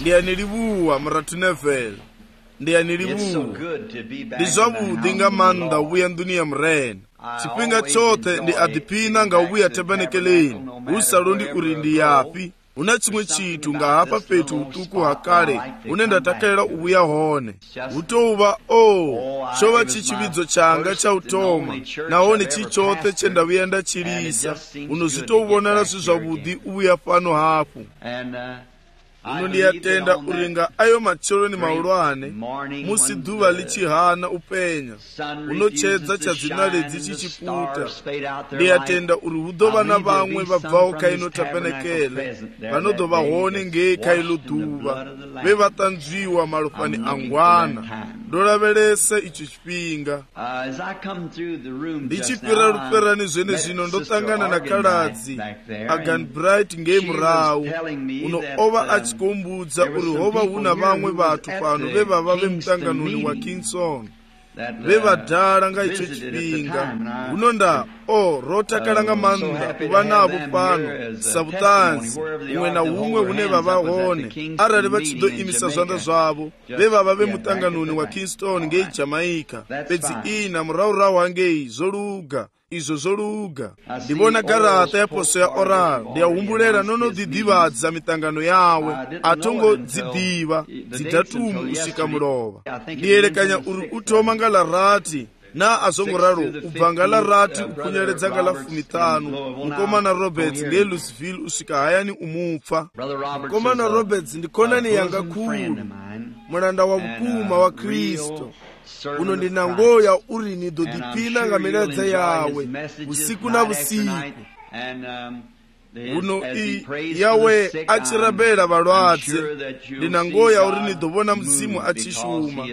ndiyanilivuwa mratu Neville ndiyanilivuwa ndi zwavudi nga maanda ubuya nduniya mrena chipinga chote ndi adipina nga ubuya tabernakeleni usalundi uri ndi yapi una chimwe chitu nga hapa petu utuku hakale unenda takalera ubuya hone utouva chova chichividzo changa cha utoma naone chichote chenda vuyenda chilisa unozitouvonera zwavudi ubuya pano hapo uno ndiyatenda uringa ayo machero ni maulwane musi duva lichihana upenya unochedza chadzina ledzi chichiputa ndiyatenda uri hudova na vamwe vabvawo kaino tabernakeleni vanodova hone ngei kailo duva vevatanzviwa malofani angwana ndolavelesa icho chipinga ndichipira ruperani zvene zvino ndotangana na kaladzi Agan Bright ngei murau uno ova achikumbudza uri hova huna vamwe vatu pano vevava vemutanganoni wa Kingston vevadhara nga icho chipinga unonda rotakala nga manda kuva navo pano sabutanzi umwe na umwe une vava hone arali vachidoimisa zvanda zvavo vevava vemutanganoni wa Kingston ngei Jamaica pedzi ina muraurau hangei zoluga izvo zoluga ndivona garata ya poso ya oral ndiyahumbulela nonodhidhivadza mitangano yawe atongodzidiva dzidhatumu usika mulova ndiyelekanya uri utoma nga larati na azongoraro ubva nga larati upfunyeledza nga la 15 mukomana Roberts nge Louisville usika hayani umupfa mukomana Roberts ndikonani yanga khulu mulanda wa vukuma wa Kristo uno ndinangoya uri nidodipina nga miladza yawe usiku na busiku uno yawe achirabela valwadze ndinangoya uri nidovona mzimu achishuma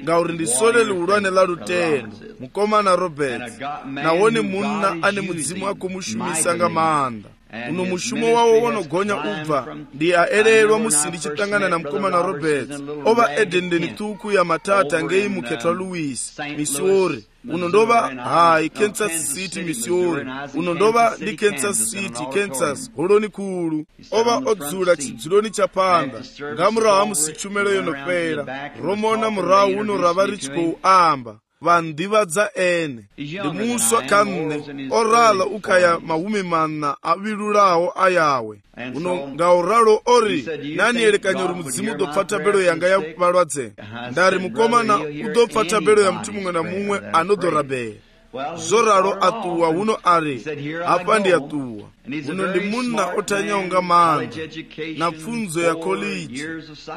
nga uri ndisolele ulwane la lutendo mukomana Roberts nawone munna ane mudzimu akumushumisa nga maanda uno mushumo wawo wonogonya ubva ndiyaelelwa musi ndichitangana na mukomana Roberts ova edendeni tuku ya matata ngei muketwa Louis Missouri uno ndova Kansas City Missouri uno ndova ndi Kansas City Kansas holoni kulu ova odzula chidzuloni chapanda ngamurawa musichumelo yonopera romona murawu uno rava richiko amba vandivadza ene ndimuswa kanne orala ukaya mahumi mana avilulawo ayawe uno ngauralo ori nani elekanya uri mudzimu udopfa tabelo yanga ya valwadze ndari mukomana udopfa tabelo ya mtu mumwe na mumwe anodorabera zoralo atuwa uno ari apa ndi atuwa uno ndi munna otanyaunga manda na pfunzo ya college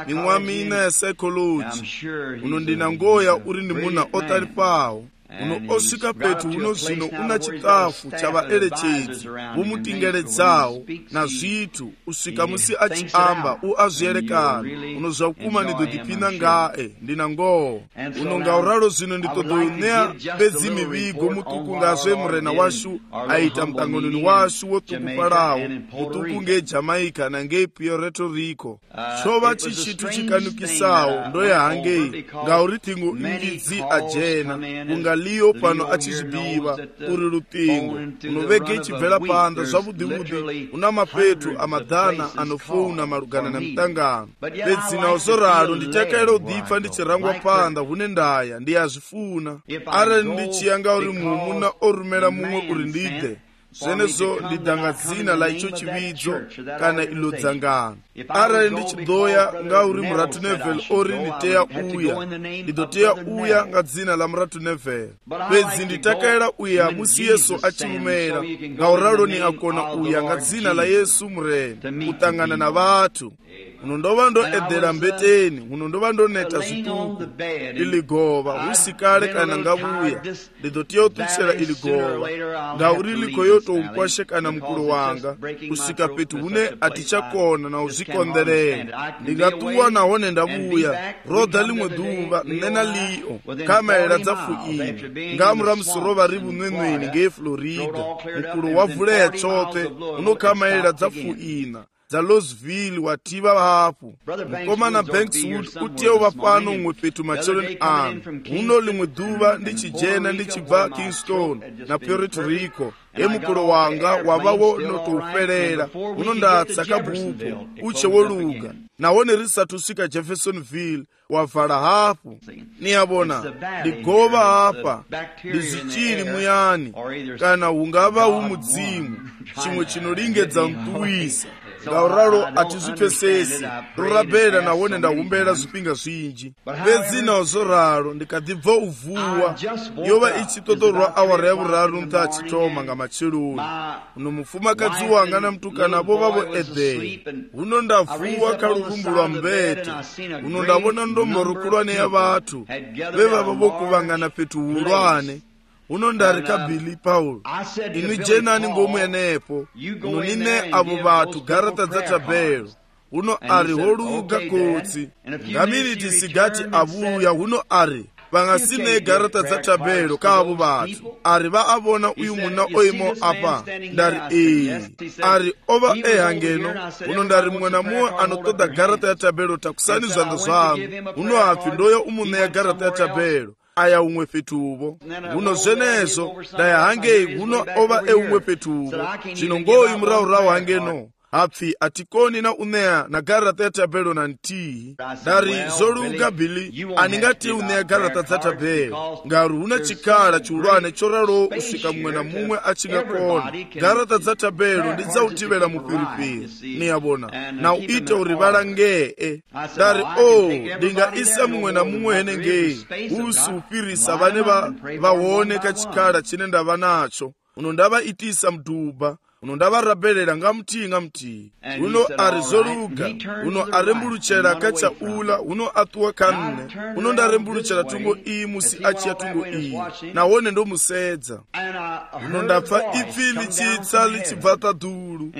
mimwamina ya psychology uno ndinangoya uri ndi munna otali pawo uno osvika petu uno zvino una chitafu chavaelechedzi vomutingeledzawo na zvitu usvika musi achiamba uazviyerekana uno zvakuma ndidodipina ngae ndinangowo uno ngauralo zvino nditodoneya bedzi mivigo mutuku ngazve murena washu aita mutanganoni washu wotuku palawo mutuku ngeJamaica nangei Puerto Rico chova chichitu chikanukisawo ndoyahangei ngauri tingo ingidzi ajena liyo pano achizvibiva uri rutingo unovege ichibvela panda zvavudhivudhi una mapetu amadhana anofona malugana namutangano pedzina osoralo nditakaira udhipfa ndichirangwa panda hune ndaya ndiyazvifuna arali ndichiyanga uri mumuna orumela mumwe uri ndide zvenezvo ndidanga dzina la icho chividzo kana ilo dzangano arali ndichidoya nga uri muratu Neville ori nditeya uya ndidoteya uya nga dzina la muratu Neville pedzi nditakaira uya musi Yesu achimumera ngauralo ni akona uya nga dzina la Yesu murena kutangana na vatu uno ndova ndoedhera mbeteni uno ndova ndoneta zvituku iligova usikale kana ngavuya ndidotiya utuchera iligova ngauri likoyoto umkwashe kana mukulu wanga usika petu hune atichakona na uzvikonderera ndingatuwa nahone ndavuya rodha limwe duva nena liyo kamaela dzafuina ngamura musorova ri vunwenweni ngei Florida mukulu wavuleya chote unokamaela dzafuina dza Louisville wativa hapo. Mukomana Bankswood utiewa pano umwe petu macheloni anu. Uno limwe duva ndichijena ndichibva Kingston na Puerto Rico. Emukolo wanga wavawo notouferera. Uno ndatsa kabupo uche woluga. Nawone risatusika Jeffersonville wavala hapo. Niyabona ligova hapa lizichiri muyani kana ungava umudzimu chimwe chinolingedza mtuwisa. Ngauralo atizipesesi rurabela nawone ndahumbela zipinga zwinji vezina ozoralo ndikadibva uvuwa yova ichitotorwa awara yavuraru mtachitoma nga macheloni. Uno mufumakazi wanga na mtukana vavo Edhei. Uno ndavuwa kaluvumbulwa mbete. Uno ndabona ndomborukulwane ya vatu veva vavokuvangana petu ulwane. Uno ndarika Billy Paul inu jenani ngomwenepo. Uno nine abo batu garata za tabelo. Uno ari holuga kotsi ngamiriti sigati abuya. Uno ari vangasine garata za tabelo kabo batu ari vaavona uyu muna oimo apa ndari ari ova ehangeno. Uno ndari mwana muwe anotoda garata ya tabelo takusani zvangu zvangu. Uno hafi ndoyo umune ya garata ya tabelo aya umwe petuvo. Uno zenezo daya hangei uno ova umwe petuvo chinongoyi muraurau hangeno hapfi atikoni na unea na garata ya tabelo na ntii dari zoluga Billy aningati unea garata za tabelo ngaru una chikala chulwane choralo usika mwana mumwe achingakona garata za tabelo ndiza utivela mupiripiri niyabona na uite urivala ngee dari dinga isa mwana mumwe hene ngee usi upirisa vane vawone kachikala chine ndava nacho. Uno ndava itisa mduba. Uno ndava rabelela nga mti. Uno arizoluga. Uno arembuluchela kacha ula. Uno atuwa kanne. Uno ndarembuluchela tungo musi achia tungo na wone ndo musedza. Uno ndapfa ipfili chitsa lichibvata dulu.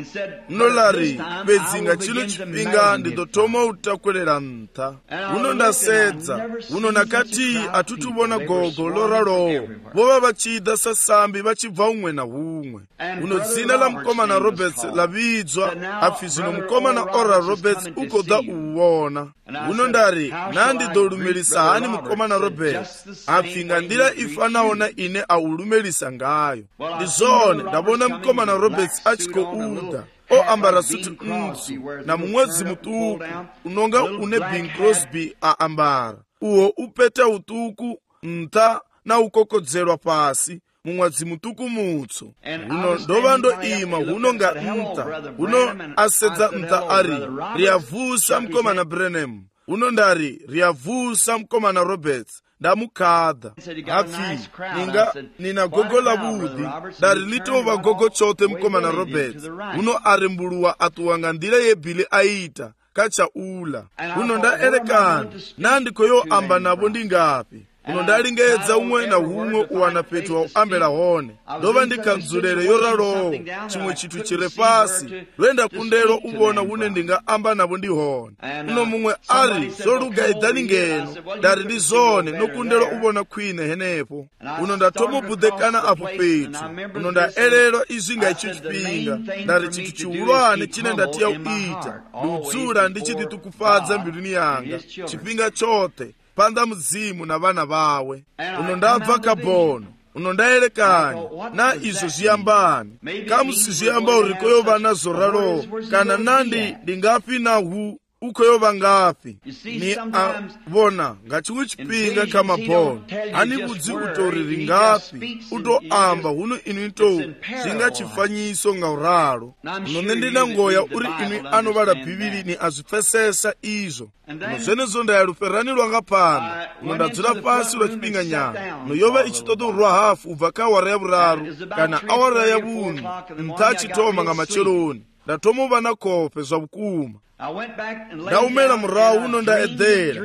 Uno lari bezinga chilo chipinga ndidotoma utakwelera nta. Uno ndasedza. Uno nakati atutubona gogo loralo. Vova vachida sasambi vachibva umwe na umwe. Uno zina la mkomana Roberts lavidzwa apfi zino mkomana Oral Roberts ukoda uwona. Uno ndari nandi dolumelisa hani mkomana Roberts apfi ngandira ifanaona ine aulumelisa ngayo. Ndizone ndabona mkomana Roberts achiko uda ambara sutu nzu na mumwezi mutuku unonga une Bing Crosby ambara uo upeta utuku nta na ukokodzerwa pasi mumwazi mutuku mutso. Uno ndova ndo ima uno nga nta uno asedza nta ari riavusa mkomana Branham. Uno ndari riavusa mkomana Roberts ndamukadha hafi nina gogo la budi dari litova gogo chote mkomana Roberts. Uno arembuluwa atuwanga ndila ye Billy aita kacha ula. Uno ndaelekana nandikoyo amba nabo ndingapi. Uno ndalingedza umwe na umwe uwana petu wa ambela hone. Ndova ndikanzulele yoralo chimwe chitu chile pasi lwenda kundelo ubona une ndinga amba nabo ndi hone. Uno mumwe ari zoluga idani ngeno dari ndi zone no kundelo ubona kwine henepo. Uno ndatomo budekana apo petu. Uno ndaelelo izinga ichipinga dari chitu chiulwane chine ndatia uita ludzula ndichiti tukufadza mbiluni yanga chipinga chote panda mzimu na vana vawe. Uno ndabva kabono. Uno ndaelekanya na izo ziyambani kamusi ziyamba urikoyo vana zoralo kana nandi ndingapi na hu ukoyova ngapi ni vona ngachimwe chipinga kama bono ani budzi utoriri ngapi utoamba uno inu ito zingachifanyiso ngauralo. Uno ndina ngoya uri inu anovala bhibili ni azipfesesa izo. Uno zenezo ndayaluferani lwanga pano. Uno ndadzula pasi lwa chipinga nyama. Uno yova ichitoto urwa hafu ubva kawara ya vuraru kana awara ya vunu ntachitoma nga macheloni ndatomo vana kope zwa vukuma. Ndaumela murau uno ndaedhera.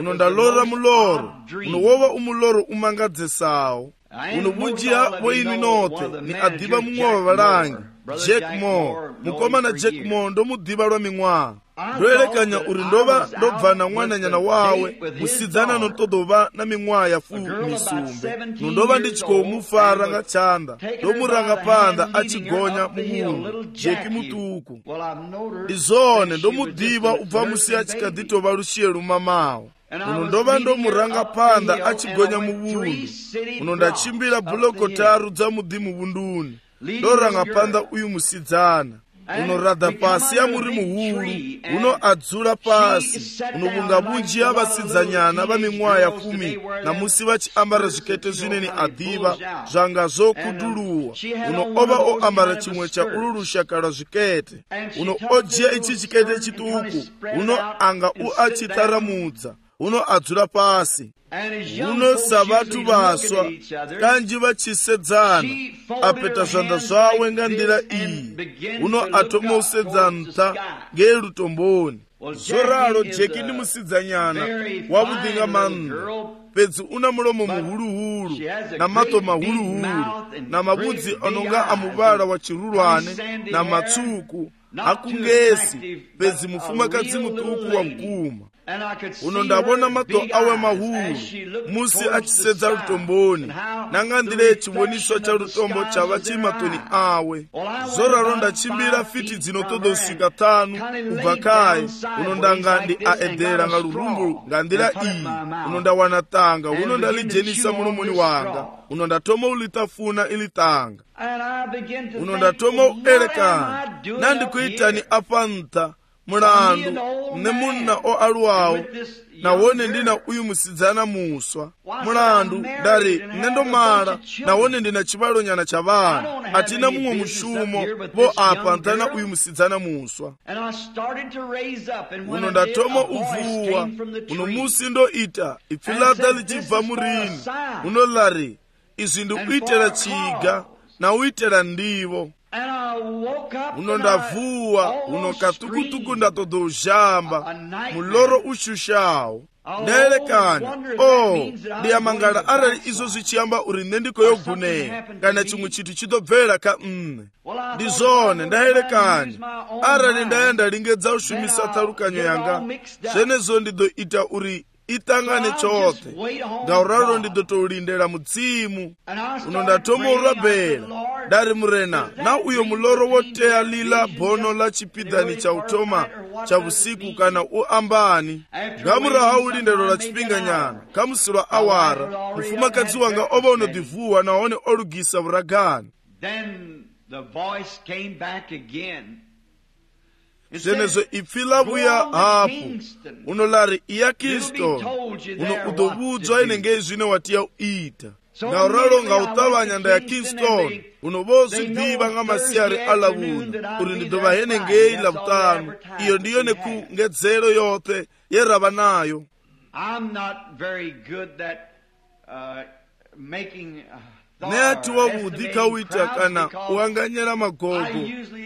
Uno ndalora muloro. Uno wova umuloro umangadzesawo. Uno bunjia woinu note ni adiva mumwe wa valangi Jack Moore. Mukomana Jack Moore ndo mudiva lwa ming'wa. ndoelekanya uri ndova ndobvana mwananyana wawe musidzana notodova na mimwaha ya 17 nondova ndichikomufara nga chanda ndomuranga panda achigonya mumunhu Jeki mutuku ndizone ndomudiva ubva musi achikadhitova rushiye rumamawo uno ndova ndomuranga panda achigonya muvundu uno ndachimbira bhuloko 3 dzamudhi muvunduni ndoranga panda uyu musidzana unoradha pasi yamuri muhuru uno adzura pasi unobunga bunji yavasidzanyana vamimwaha ya 10 namusi vachiambara zvikete zvineni adhiva zvanga zvokuduluwa uno ova oambara chimwe chaururusha zvikete uno ojiya ichi chikete chituku uno anga uachitaramudza uno adzura pasi uno savatu vaswa kanji vachisedzana apeta zvanda zvawe nga ndira iyi uno atomosedzanta ngerutomboni zoralo Jeki ndi musidzanyana wavudhinga manno pedzi una mulomo muhuluhulu na mato mahuluhulu na mabudzi anonga amuvara wa chirulwane na matsuku akungesi pedzi mufumakadzi mutuku wa mkuma uno ndabona mato awe mahulu musi achisedza rutomboni nanga ndire chiwoniswa cha rutombo chava chimatoni awe zoralo ndachimbira fiti dzinotodosvika 5 kubva kai uno ndanga ndi aedhera nga rurumbu nga ndira iyi uno ndawana tanga uno ndalijenisa mulomoni wanga uno ndatoma ulitafuna ili tanga uno ndatoma uelekana nandikuitani apanta mulandu nemunna oaluwawo nawone ndina uyu musidzana muswa mulandu ndari nendomala nawone ndina chivalo nyana cha vana atina mumwe mushumo vo apa ntana uyu musidzana muswa uno ndatoma uvuwa uno musi ndoita ipfilata lichibva murini uno lari izvi ndikuitera chiga na uitera ndivo uno ndavuwa uno katukutuku ndatodozhamba muloro ushushawo ndaelekanya ndiyamangala arali izo zvichiyamba uri nendikoyoguneya kana chimwe chinthu chitobvera ka ndizone ndaelekanya arali ndaya ndalingedza ushumisa tsarukanyo yanga zvenezo ndidoita uri itangane chote ngauralo ndidotolindela mudzimu uno ndatoma urabhela dari murena na uyo muloro woteya lila bhono la chipidhani cha utoma cha usiku kana uambani ngamuraha ulindelo la chipinganyana kamusirwa awara mufumakadzi wanga ova unodivuwa naone olugisa uragani zenezo ipfila vuya hapo uno lari iya Kristo uno udovudzwa inenge zvine watiya uita ngauralo ngautavanya nda ya Kingston uno vozi bhiva nga masiyari alavuna uri ndidova henengei lavutanu iyo ndiyo neku ngedzero yote yerava nayo. Neati wavudhi kauita kana uanganyera magogo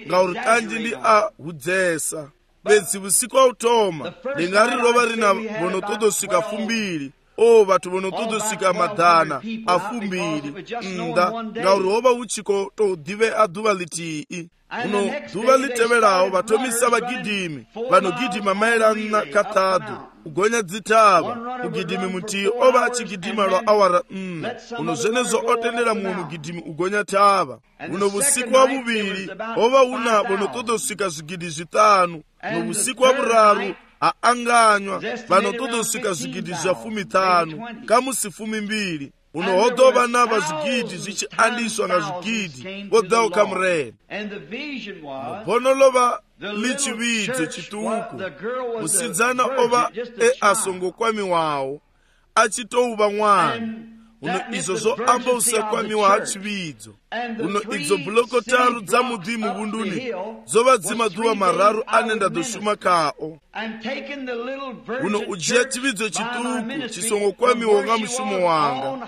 ngauri kanji ndi ahudzesa bedzi usiku automa ndingari rova rina vonotodosvika 2 vatu vonotodosvika madhana a 2 nda ngauri hova uchiko todhive adhuva litii uno dhuva liteverawo vatomisa vagidhimi vanogidhima maerana katatu kugonya dzitava mugidhimi mutii ova achigidhima lwa awara 4 uno zvenezo otendera mumwe mugidhimi ugonya tava uno vusiku wa vuviri ova una vonotodosvika zvigidhi 5 uno vusiku wa vuraru aanganywa vanotodosvika zvigidhi zva 15 kamusi 12 unohodhova nava zvigidhi zvichiandiswa nga zvigidhi vodhawo kamureni bonolova lichividzo chituku musidzana ova asongokwamiwawo achitouva mwana uno izo zoamba usakwamiwa hachividzo uno idzo bhuloko 3 dzamudhi muvunduni zova dzimadhuva mararu anenda doshuma kao uno ujiya chividzo chituku chisongokwamiwa nga mushumo wanga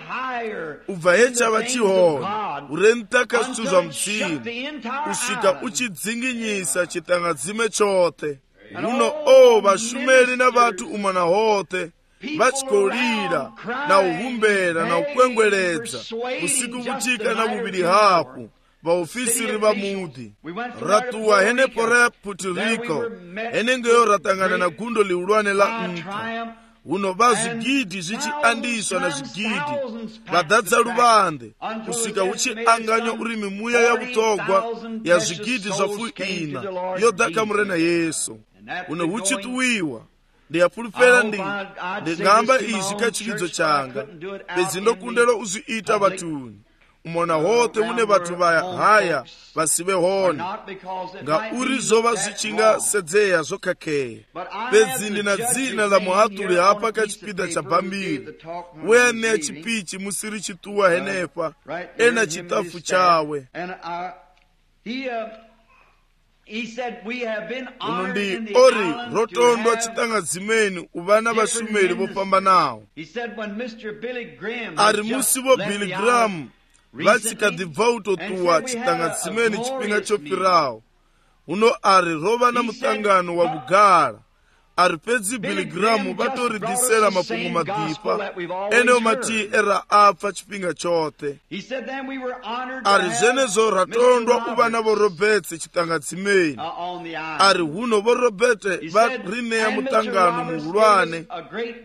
ubva hechava chihona urentaka zvitu zva mudzini usvika uchidzinginyisa chitangadzime chote uno vashumeri na vatu umana hote vachikolira na uhumbera na ukwengweredza usiku kuchika na vuviri hapo vaofisiri va mudhi. Ratuwa henepo ra Puerto Rico, henengeyo ratangana na gundo liulwane la nka. Uno va zwigidi zvichiandiswa na zwigidi vadadza luvande kusvika uchianganywa uri mimuya ya vutogwa ya zwigidi zvafu ina yodhaka murena Yesu. Uno huchituwiwa ndiyapulupera ndingamba izvi kachikidzo changa bedzi ndokundela uzviita vatuni umona hote une vatu vaya haya vasive hone ngauri zova zvichingasedzeya zvokakeya bedzi ndina dzina la muhatuli hapa kachipida cha bhambiri uye ne chipichi musiri chituwa henepa ena chitafu chawe. Unondi ori rotondwa chitangadzimeni uvana vashumeri vopambanawo. Ari musi vo Billy Graham vachikadhibva utotuwa chitangadzimeni chipinga chopirawo. Uno ari rova na mutangano wa Bugara. Ari pedzi Billy Graham vatoridhisera mapungu madhipa ene umati era apfa chipinga chote. Ari zvenezo ratondwa uvana vo Roberts chitangadzimeni. Ari huno vo Robert varineya mutangano muhulwane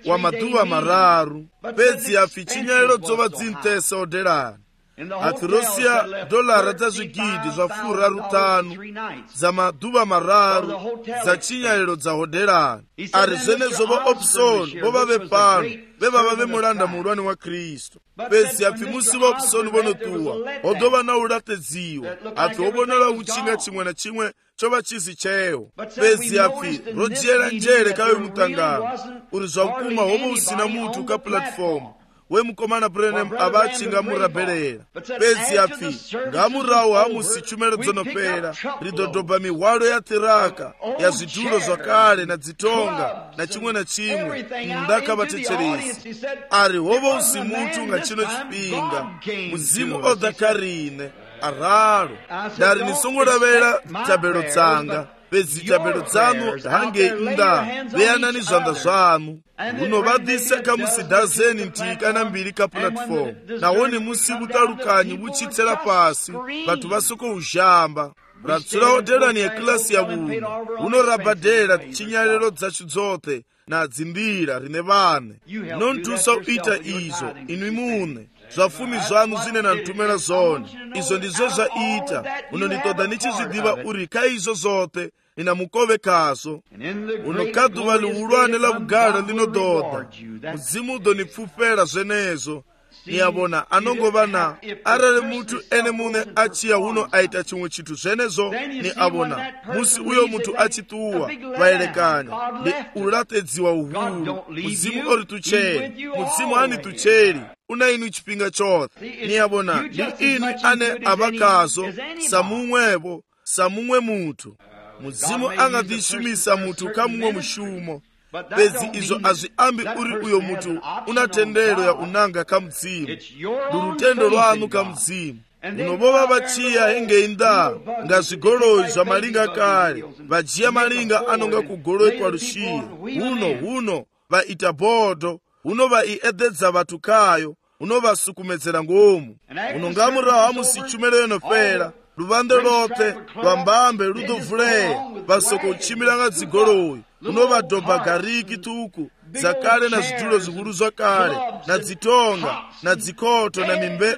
wa madhuva mararu pedzi afi chinyaliro dzova dzintese odelani. Ati Russia dolara dza zwigidi zva fura rutanu za madhuva mararu za chinyaliro dza hodelani. Ari zvenezo vo Opson vo vave pano veva vave mulanda muhulwane wa Kristu. Pedzi afi musi vo Opson vonotuwa hodova na ulatedziwa afi hobonela uchinga chimwe na chimwe chova chisi chewo. Pedzi afi rodyera njere kawe mutangano uri zvakuma hovo usina mutu ka platform wemukomana Branham avachinga murabherera. Pedzi afi ngamurawo hamusi chumero dzonopera ridhodhobha mihwalo ya tiraka ya zvitulo zvakare na dzitonga na chimwe na chimwe ndakavatecheresi. Ari hovo usi mutu ngachino chipinga muzimu odhakarine araro dari nisongoravera tabelo dzanga pedzi tabelo dzanu hange inda veyanani zvanda zvanu unovadhiseka musi dazeni ntika na mbiri ka platform nawoni musi vutalukanyi vuchitsela pasi vatu vasoko uzhamba ratsura hodelani yeklasi ya vunhu unorabhadhera chinyaliro dzacho dzote na dzimbira rine vane nontusa uita izo inwi mune zvafumi zvanu zvine nantumera zvone izvo ndizvo zvaita unonditoda nichizvidiva uri kaizvo zote ina mukove kazo unokadhuva liulwane la Bugara linododha muzimu udonipfupera zvenezo niyavona anongovana arare mutu ene mune achiya uno aita chimwe chitu zvenezo ni avona musi uyo mutu achituwa vaelekanya ni ulatedziwa uhuru muzimu ori tucheri muzimu hani tucheri una inu chipinga chote niyavona ni inu ane avakazo samumwevo samumwe mutu muzimu angadhishumisa mutu kamumwe mushumo pedzi izvo azviambi uri uyo mutu una tendero ya unanga kamudzimu durutendo rwanu kamudzimu unovova vachiya henge inda ngazvigoroi zvamalinga kare vajiya malinga anonga kugoroi kwarushire huno vaita bhodho huno vaiedhedza vatu kayo unovasukumedzera ngomu unongamurawo hamusi chumero yenopera luvande lote vambambe ludovhuleya vasoko uchimilanga dzigoroi unovadhobha gariki tuku dzakale na zvitulo zvikuru zvakare na dzitonga na dzikoto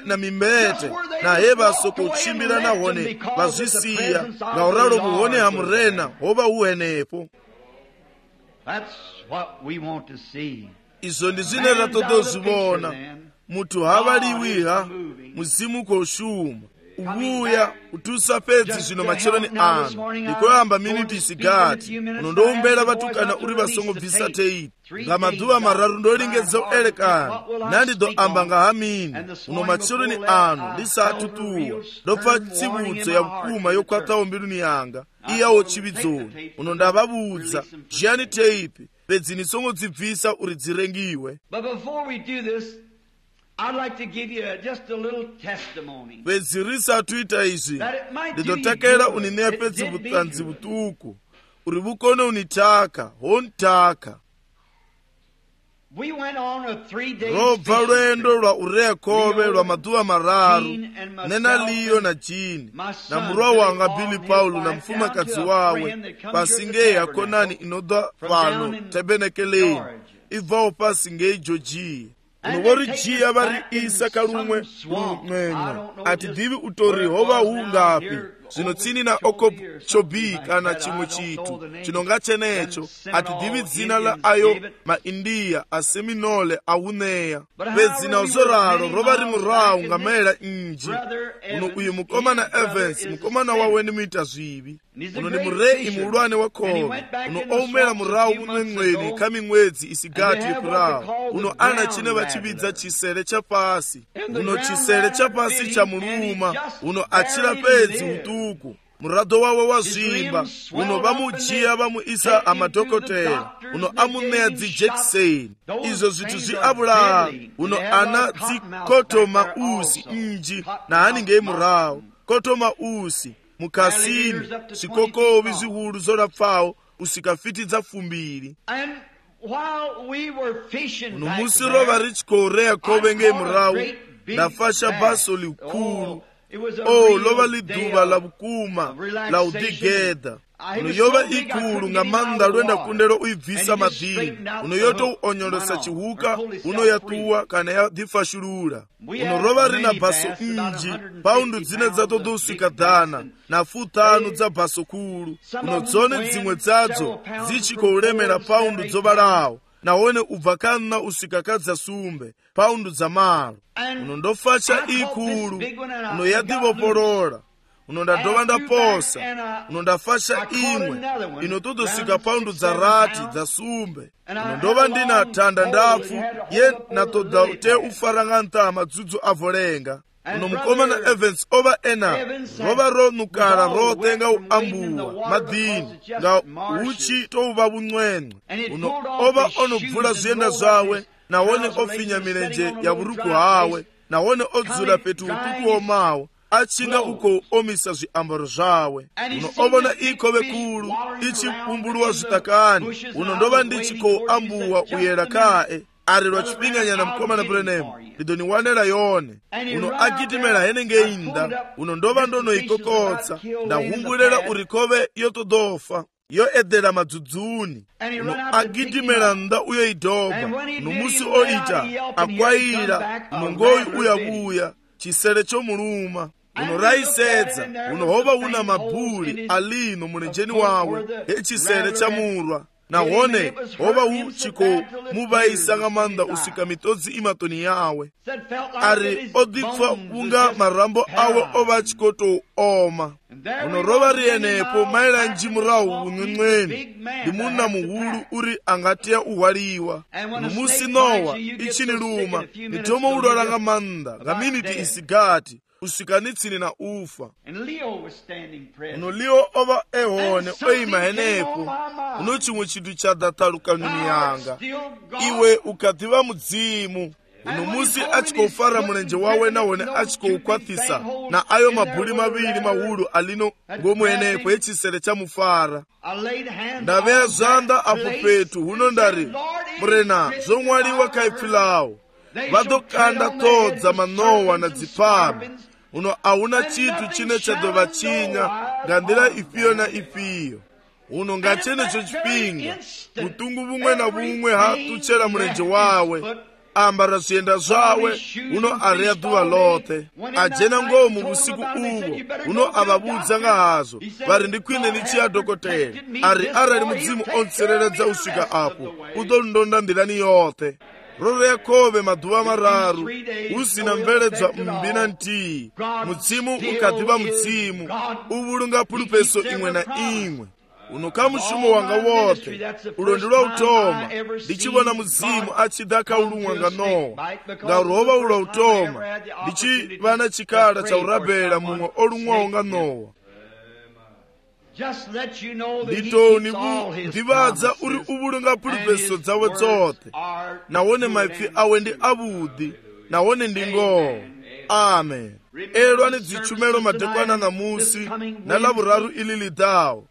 na mimbete nahe vasoko uchimbira na hone vazvisiya ngauralo muhone hamurena hova uhenepo. Izvo ndizvine ratodozvivona mutu havaliwiha muzimu koshuma ubuya utusa pedzi zvino macheloni ano ndikoyamba miniti isigati unondoumbera vatukana uri vasongobvisa teiti ngamadhuva mararu ndolingedza uelekana nandidoamba ngahamini uno macheloni ano ndisatutuwa ndopfa tsivudzo ya vukuma yokwatawo mbiluni yanga iyawo chividzoni uno ndavavudza zhiyani teipi pedzi nisongodzibvisa uri dzirengiwe. I'd like to give you just a little testimony. Pedzi risatuita izvi ndidotakera unineya pedzi vutanzi vutuku uri vukone unitaka hontaka. We went on a 3-day robva lwendo lwa urea khove lwa maduva mararu, nena liyo na Jini na murwa wanga Billy Paulo na mfumakazi wawe pasingei akonani inodwa pano tebenekeleni ibvawo pasingei Georgia. Unogori jiya vari isa kalumwe lumwenga ati divi utori hova ungapi zvino tsini na Okeechobee kana chimwe chitu chinonga chenecho ati divi dzina la ayo maindiya aseminole auneya pedzina uzoraro rova ri murawu ngamela inji. Uno uyu mukomana Evans mukomana wawe ni mita zvivi, uno ni murei muulwane wa khove, uno oumela murawu mumwemweni kamimwedzi isigati yekurawu. Uno ana chine vachividza chisere chapasi, uno chisere chapasi cha muluma, uno achira pedzi utuku murado wawe wazvimba, uno vamujiya vamuisa amadhokotera, uno amuneya dzijekiseni. Izvo zvithu zviabulaya. Uno ana dzikotoma usi inji na haningei murawu kotoma usi mukasini zvikokovi zvihuru zorapfawo usikafitidza fumbiri. Uno musi rova richikorea khove ngei murawu ndafasha bhaso likulu. Lova liduva la vukuma la udigedha. Uno yova ikulu nga manda lwenda kundelo uibvisa madini. Uno yoto uonyolosa chihuka uno yatuwa kana yadifashulula. Uno rova rina bhaso inji paundu dzine dzatodo usikadhana na 5 dza bhaso kulu. Uno dzone dzimwe dzadzo dzichikoulemera paundu dzovalawo nawone ubva kana usikakadza sumbe paundu dza malo. Uno ndofacha ikulu uno yadivopolola. Uno ndadova ndaposa uno ndafacha imwe inotodosika paundu dza rati dza sumbe. Uno ndova ndina thanda ndafu ye natoda te ufaranga ntama dzudzu avolenga. Uno mukomana Evans ova ena rova ronukala rotenga uambuwa madini nga uchi touva buncwencwe. Uno ova onobvula zvienda zvawe nawone ofinya milenje ya buruku hawe nawone odzula petu utuku omawo achinga uko omisa zviambaro zvawe. Uno ovona ikhove kulu ichipumbuluwa zvitakani. Uno ndova ndichikoambuwa uyera kae ari lwachipinganyana mukomana Branham lidoniwanela yone. Uno agitimela henenge inda. Uno ndova ndonoikokotsa ndahumbulela uri khove yotodofa yoedhela madzudzuni. Uno agitimela nda uyo idoba. Uno musi oita akwayira uno ngoyi uyabuya chisere chomuluma. Uno raisedza uno hova una mabuli alino mulenjeni wawe echisere chamurwa nawone hova uchiko muvaisa ngamanda usika mitodzi imatoni yawe ari odipfa unga marambo awe ova chikoto oma. Uno rova rienepo maila njimurawu unwenweni limuna muhulu uri angatiya uhwaliwa. Uno musi Nowa ichini luma nitomo ulola ngamanda ngaminiti isigati usikanitsini na ufa. Uno Leo ova ehone oima henepo uno chimwe chitu chadataluka nuni yanga iwe ukativa mudzimu. Uno musi achikoufara mulenje wawe nawone achikoukwatisa na ayo mabuli mavili mahulu alino ngomwenepo echisere chamufara. Ndaveya zanda apo petu huno ndari murena zomwaliwa kaipfilawo vadokanda todza manowa na dzipame. Uno auna chitu chine chadova chinya ngandira ifiyo na ifiyo. Uno ngachenecho chipinga mutungu bumwe na bumwe hatuchera mulenje wawe ambara zvienda zvawe. Uno areya duva lote ajena ngomu busiku uvo. Uno avabudza ngahazo vari ndikwine nichiya dhokotera ari arali mudzimu ontsereredza usvika apo udondonda ndirani yote. Rore khove maduva mararu usina mveledzwa mbina ntii. Mudzimu ukadiva mudzimu uvulunga pulupeso imwe na imwe. Uno kamushumo wanga wote ulondilwa utoma ndichivona mudzimu achidaka ulumwa nga Nowa ngaurova ulwa utoma ndichivana chikala cha urabela mumwe olumwawo nga Nowa. Nditoni ndivadza uri uvulunga pulupeso dzawe dzote nawone maipfi awe ndi avudi nawone ndi ngoho. Amen. Elwani dzichumelo madekwana na musi na lavuraru ili lidawo.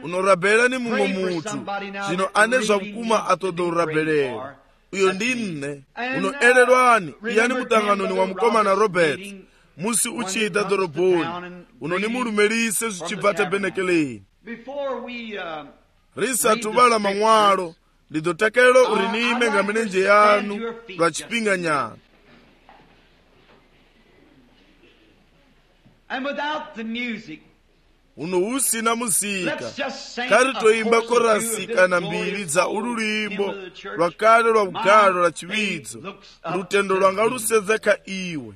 Unorabela ni mumwe mutu zino ane zvavukuma atodo urabelela. uyo ndi nne uno ererwani iyani mutanganoni wa mkomana Robert musi uchita doroboni uno ni mulumelise zichibva tabenekeleni risa tubala mang'walo lidotakelo urinime nga menenje yanu lwa chipinga nyana. And without the music, uno usina musika kari toimba korasi kana mbiri za ululimbo lwakale lwa bugalo lwa chiwidzo lutendo lwanga lusezeka iwe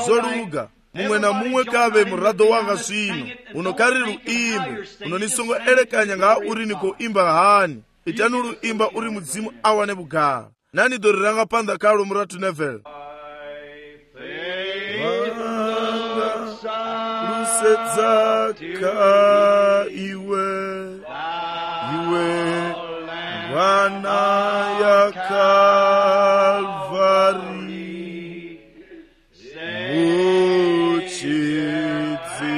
zoluga mumwe na mumwe kabe murado wanga zwino uno kari luimbe uno nisongo elekanya nga uri niko imba hani itanu luimba uri mudzimu awane bugalo nani doriranga panda kalo muratu nevel Sezaka iwe wana ya Kalvari muchidzi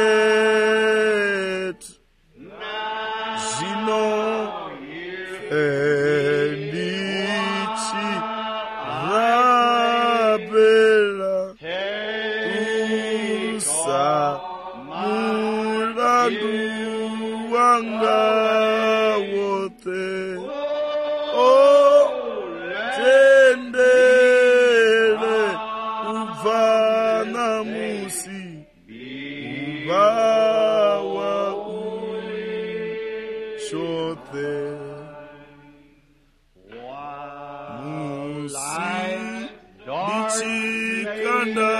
moket zino endichi rabela mulandu wanga wote tendele uvana musi uvawa ushote musi lichikanda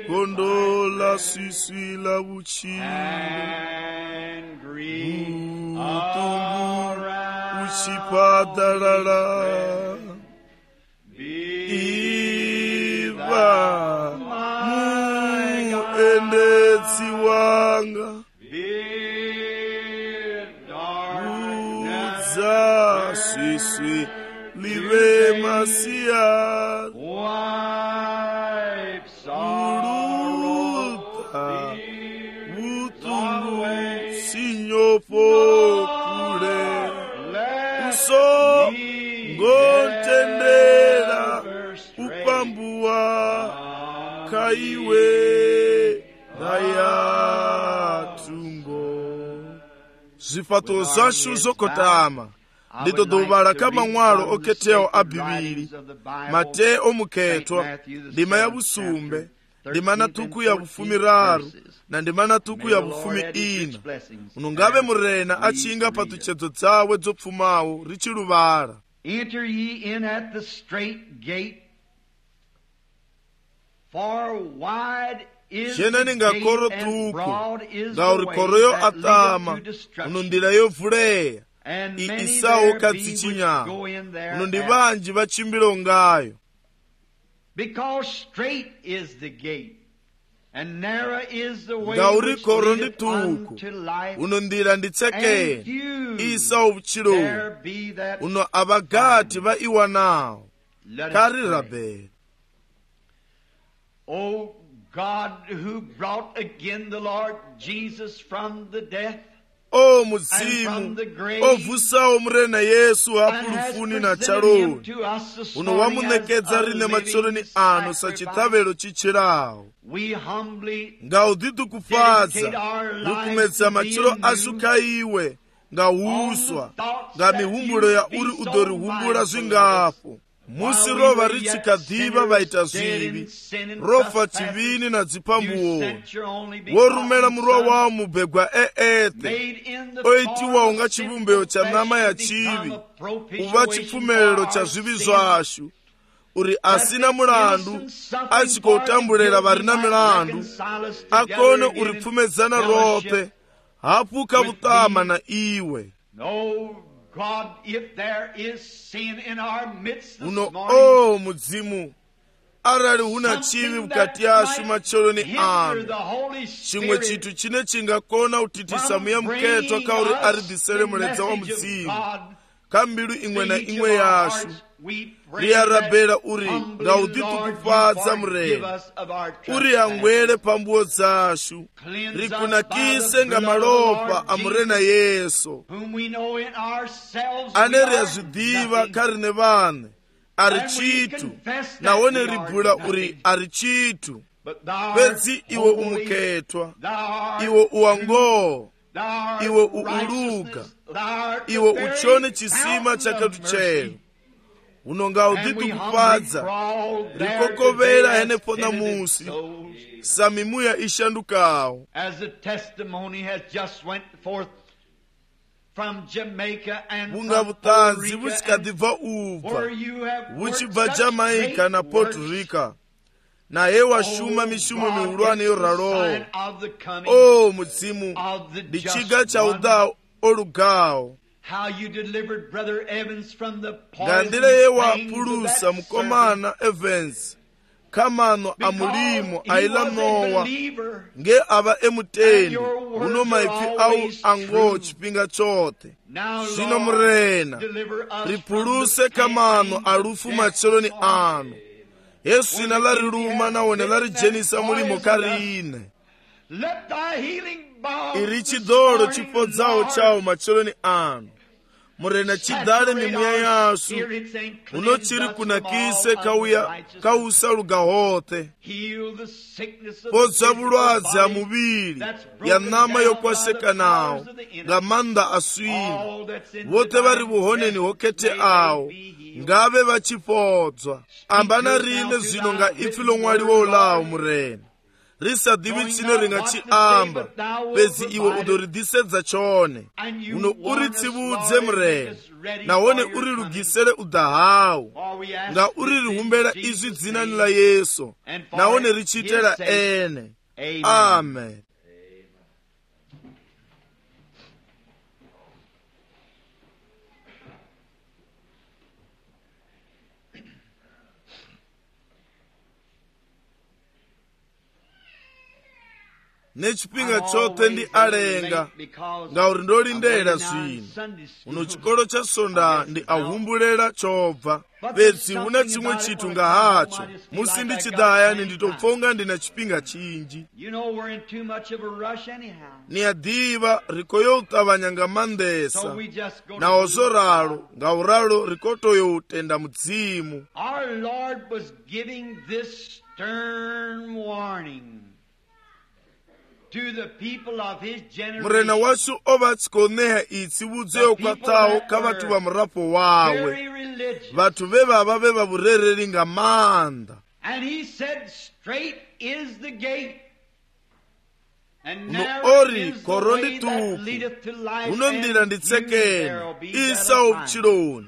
gondola sisi la uchi utungu uchipadalala iva muendetsi wanga udza sisi live masia pokule uso ngontendera upambua kaiwe nayatungo zifato zashu zokotama ndidodobala kama ng'walo oketeo abibiri mate omuketwa ndima ya busumbe ndima na tuku ya bufumi raru na ndima na tuku ya bufumi ina unungabe murena achinga patuchezo tsawe dzopfumawo richiluvara. Enter ye in at the straight gate, for wide is the gate and broad is the way that leadeth to destruction, unundira yovuleya and many isawo there be which katsichinyama go in there unundi banji bachimbilo ngayo. Because straight is the gate, and narrow is the way Gauri which koro leadeth ndituku unto life, unundira nditseke and few isa ubuchilo there be that uno abagati ba iwanawo let us kari pray. rabe. O God, who brought again the Lord Jesus from the death, O and from muzimu the grave, ovusawo murena Yesu and has apulufuni na presented him chaloni to us this uno morning as wamunekedza a rine living matsoloni ano sacrifice, sachitavelo chichirawo we humbly ngaudhitu kupadza dedicate our lives rukumedza to machiro thee anew, asuka iwe ngauswa nga mihumbulo ya uri udorihumbula zwingapo musi rova richikadhiva vaita zvivi rofa chivini na dzipambuwo worumela murwa wawo mubhegwa eete oitiwa unga chivumbeo cha nama ya chivi uva chipfumelelo cha zvivi zvashu uri asina mulandu achikoutambulera varina milandu akone uri pfumedzana rope hapuka vutama na iwe. God, if there is sin in our midst this uno morning, mudzimu arali huna chivi mukati yashu macholoni ano chimwe chitu chine chingakona utitisa muya muketwa kauri aridhisere muledza wa mudzimu kha mbilu imwe na imwe yashu ri arabela uri nga u ḓiṱungufhadza murena uri angwele phambuo dzashu ri kunakise nga malofha a murena Yesu ane ri a zwi ḓivha kha riṋe vhaṋe a ri tshithu nahone ri bula uri a ri tshithu fhedzi iwe u mukhethwa, iwe u wa ngoho, iwe u uluga, iwe u tshone tshisima tsha khathutshelo. Uno nga u ḓiṱungufhadza ri kokovhela henefho ṋamusi sa mimuya i shandukaho. Vhunga vhuṱanzi vhu tshi kha ḓi bva u bva vhu tshi bva Jamaica na Puerto Rico, na he wa shuma mishumo mihulwane yo raloho. O Mudzimu, ndi tshiga tsha u ḓa o lugaho. Nga nḓila ye wa pulusa mukomana Evans kha maṋo a mulimo a iḽa Nowa nge a vha e mutendi, huno maipfi au a ngoho tshifhinga tshoṱhe. Zwino murena, ri puluse kha maṋo a lufu matsheloni ano, he swina ḽa ri luma nahone ḽa ri dzhenisa mulimo kha riṋe. I ri tshiḓolo tshi fhodzaho tshawo matsheloni ano, murena tshidale mimuya yashu, huno tshi ri kunakise kha u sa luga hoṱhe. Fhodza vhulwadze ha muvhili ya ṋama yo kwashekanaho nga maanḓa a swina. Vhoṱhe vha ri vhuhoneni ho khetheaho ngavhe vha tshi fhodzwa. Amba na riṋe zwino nga ipfi ḽo ṅwaliwaho ḽaho murena, ri sa ḓivhi tshine ri nga tshi amba, fhedzi iwe u ḓo ri ḓisedza tshone. Uno uri tsivhudze murena, nahone uri lugisele u ḓa hawu, nga uri ri humbela izwi dzinani ḽa Yesu, nahone ri tshi itela ene. Amen. Nechipinga chote ndi alenga ngauri ndo lindela zwino. Uno chikolo cha Sonda ndi ahumbulela chobva, fhedzi huna chimwe chithu nga hacho musi ndi tshi ḓa hayani ndi tou pfa unga ndi na tshifhinga tshinzhi. Ni a ḓivha ri khou yo u ṱavhanya nga maanḓesa, naho zwo ralo ngauralo ri khou tou yo u tenda Mudzimu. Our Lord was giving this stern warning to the people of his generation. Murena washu o vha tshi khou ṋea i tsivhudzo yo khwaṱhaho kha vhathu vha murafho wawe, vhathu vhe vha vha vhe vha vhurereli nga maanḓa. And he said, straight is the gate, and no narrow ori is the koroni way that tuku, leadeth to life, uno ndila and ndi few there tsekene will be isa that will find. vhutshiloni,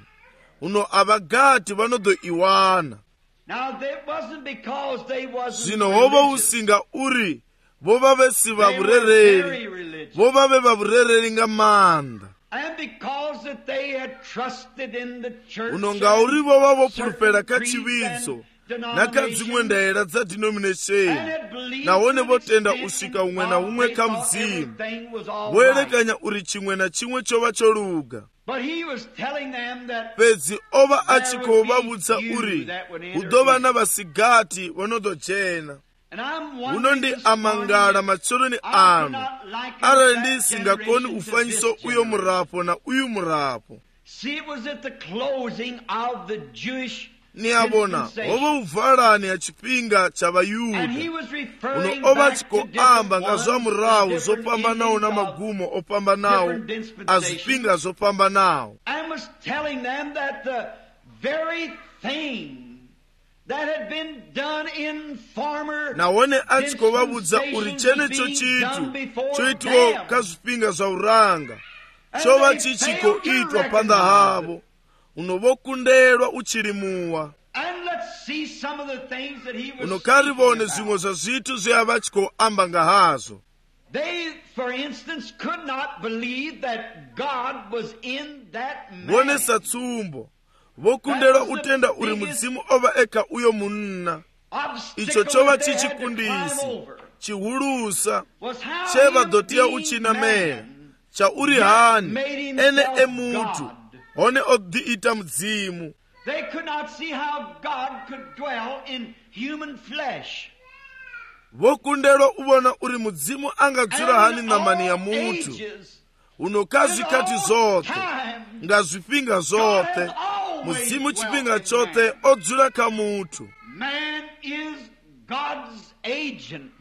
uno avagati vano ḓo iwana. Now that wasn't because they wasn't Zwino ho vha hu religious. si nga uri vho vha vhe si vha They were very vhurereli, religious. vho vha vhe vha vhurereli nga maanḓa. And because that they had trusted in the church, Uno ngauri vho vha vho certain pfulufhela kha creeds tshivhidzo and na kha dziṅwe ndaela dza and denomination, had believed nahone to vho an tenda extent u swika huṅwe na of huṅwe they kha thought Mudzimu, everything was all vho right. elekanya uri tshiṅwe na tshiṅwe tsho vha tsho luga. But he was telling them that Fhedzi o vha a tshi khou vha vhudza uri hu ḓo vha na vhasigati vho no ḓo dzhena. and I'm Huno wondering ndi this a morning mangala if matsheloni I could ano, not liken arali that ndi si nga koni generation u to fanyisa this uyo generation. murafho na uyu murafho. See, it was at the closing of the Jewish Ni a vhona ho dispensation. vha u valani ha tshifhinga tsha And he Vhayuda. was referring Uno o vha back tshi to khou different amba nga ones, zwa murahu zwo different fhambanaho na endings of magumo o fhambanaho different a dispensations. zwifhinga zwo fhambanaho. and was telling them that the very thing that had been done in former Nahone a tshi khou vha vhudza uri tshenetsho tshithu tsho itiwaho kha zwifhinga zwa uranga tsho vha tshi tshi khou itwa phanḓa havho. Uno vho kundelwa u tshilimuwa. And let's see some of the things that he was Uno kha ri speaking vhone about. zwiṅwe zwa zwithu zwe a vha tshi khou amba nga hazwo. They, for instance, could not believe that God was in that man. Vhone sa tsumbo vho kundelwa u tenda uri Mudzimu o vha e kha uyo munna. Icho tsho vha tshi tshikundisi tshihulusa tshe vha ḓo tea u tshi namela, tsha uri hani ene e muthu one odhiita mzimu. They could not see how God could dwell in human flesh. Vokundelo uvona uri mudzimu angadzura hani namani ya mutu. Unokazi kati zote, nga zwipinga zote, mudzimu chipinga chote odzura ka mutu. Man is God's agent.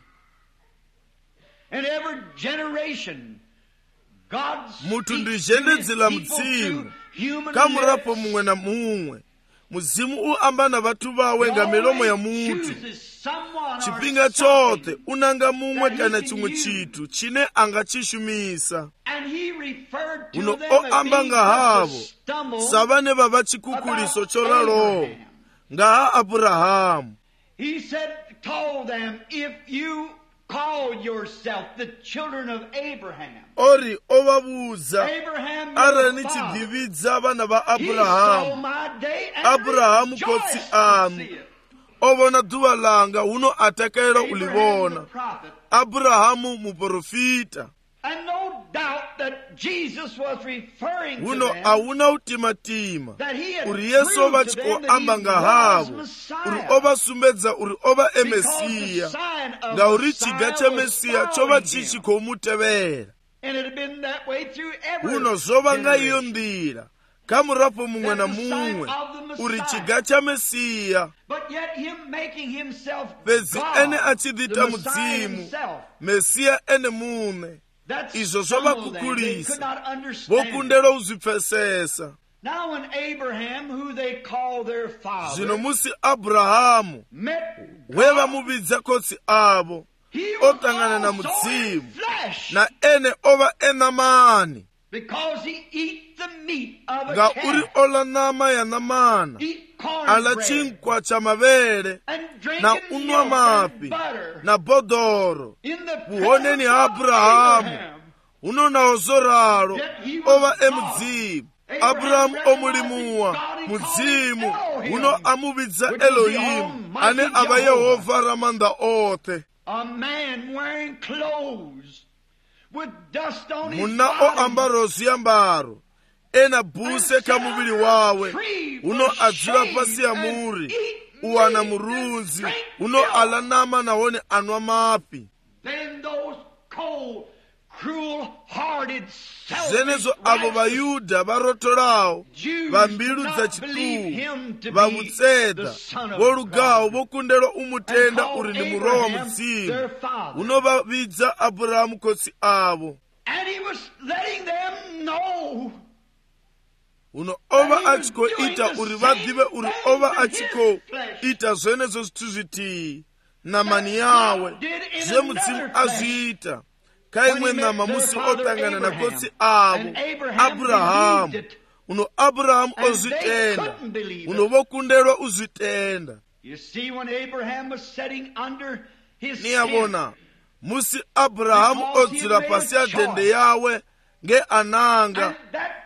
In every generation, God's mutu ndizhendedzela mudzimu, kamurapo mumwe na mumwe. Muzimu uamba vatu vawe nga milomo ya mutu. Chipinga chote unanga mumwe kana chimwe chitu chine angachishumisa. Uno oamba nga havo savane vava chikukuliso choralo nga Abrahamu. He told them, if you call yourself the children of Abraham. Ori ovabuza arani chidividza vana va Abrahamu. Abrahamu kotsi anu ovona duva langa uno atakaira ulivona. Abrahamu muprofita. And no doubt that Jesus was referring to uno them, auna utimatima uri Yesu ovachiko amba nga havo uri ovasumbedza uri ova emesiya nga uri chiga cha Mesiya chova chichiko mutevera. Uno zova nga iyo ndira kamurapo mumwe na mumwe uri chiga cha Mesiya. Bedzi ene achidhita mudzimu Mesiya ene mune. Izo zova kukulisa vokundelo uzipfesesa. Zino musi Abrahamu weva muvidza kotsi avo otangana na mudzimu na ene ova enamani nga uri ola nama ya namana ala chinkwa cha mavele na unwa mapi na bodoro. Vuhoneni Abrahamu unona ozoralo ova emudzimu. Abrahamu omulimuwa mudzimu uno amuvidza Elohimu ane ava Yehova ramanda ote. Muna o ambaro ziyambaro ena buse kamuvili wawe uno adzira pasi ya muri uwana murunzi uno alanama naone anwa mapi. Zenezo avo vayuda varotorao vambilu dza chituu vamutseda volugawo vokundelo umutenda uri ni murowa mudzimu uno vavidza Abrahamu kotsi avo. Uno ova achiko ita uri vadhive uri ova achiko ita zvenezo zvithu zviti namani yawe zve mudzimu azviita. Kaimwe nama musi otangana na kotsi avo Abrahamu. Uno Abrahamu ozvitenda uno vokundelwa uzvitenda. Niyavona musi Abrahamu odzira pasi ya dende yawe nge ananga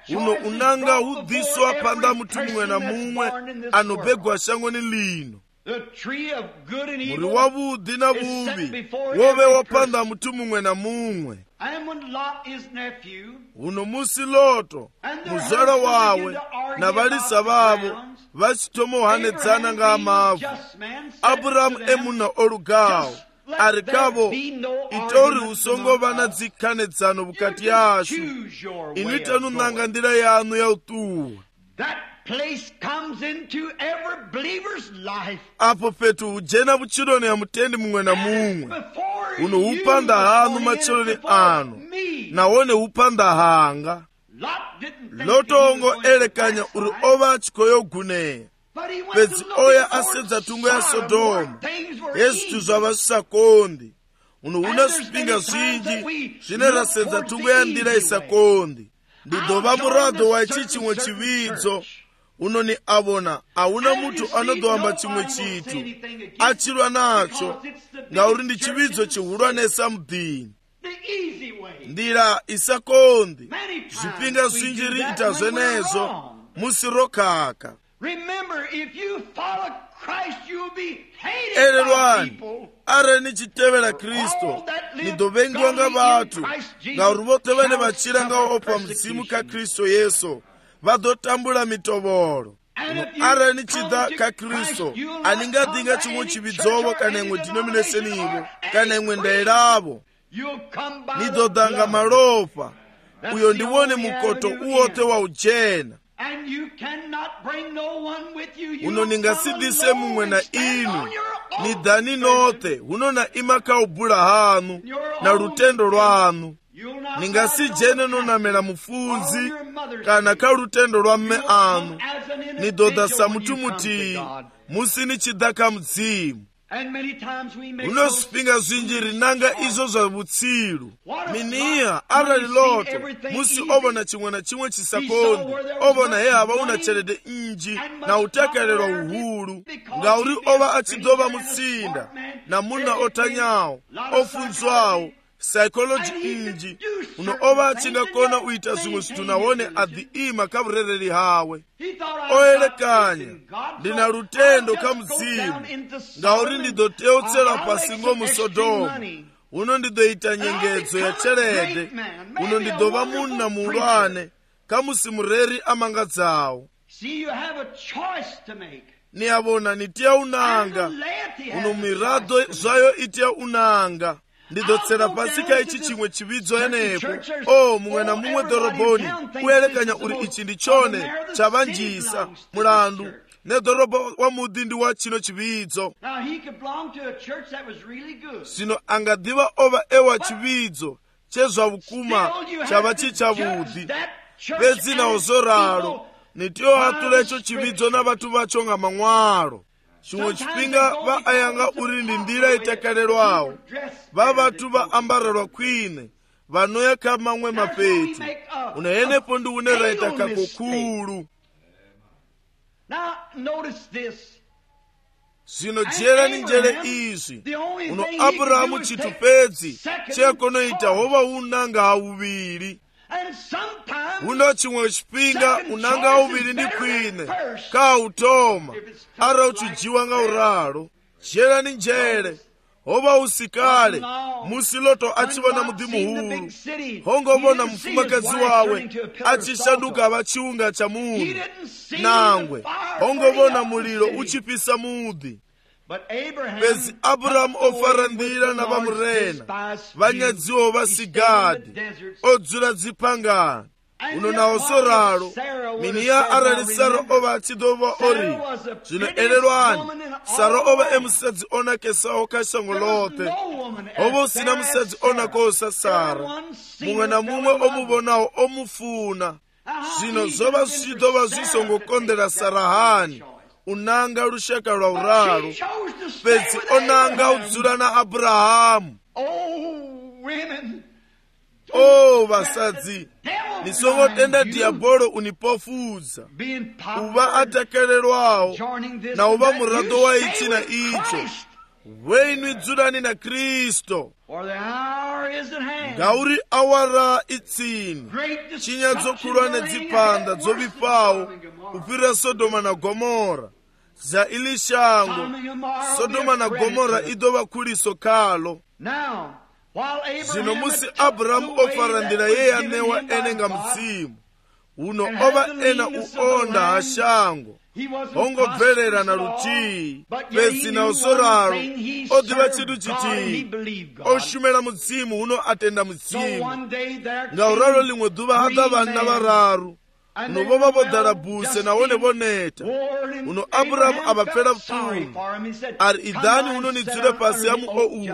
uno unanga hudhiswa panda mutu mumwe na mumwe anobegwa shangoni lino. Muri wavudhi na vuvi wove wapanda mutu mumwe na mumwe. Uno musi Loto muzala wawe na valisa vavo vachitomohanedzana nga mavu. Abrahamu emuna olugawo arikavo itori usongova na dzikanedzano vukati yashu inuita nunanga ndira yanu ya utuwa. Apo petu ujena vuchiloni ya mutendi mumwe na mumwe uno upanda hanu macholoni anu nawone upanda hanga. Lotongo elekanya uri ova chikoyo guneya pedzi oya asedza tungo ya Sodoma Yesu tuzava sakondi uno una zvipinga zvinji zvine rasedza tungo ya ndira isakondi. Ndidova murado wa ichi chimwe chividzo uno ni avona auna mutu anodoamba chimwe chitu achirwa nacho ngauri ndi chividzo chihulwanesa mudhini. Ndira isakondi zvipinga zvinji riita zvenezo musirokaka. Erelwani are nichitevera Kristo nidovengiwa nga vatu ngauri vote vane vachira nga opa mudzimu ka Kristo Yesu vadotambula mitovolo. Ara ni chida ka Kristo aninga dinga chimwe chibidzovo kana imwe denomination ivo kana imwe ndairavo nidodanga malofa uyo ndiwone mukoto uwote wa ujena uno ningasidise mumwe na inu nidhani note uno na imaka ubula hanu na lutendo lwanu ningasijene nonamela mufunzi kana ka lutendo lwa mme anu nidoda samutumuti musini chidaka mzimu. Uno spinga zwinjiri nanga izo za vutsilu miniya ara liloto musi obona chimwe na chimwe chisakondi obona heva una chelede inji na utakalelwa uhuru ngauri ova achidova mutsinda na muna otanyawo ofunzwawo psychology inji uno ova achinga kona uita zimwe situnawone adhiima kavurereli hawe oelekanya ndina lutendo kamzimu ngauri ndidoteutsela pasingo mu Sodomu uno ndidoita nyengedzo ya chelede uno ndidova munna mulwane kamusimureri amangadzawo. Niyavona nitia unanga uno mirado zvayo itia unanga ndidotsera pasika ichi chimwe chividzo yenepo mumwe na mumwe doroboni kuelekanya uri ichi ndichone chavanjisa mulandu nedorobo wa mudindi wa chino chividzo. Sino angadiva ova ewa chividzo chezwa vukuma chava chichavudhi pedzina ozoralo nitiyo hatulecho chividzo na vatu vacho nga mang'walo. Chimwe chipinga vaayanga uri ndi ndira itakalelwawo vavatu vaambarelwa kwine vanoya kamamwe mapeti unayenepo ndi uneraita kakokulu. Sino jera ni njere izi uno Abrahamu chitupedzi chekonoita hova unanga hauviri uno chimwe chipinga unanga hauviri ndi kwine ka utoma ara uchujiwa nga uralo jera ni njere hova usikale musiloto achivona mudhimuhuru hongovona mfumakazi wawe achishanduka vachiunga cha munhu nangwe hongovona mulilo uchipisa mudhi. Pezi Abrahamu ofarandira na vamurena vanyadziwo vasigadi odzula dzipangani uno na osoralo miniya arali Sara ova achidova ori zvino elelwani Sara ova emusadzi onakesawo kashango lote ovo usina musadzi onakosa Sara mumwe na mumwe omuvonawo omufuna zvino zova zvichidova zvisongokondera Sara hani unanga lushaka lwa uralo pezi onanga udzula na Abrahamu. Vasadzi nisongotenda diabolo unipofuza uva atakalelwawo na uva murado wa ichi na icho wenyu idzulani na Kristo ngauri awara itsini chinyadzo nedzipanda dzovipawo upira Sodoma na Gomora za ilishango Sodoma na Gomora idova kuliso kalo. Zino musi Abrahamu ofarandira yeye anewa enenga mzimu uno ova ena uonda hashango hongobverera na lutii pezi na osoralo odiva chidu chitii oshumela muzimu uno atenda muzimu ngauralo limwe duva hada vana vararu uno vova vodharabuse nawone voneta uno Abrahamu avapfela pfumu ari idhani uno nidzule pasi yamu uku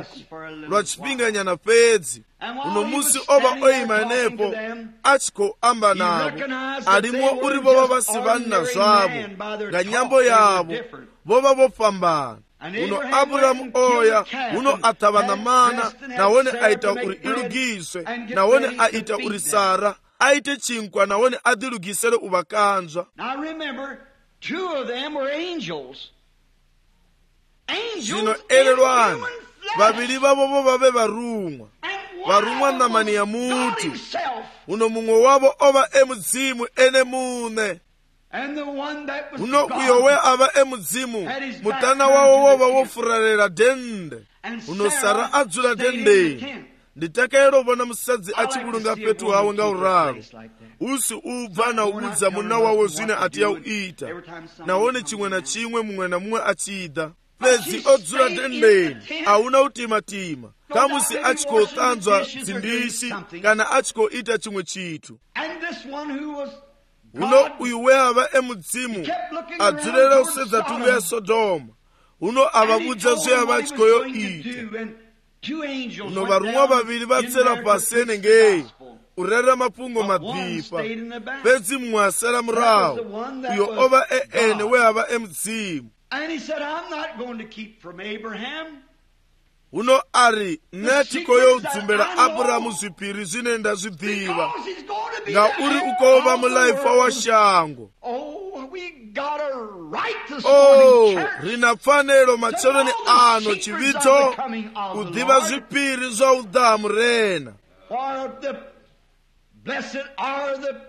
lwa chipinga nyana pedzi uno musi ova oima nepo achiko amba navo alimo uri vova vasivanna zvavo nga nyambo yavo vova vopambana uno Abrahamu oya uno atava na mana nawone aita uri ilugiswe nawone aita uri Sara aite chinkwa nawone adilugisele uvakanzwa. Zino elelwani vavili vavo vave varumwa namani ya mutu uno mumwe wavo ova emudzimu ene mune uno uyowe ava emudzimu mutana wawo wova wofuralela dende uno Sara adzula dendeni nditakayero vona musadzi achivulunga petu hawe nga uraro usi ubva na udza muna wawe zvine atiya uita naone chimwe na chimwe mumwe na mumwe achida pedzi odzura dendeni hauna utimatima kamusi achikotanzwa dzindisi kana achikoita chimwe chitu uno uyu weava emudzimu adzurera usedza tungu ya Sodoma uno avavudza zveyava achikoyoita uno varumwa vaviri vatsera pasi enengei urera mapungo madhipa pedzi mumwe asara murawo uyo ova ene weava emudzimu uno ari netikoyo udzumbera Aburahamu zvipiri zvine ndazvidhiva ngauri ukova mulaifa washango rina pfanelo machoroni ano chivito kudhiva zvipiri zvaudhamu rena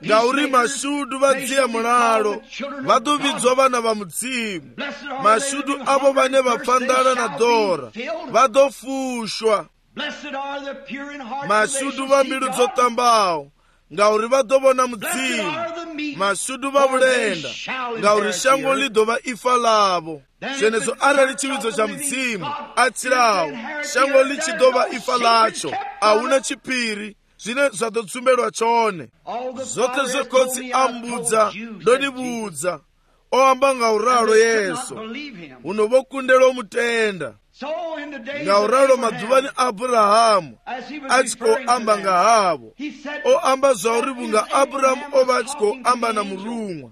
ngauri mashudu vadziya mulalo vadovidzwa vana va mudzimu mashudu avo vane vapfandana na dora vadofushwa mashudu va mbilu dzotambawo ngauri vadovona mudzimu mashudu va vulenda ngauri shango lidova ifa lavo zvenezo arali chividzo cha mudzimu atsirawo shango lichidova ifa lacho hauna chipiri zvine zvatotsumbelwa chone zvote zvekotsi ambudza ndonibudza oamba ngauralo Yesu unovokundelwa mutenda ngauralo madzuvani Aburahamu achikoamba ngahavo oamba zvauri vunga Aburahamu ova achikoamba na murumwa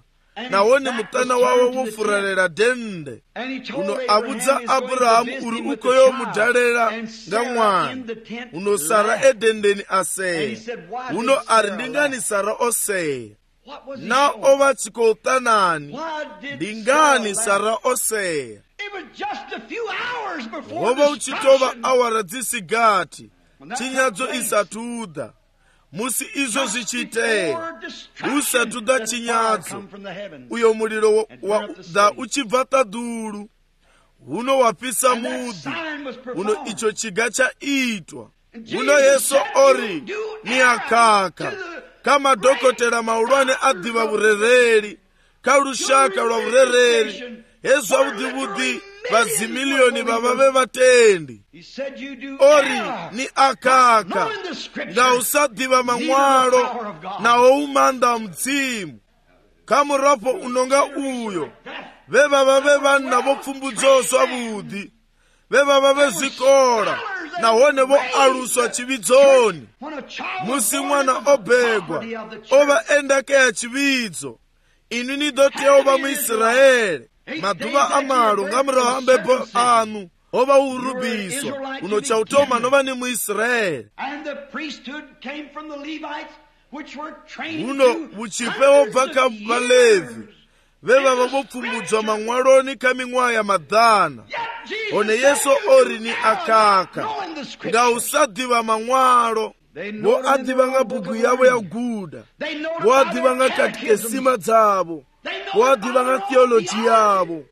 naone mutana wawe wofurarira dende uno avudza Aburahamu uri ukoyo mudhalera nga mwana uno Sara edendeni aseya uno ari ndingani Sara oseya na ova chikoutanani ndingani Sara oseya wova uchitova awara dzisigati chinyadzo isatuda musi izvo zvichiiteya usatuda chinyadzo uyo muliro da uchibva taduru uno wapisa mudhi uno icho chiga chaitwa uno Yesu ori ni akaka kama dokotera maulwane adhiva vurereri karushaka lwa vurereri hezwa vudhivudhi vazimiliyoni vavave vatendi ori ni akaka ngausadhiva mamwalo nawo umanda mudzimu kamurapo unonga uyo vevavave vanna vopfumbudzoswa vudhi vevavave zvikora nahone voaluswa chividzoni musi mwana obhegwa ova endakeya chividzo ini nidoteya ova muIsraeli madhuva amalo ngamuraho ambepo anu ova urubiswa uno chautoma nova ni muIsraeli uno vuchipe wobva kavalevi vevava vopfumbudzwa mamwaloni kaming'wa ya madhana one Yesu ori ni akaka ngausadhiva mamwalo vo adhiva nga bhuku yavo ya guda vo adhiva nga katikesima dzavo vo adhiva nga theoloji yavo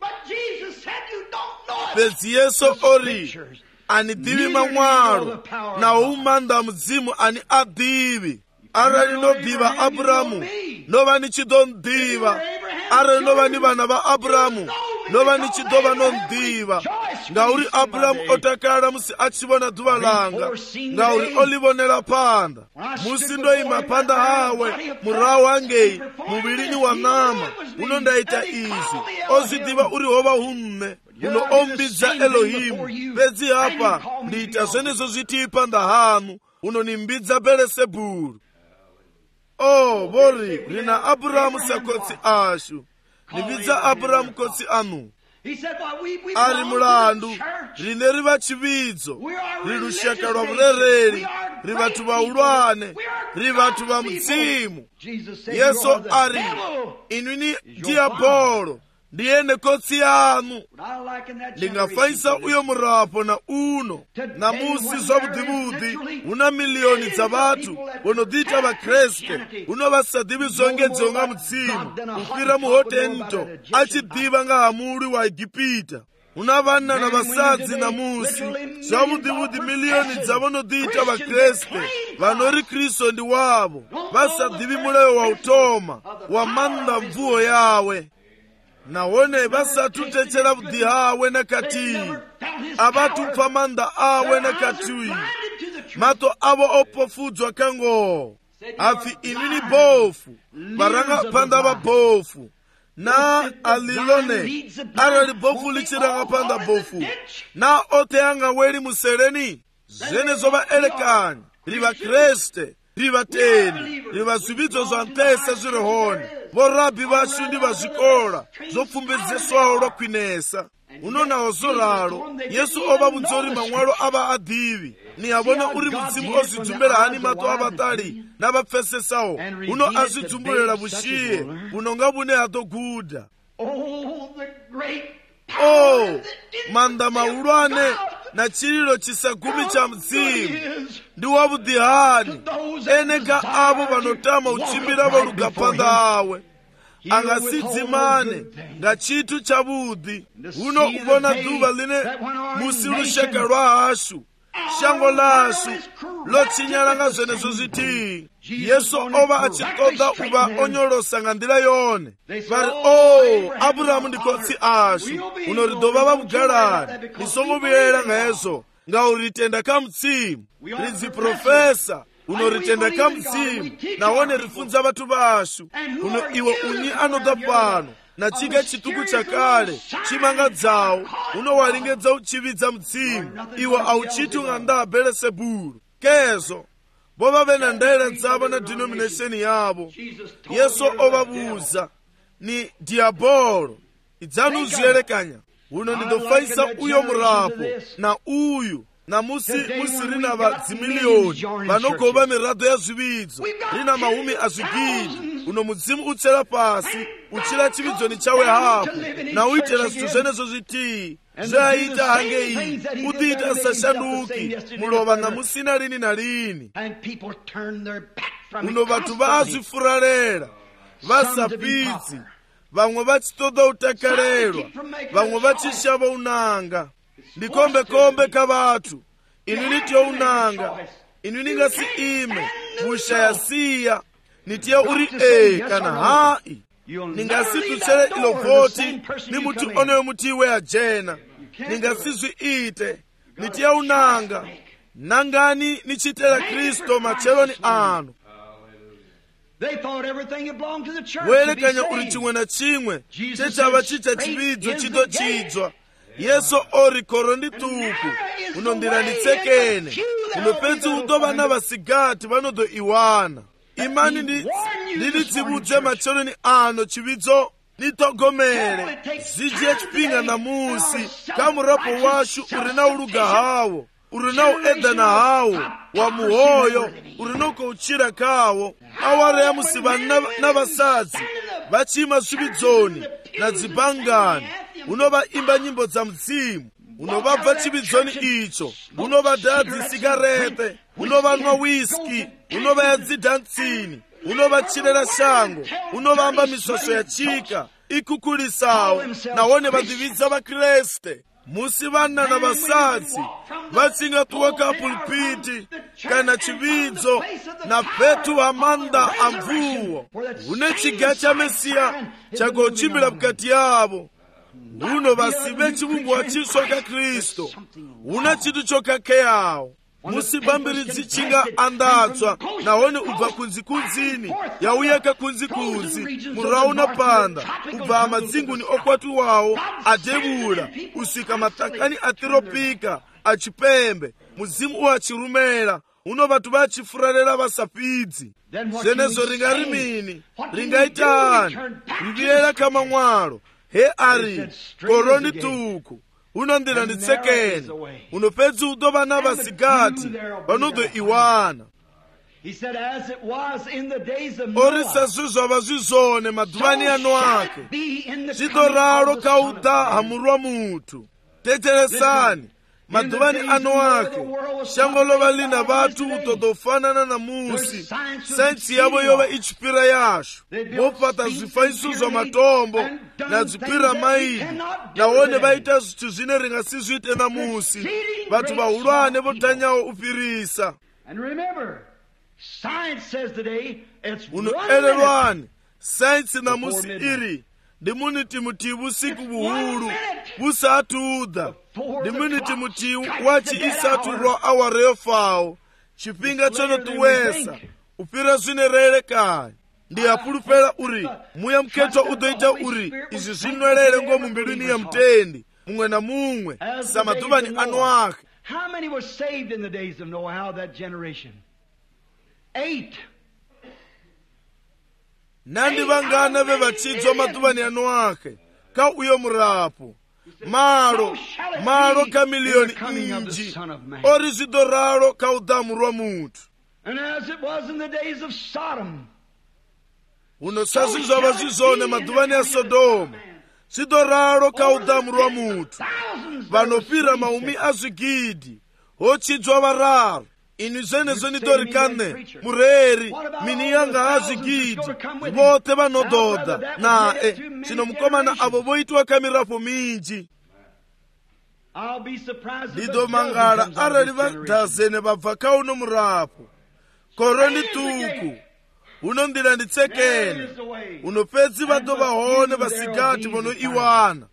pedzi Yesu ori anidhivi mamwalo nawo umanda mudzimu ani adhivi arali nodhiva Aburahamu nova nichidondhiva arali nova ni vana va Aburahamu nova nichidova nondhiva ngauri Aburahamu otakala musi achivona dhuva langa ngauri olivonela panda musi ndoima panda hawe murawo wangei muvili wa nama uno ndaita izi ozidhiva uri hova humme uno ombidza Elohimu pedzi hapa ndiita zvenezo zviti panda hanu uno nimbidza Belesebhuru vori rina Aburahamu sakotsi ashu nibidza Aburahamu kotsi anu ari mulandu rine riva chividzo rirushaka rwa vurereri rivatu vaulwane rivatu va mudzimu Yesu ari inwini diabolo ndiene kotsi yanu ndingafaisa uyo murapo na uno na musi zvavudhivudhi una miliyoni dza vatu vonodhita vakreste uno vasadhivi zvongedzwa nga mudzimu kufira muhotento achidhiva nga hamuri wa Egipita una vana na vasadzi na musi zvavudivudi miliyoni dzavanodita vakreste vanori kristu ndi wavo vasadivi mulayo wa utoma wa manda mvuo yawe nawone vasatutechera vudi hawe nakati avatupfa manda awe nakati mato avo opofudzwa kango afi inini bofu varanga panda vabofu na alilone arali bofu lichiranga panda bofu na ote anga weli musereni zene zoba elekani riva kreste riva teni riva zividzo zwa ntesa zvirihone vorabi vashu ndi vazvikola zopfumbedzeswawo lwakwinesa unonawo zoralo yesu ova mudzori mamwalo ava adivi ni avona uri mudzimu ozvidzumbira hani mato avatali navapfesesawo uno azvidzumbulira vushiye unonga vune hatoguda manda maulwane na chililo chisagumi cha mzimu ndi wavudihani eneka avo vanotama uchimbira valugapanda awe angasidzimane nga chitu chavudi uno uvona dhuva line musi lusheka lwa hashu shango lashu lochinyalanga zvenezo zviti yesu ova achitoda uva onyolosa nga ndila yone vari aburahamu ndi kotsi ashu uno ridova vamugalani nisongoviyela nga yezo nga uritenda ka mutsimu ridziprofesa uno ritenda ka mutsimu nawone rifunza vatu vashu uno iwe unyi anoda pano na chika chituku chakale chimanga dzawo uno waringedza uchividza mutsimu iwe auchiti unganda belesebulu kezo vova vena ndayela dzavo na denomination yavo yesu ovavuza ni diabolo idzanu uziyelekanya uno ndidofaisa uyo murapo na uyu na musiri na vadzimiliyoni vanogova mirado ya zvividzo rina mahumi azvigidi uno mudzimu uchera pasi uchira chividzoni chawe hapo na uitera zvithu zvenezo zviti zvaita hange iyi udiita sashanduki mulova na musina lini na lini uno vathu vaazvifuralera vasapidzi vamwe vachitoda utakalelwa vamwe vachishava unanga ndikombekombe ka vathu inu nitiyo unanga inu ningasi ime vushayasiya nitiyo uri kana hai ningasi tuchere ilo voti ni mutu oneyo mutiwe ajena ningasi zviite nitiyo unanga nangani nichitela kristo macheloni anu welekanya uri chimwe na chimwe chechava chicha chividzo chitochidzwa yesu ori koro ndi tuku unondira nditsekene unopedzi udova na vasigati vanodo iwana imani ndilitsivudze macheloni ano chividzo nitogomere zidye chipinga na musi kamurapo washu uri na uluga hawo uri na uedana hawo wa muhoyo uri noko uchira kawo awara ya musivani na vasadzi vachima zvividzoni na dzibangani unova imba nyimbo dza mudzimu unovabva chividzoni icho unovadhaya dzisigarete unovanwa whisky unovaya dzidhantsini unovachirera shango unovamba misosho ya chika ikukulisawo nawone vadhividza vakreste musi vana na vasadzi vatsingatuwa ka pulpiti kana chividzo na petu amanda amvuwo une chiga cha mesiya chagochimbira mukati yavo uno vasive chivumbuwa chiswa ka kristo una chitu chokakeyawo musibambiridzi chinga andatswa nahone ubva kunzikunzini yauya kakunzikunzi murauna panda ubva amadzinguni okwatuwawo adevula usvika matakani atiropika achipembe mudzimu uachirumera uno vatu vachifurarera vasapidzi zvenezo ringari mini ringaitani riviyera kama mwalo he ari koroni tuku unondira nditsekene unopedzi udova na vasigati vanodo iwana orisa zvizvava zvizone madhuvani ano ake zvidoraro kauta hamurwa mutu teteresani maduvani ano ake shango lova lina vatu utotofanana na musi sainsi yavo yova ichipira yasho vopata zvifanyiso zva matombo na zvipira maili naone vaita zvithu zvine ringasizviite namusi vatu vahulwane votanyawo upirisa unoelelwani sainsi namusi iri ndimuniti muti vusiku vuhulu vusatuudha ndimuniti muti wachi isaturwa awara yofawo chipinga chonotuwesa upira zvinerere kaya ndiyapulupela uri muya muketwa udoita uri izvi zvinwerere ngomumbilwini ya mutendi mumwe na mumwe samaduvani ano ake. How many were saved in the days of Noah? How that generation? 8. Nandi vangana vevachidzwa maduvani ano ake ka uyo murapo malo ka miliyoni inji ori zvidoraro ka udhamu rwa mutu. And as it was in the days of Sodom, unosasi zvava zvizone maduvani ya Sodoma zvidoraro ka udhamu rwa mutu vanopira maumi azvigidhi hochidzwa vararu ini zvenezvo nitorikane mureri mini yanga azvigidhi vote vanodhodha nae zvino mukomana avo voitwa kamirapo minji. ndidomangala arali vadhazene vabva kauno murapo koro ndituku unondira nditsekene unopedzi vatovahone vasigati vonoiwana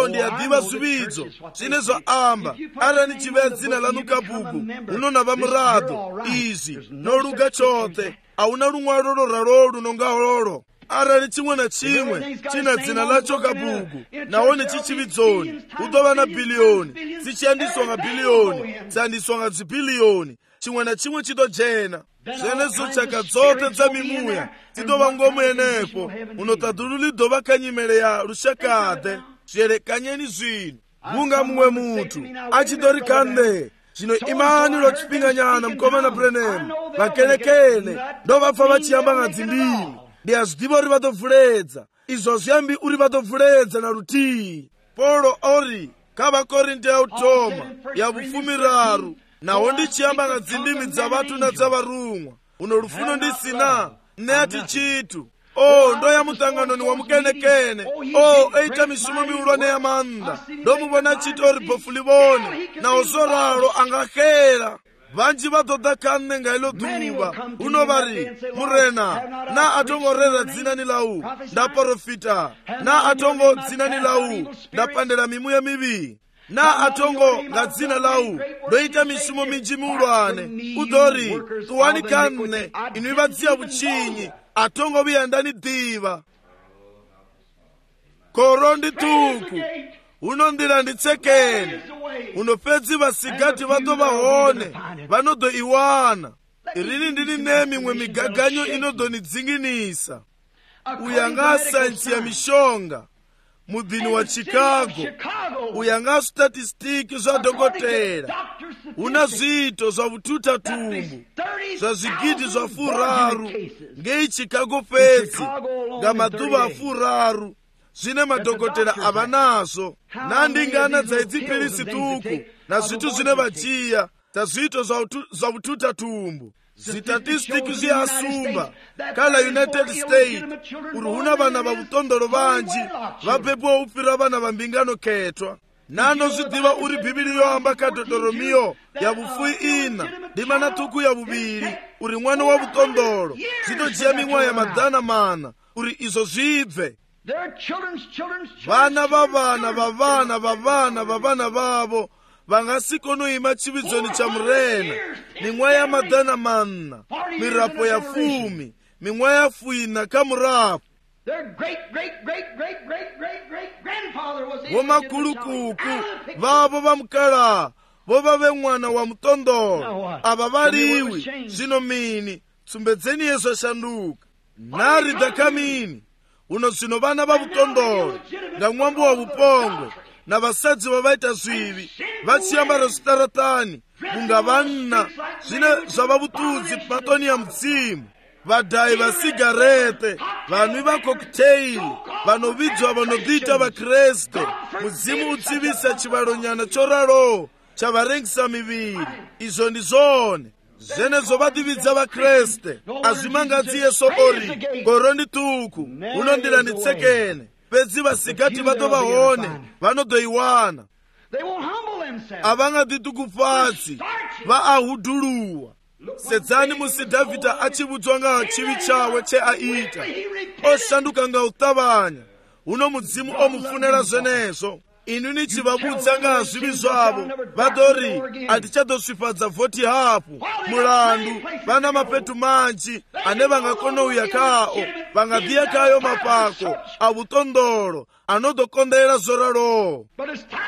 ndiyadhiva zvividzo zvine zvaamba arani chive dzina lanu kabhuku unona vamurado izvi noluga chote hauna lumwalo loralo lunonga lolo arali chimwe na chimwe china dzina lacho kabhuku naone chichividzoni udova na biliyoni dzichiyandiswa nga biliyoni dziyandiswa nga dzibhiliyoni chimwe na chimwe chitojena zvenezo chaka dzote dza mimuya dzidova ngomu yenepo unotadhululi dova kanyimele ya lushakade zviyerekanyeni zvino kunga mumwe mutu achitorikande zvino imani lochipinganyana mukomana Branham vakelekele ndovapfa vachiyamba nga dzindimi ndiyazvidiva uri vatovhuledza izvo zviyambi uri vatovhuledza na rutii. Paulo ori kavakorinte yautoma yavufumiraru naho ndichiyamba nga dzindimi dza vatu na dza varumwa uno lufuno ndisina neati chitu ndoya mutanganoni wa mukenekene eita mishumo miulwane ya manda ndomuvona chiti ori bhofu livone naho zoralo angahera vanji vatodha kanne nga ilo dhuva unovari murena na atongorera dzina ni lau ndaprofita na atongo dzina ni lau ndapandela mimuya mivi na atongo nga dzina lau ndoita mishumo minji miulwane udori tuwani kanne inwi vadziya vuchinyi atongo viyandani dhiva koro ndituku unondira nditsekene unopedzi vasigati vatovahone vanodoiwana irini ndini nemimwe migaganyo inodonidzinginisa uyanga sainsi ya mishonga mudhini wa Chicago uyanga statistiki zva dhokotera una zviito zva vututatumbu zva zvigidhi zva furaru ngei Chicago pedzi nga madhuva afuraru zvine madhokotera avanazvo nandingana dzaidzipirisi tuku na zvitu zvine vachiya dzazviito zva vututatumbu zvitatistiki zviyasumba kala United States uri huna vana vavutondoro vanji vapepuwa upira vana vambingano ketwa nanozvidiva uri bhibhiri yoamba kadhodhoromiyo yavufui ina ndimana tuku yavuviri uri mwana wavutondoro zvitojiya mimwe ya madhana mana uri izvo zvibve vana vavana vavo vangasikonoima chividzoni cha murena mimwe ya madhana manna mirapo ya 10 mimwe ya 4 kamurapo vomakulukuku vavo vamukala vova vemwana wa mutondoro ava variwi zvino mini tsumbedzeni yesu ashanduka nari dhakamini uno zvino vana vavutondoro nga mwambo wa vupongwe na vasadzi vavaita zvivi vachiyambara zvitaratani kunga vanna zvine zvavavutudzi matoni ya mutsimu vadhayi vasigarete vanwi vakokteili vanovidzwa vanobvita vakreste mudzimu utsivisa chivalonyana choraro chavarengisa miviri. Izo ndi zone zenezo vadividza vakreste azvimangadzi yeso ori gorondi tuku unondiranitsekene pedzi vasikati vatovahone vanodoiwana avangaditukufatsi vaahudhuluwa. Sedzani musi Dhavhidha achivudzwa nga chivi chawe cheaita oshanduka nga utavanya uno mudzimu omufunira zvenezo. Inu nichivavudza nga zvivi zvavo vadori hatichadosvifadza vhoti hafu mulandu vana mapetu manji ane vangakonouya kao vangadhiyakayo mapako avutondolo anodokondera zoralowo.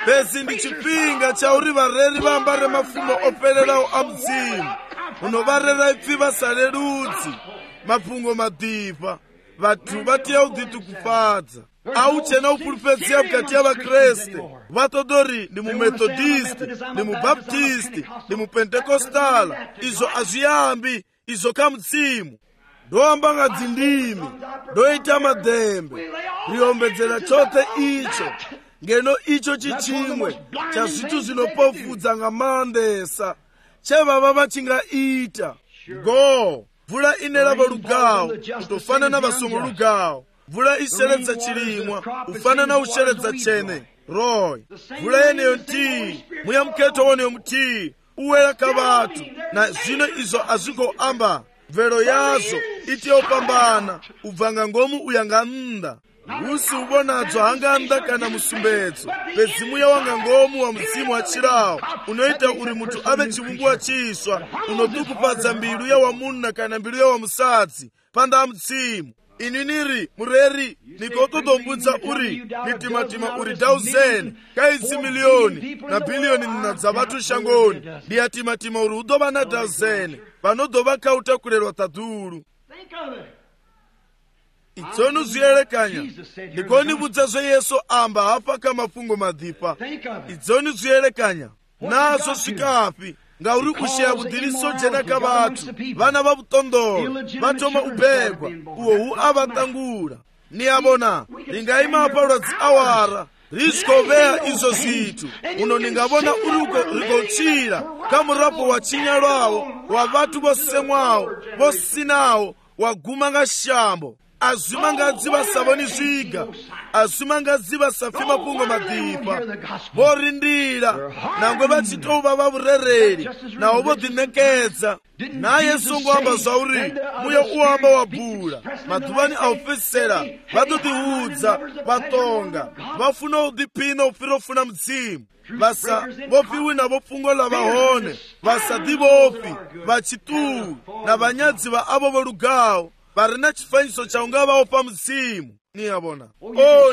Pezi ndi chipinga chauri vareri vambare mafumbo opererawo amudzimu unovarera ipfi vasale rudzi mapungo madhipa vathu vatiya udhitukufadza auchena upulupedzia mukati ya vakreste vatodori ndi mumethodisti ndi mubaptisti ndi mupentekostala. Izo azviyambi izo kamutsimu ndoamba nga dzindimi ndoita madhembe riombedzera chote icho ngeno icho chichimwe cha zvithu zvinopofudza nga mandesa chevava vachingaita. Go mvula inerava lugawo kutofanana vasongo lugawo. Mvula isheredza chilimwa ufanana usheredza chene roy. Mvula yeneyo nti muya mketo woneyo mti uwera kavatu na zvino izo azvigoamba mvero yazo itiyopambana ubvanga ngomu uyanga nda usi ubonadzo hanganda kana musumbedzo pedzi muya wanga ngomu wa mudzimu wachirawo unoita uri munthu ave chivungu wachiswa unotukupadza mbilu ya wamunna kana mbilu ya wamusadzi panda mudzimu. Inu niri mureri nikototombudza uri nitimatima uri 1000 kaidzi miliyoni na biliyoni nina dza vatu shangoni ndiyatimatima uri udova na 1000 vanodova kautakurerwa tadhuru. Itsonu zviyerekanya ndikonibudza zveyesu amba hafa kamafungo madhipa. Idzoni zviyerekanya nazo svikapi ngauri kusheya budhiriso jena kavatu vana vavutondolo vatoma ubhegwa uwo avatangura niyavona ringaima parwadzi awara rizvikoveya izo zvitu uno ningavona uri rigochira kamurapo wachinya rwavo wavatu vosemwawo vosinawo waguma nga shambo azvimangadzi vasavoni zviga azvimangadzi vasafi mapungo madhipa vorindira nangwe vachitova vavurereri navo vodhinekedza naye songoamba zvauri muya uamba wabhura madhuvani aufesera vatodhiudza vatonga vafuna udhipina ufira ufuna mudzimu vasa vopiwi navo pfungo lavahone vasadi vofi vachituu na vanyadzi va avo vorugawo varina chifanyiso chaungavawo pamudzimu niyavona.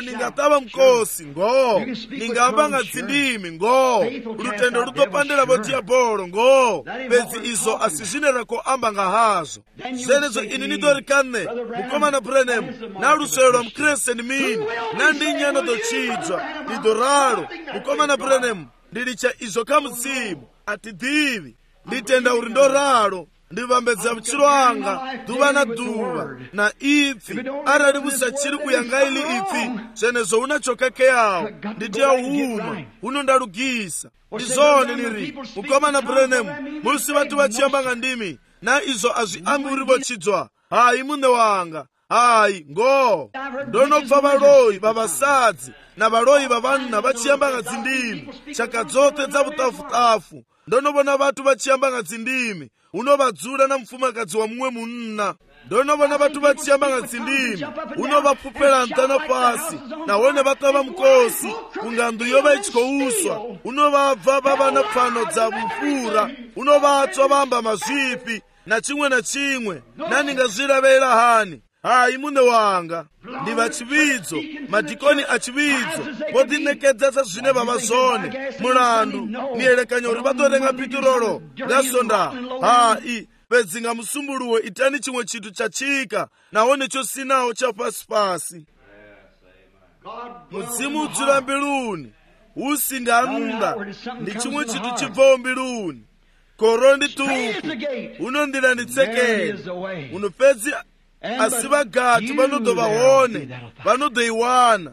Ningatava mkosi ngo ningamba nga dzindimi ngo rutendo rutopandela votiya bholo ngo pedzi izo asizvinerako amba nga hazvo zenezo ini nitorikane mukomana Branham na lusero lwa mkreste ni mini nandinyana dochidzwa nidoralo mukomana Branham ndilicha izo kamudzimu atidhivi nditenda uri ndoralo ndivambedza vuchiro anga dhuva na dhuva na ipfi arali vusachiri kuyangaili ipfi zvenezo unachokakeyawo nditiyauhuma unondalugisa ndizone niri mukomana Branham musi vatu vachiyamba nga ndimi na izo azviambi uri vochidzwa hayi mune wanga hayi ngo ndonobva valoyi vavasadzi na valoyi vavanna vachiyamba nga dzindimi chaka dzote dza vutafutafu ndonovona vatu vachiyamba nga dzindimi unovadzura na mufumakazi wa mumwe munna ndonovona vatu vachiyamba nga dzindimi unovapfupera mtana pasi nahone vatova mukosi kungandu yova ichikouswa unovabva vava na pfano dza mufura unovatswa vamba mazvipi na chimwe naningazviravera hani hayi mune wanga ndi vachividzo madhikoni achividzo vodhinekedza zvine vavazone mulandu niyerekanya uri vatorenga pitirolo ngasonda hayi pedzi nga musumbuluwe itani chimwe chitu chachika nahone chosinawo chapasipasi mudzimu udzura mbiluni usinganda ndi chimwe chitu chibvawo mbiluni koro ndi tuku unondiranitsekera uno pedzi asi vagati vanodovahone vanodoiwana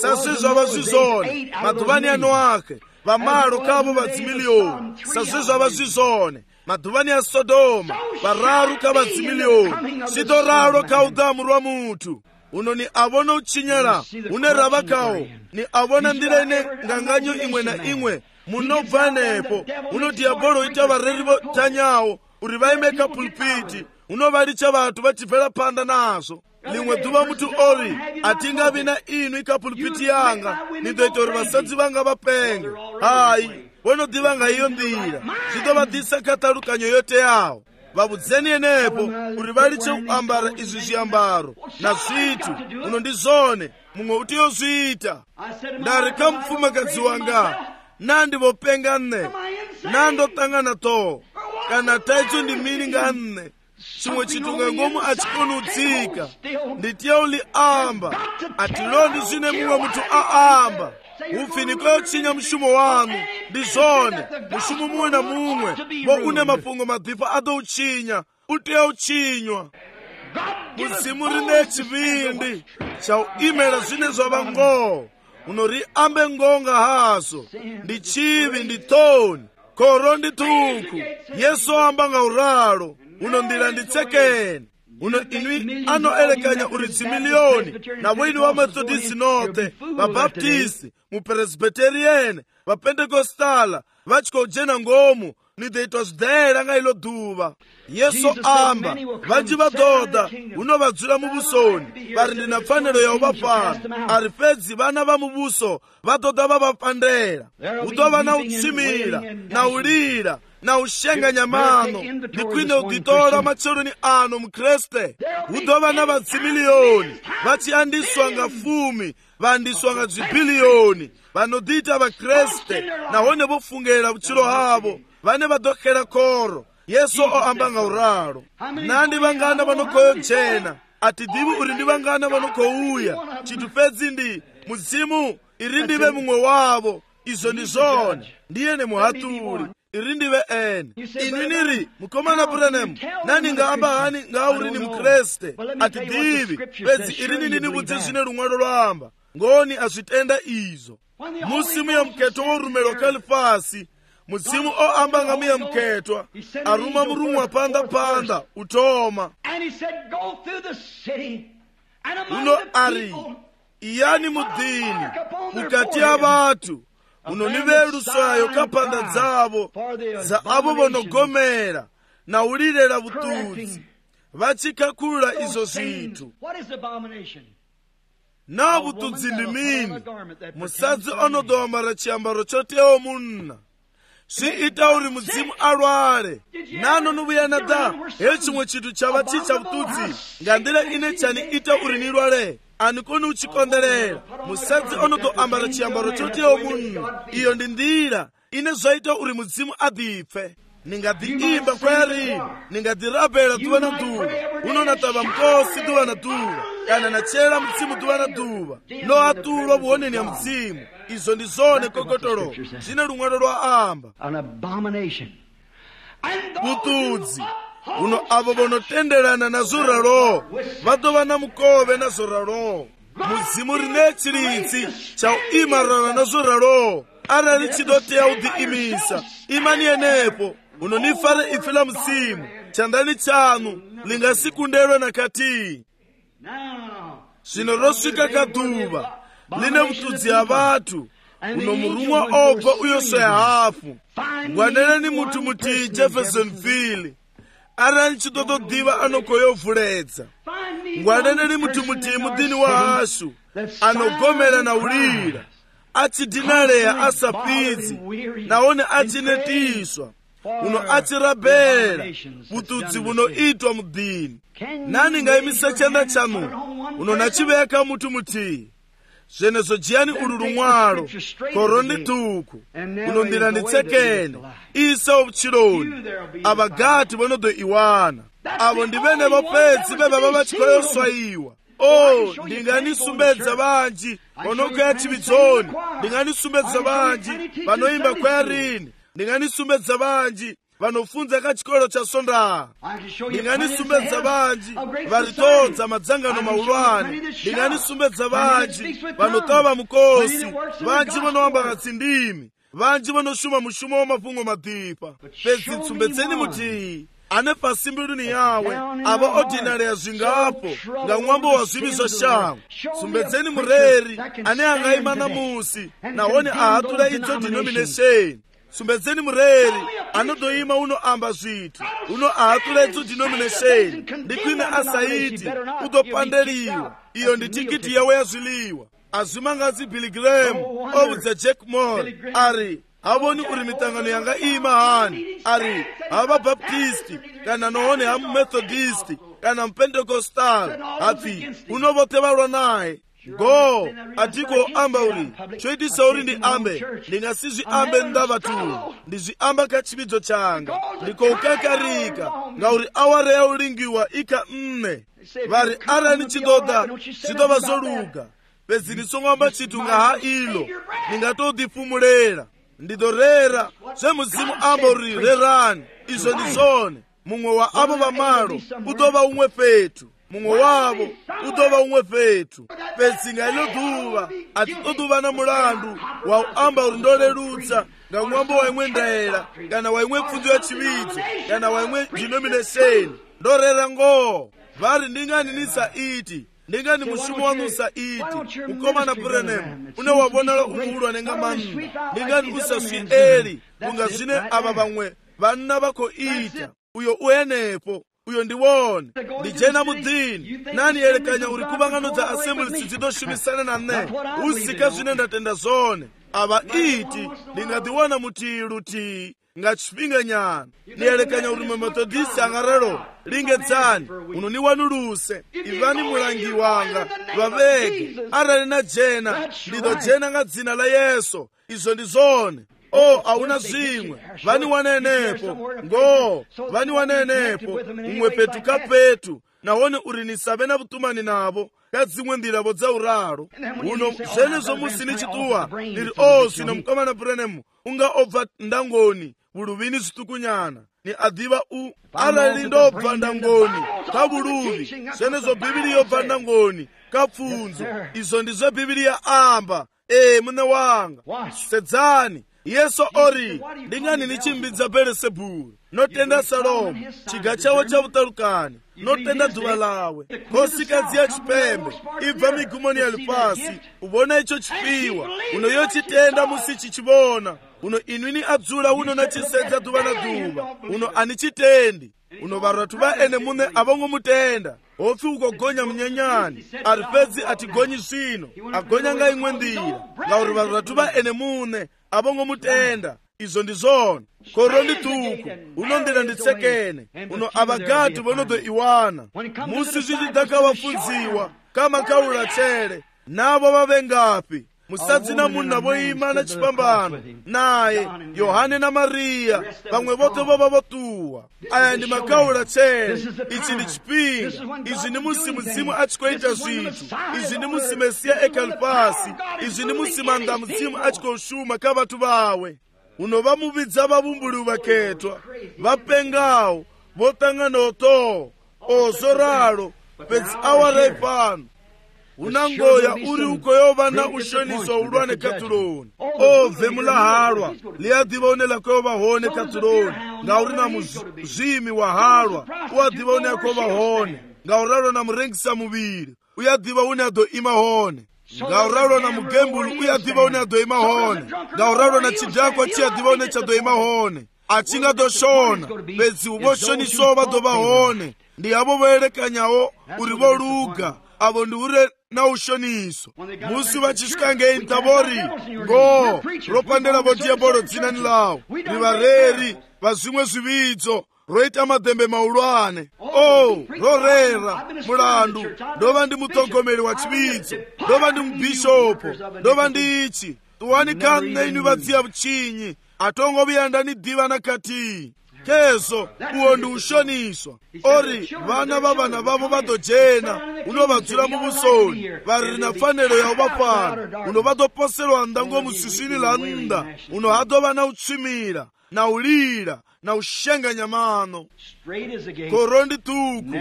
sasve zvava zvizone madhuvani ano ake vamalo kavo vadzimiliyoni sazwezvo vazvizvone madhuvani ya sodoma vararu kavadzimiliyoni sito ralo kaudamu rwa mutu uno ni avona uchinyala une rava kawo ni avona ndira ine nganganyo imwe na imwe munobva nepo uno diabolo ita vareri votanyawo uri vaimeka pulpiti unovalicha vatu vachibvela panda nazvo limwe dhuva mutu ori atingavi na inu ikapulpiti yanga nitoita uri vasadzi vanga vapenge hayi vonodhivanga iyo ndira zvitovadhisa katalukanyo yote yawo vabudzeni enepo uri valiche kuambara izvi zviambaro nazvitu uno ndizvone mumwe utiyozviita ndareka mupfumakadzi wanga nandivopenga nne nandotangana to kana taito ndimiringa nne chimwe chitunga ngomu achikonudzika nditiya uli amba atilondi zvine mumwe mutu aamba ufiniko yochinya mushumo wanu ndizvone mushumo mumwe na mumwe vo une mafungo madhipa adouchinya utiya uchinywa muzimu rine chivindi chauimela zvine zvava ngoo unori ambe ngonga haso ndichivi nditoni koro ndituku yesu amba ngauralo uno ndira nditsekeni uno inwi anoelekanya uri dzimiliyoni na voini vamethodisi note vabaptisti mupresbiteriene vapendekostala vachikojena ngomu nideitwa zvidhayela nga ilo dhuva yesu amba vanji vadhodha unovadzura muvusoni vari ndina pfanelo yavo vapana ari fedzi vana va muvuso vadhodha vavapandela udova na utsvimira na ulira na ushenganya mano ndikwine uditola macheloni ano mukreste udova na vadzimiliyoni vachiyandiswa nga 10 vandiswa nga zvibhiliyoni vanodita vakreste nahone vofungela vuchilo havo vane vadokela koro yesu oamba ngauralo nandi vangana vanokoyojena atidivi uri ndi vangana vanokouya chitu fedzi ndi muzimu iri ndive mumwe wavo izo ndi zone ndiyene muhatuli iri ndive ene inwi niri mukomana Branham nani ngaamba hani ngauri ni mukreste atidivi fedzi iri nini nibudzi zvine lumwalo lwamba ngoni azvitenda izo musimu ya mketo worumelo kalifasi muzimu oamba ngamiya mketwa aruma murumwa panda utoma uno ari iyani mudini mukati ya vatu uno nivelusayo kapanda dzavo za avo vonogomera na ulirela vutudzi vachikakulula izo zvitu na vutudzi ndi mini musadzi onodomara chiambaro chotewo munna zviita uri mudzimu alwale nano nuvuyana da hechimwe chitu chava chicha vutudzi ngandira ine chani ita uri nilwale anikoni uchikonderera musadzi onotoambara chiambaro chotewo munna iyo ndi ndira ine zvaita uri mudzimu adhipfe ningadhiimba kwayari ningadhirabhela dhuva na dhuva unonatava mkosi dhuva na dhuva kana nachela mudzimu dhuva na dhuva noatulwa vuoneni ya mudzimu izo ndi zone kokotolo zvine lumwalo lwa amba vutudzi uno avo vonotenderana na zuralo vadova na mukove na zuralo muzimu rine chiritsi chauimarana na zuralo arali chidoteya udhiimisa imani yenepo unonifare ifi la mzimu chandani chanu lingasikundelwe na kati zvino rosvika kadhuva line vutudzi ya vatu uno murumwa obva uyosoya hafu ngwaneneni mutu muti Jeffersonville arali chitotodiva anokoyovhuledza ngwaneneni mutu muti mudini wa hashu anogomera na ulira achidinaleya asapidzi naone achinetiswa uno achirabhela vutudzi vunoitwa mudini nani ngaimisa chenda chanu uno nachiveka mutu muti zvenezo jiyani ulu lumwalo koro ndituku uno ndira nditsekene isa ovuchiloni avagati vonodo iwana avo ndivene vopedzi vevava vachikoyoswaiwa ndinganisumbedza vanji vanokwea chividzoni ndinganisumbedza vanji vanoimba kweyarini ndinganisumbedza vanji vanofunza kachikolo cha sondaa ndinganisumbedza vanji varitodza madzangano maulwane ndinganisumbedza vanji vanotava mukosi vanji vanoamba katsindimi vanji vanoshuma mushumo wamafungo madipa pedzi tsumbedzeni muti ane pasi mbiluni yawe ava ordinary yazvingapo nga mwambo wa zvivi zvashango. Tsumbedzeni mureri ane angaima namusi nahone ahatura idzo denomination. Tsumbedzeni mureri anodoima unoamba zvitu uno ahatura idzo denomination ndikwine asaiti udopandeliwa. Iyo ndi tikiti yawe yazviliwa. Azvimangazi Billy Graham oudza Jack Moore ari havoni uri mitangano yanga ima hani ari hava baptisti kana nohone hamu methodist kana mupentecostal hapi unovotevalwa naye go atiko amba uri choitisa uri ndi ambe ndingasizvi ambe ndava tu ndizviamba kachividzo changa ndikoukakarika ngauri awara yaulingiwa ika mne vari arani chidoda chidova zoluga pedzi ndisong'amba chitu ngaha ilo ndingatodifumulera ndidorera zvemuzimu amba uri rerani izvo ndizvone mumwe wa avo vamalo udova umwe fetu mumwe wavo udova umwe fetu pedzi ngailo duva atitoduva na mulandu waamba uri ndorerutsa nga mwambo waimwe ndaela kana waimwe pfunzo ya chividzo kana waimwe denomination ndorera ngoo vari ndinganinisa iti ndingani mushumo wanusa iti mukomana Branham unowavonala umuulwa nenga manna ndingani usaswi eli kunga zvine ava vamwe vanna vako ita uyo uyenepo uyo ndiwone ndijena mudzini nani elekanya uri kuvangano dza assemblies dzidoshumisana na ne usika zvine ndatenda zvone ava iti ndingadiwana mutilu ti nga chipinga nyana nielekanya uri Methodist angarero lingedzani uno niwanuluse ivani mulangi wanga vaveke arali na jena ndido jena nga dzina la Yesu izo ndizone auna zvimwe vani wanenepo ngo vani wanenepo umwe petu kapetu nahone uri nisave na vutumani navo kadzimwe ndiravo dza uraro uno zvenezvo musi nichituwa ndiri zvino mukomana Branham unga obva ndangoni vuluvini zvitukunyana ni adhiva arali ndobva ndangoni kavuluvi zvenezvo bhibhiri yobva ndangoni kapfunzo izvo ndizvo bhibhiri yaamba mune wanga sedzani Yesu ori ndingani nichimbidza Beelzebuli notenda Salomo chiga chawo cha utalukani notenda dhuva lawe kosikadzi ya chipembe ibva migumoni yali pasi ubona icho chipiwa uno yochitenda musi chichivona uno inwini adzula uno nachisedza dhuva na dhuva uno anichitendi uno varatu vaene mune avongomutenda ofi ukogonya mnyanyani ari pedzi atigonyi zvino agonya nga imwe ndira ngauri varatu vaene mune avongomutenda izo ndizvona koro ndituku unondira nditsekene uno avagati vonodo iwana musi zvichidaka vafunziwa kama kaula chere navo vavengapi musadzi na munhu navoima na chipambano naye Yohane na Mariya vamwe vote vova votuwa aya ndi makaula chere ichi ndi chipinga izi ndi musi muzimu achikoita zvitu izi ndi musi Mesiya ekalipasi izi ndi musi manda muzimu achikoshuma ka vatu vawe uno vamuvidza vavumbuli vaketwa vapengawo votangana oto ozoralo pedzi awara ipano unangoya uri uko yova na ushoniswa ulwane katuloni ove mulahalwa liyadiva unela kova hone katuloni ngauri na muzimi wa halwa uadiva une kova hone ngauralo na murengisa muviri uyadiva une ado ima hone ngauralo na mugembulu uyadiva une ado ima hone ngauralo na chidakwa chiadiva une chado ima hone achinga doshona pedzi uvoshoniswa vadova hone ndi avo voelekanyawo uri voluga avo ndi ure na ushoniso musi vachisvika ngeintabori ngo ropandela vodiyabolo dzinani lawo rivareri vazvimwe zvividzo roita madhembe maulwane rorera mulandu ndova ndi muthogomeri wa chividzo ndova ndi mubhishopo ndova ndi ichi tuwanikani neinu vadziya vuchinyi atongoviyanda ni diva na kati kezo uwo ndi ushoniswa ori vana va vana vavo vadojena unovadzula muvusoni vari na fanelo yawo vafana uno vadoposelwa ndango musisini la nda uno hadova na utsvimira na ulira na ushenganya mano koro ndituku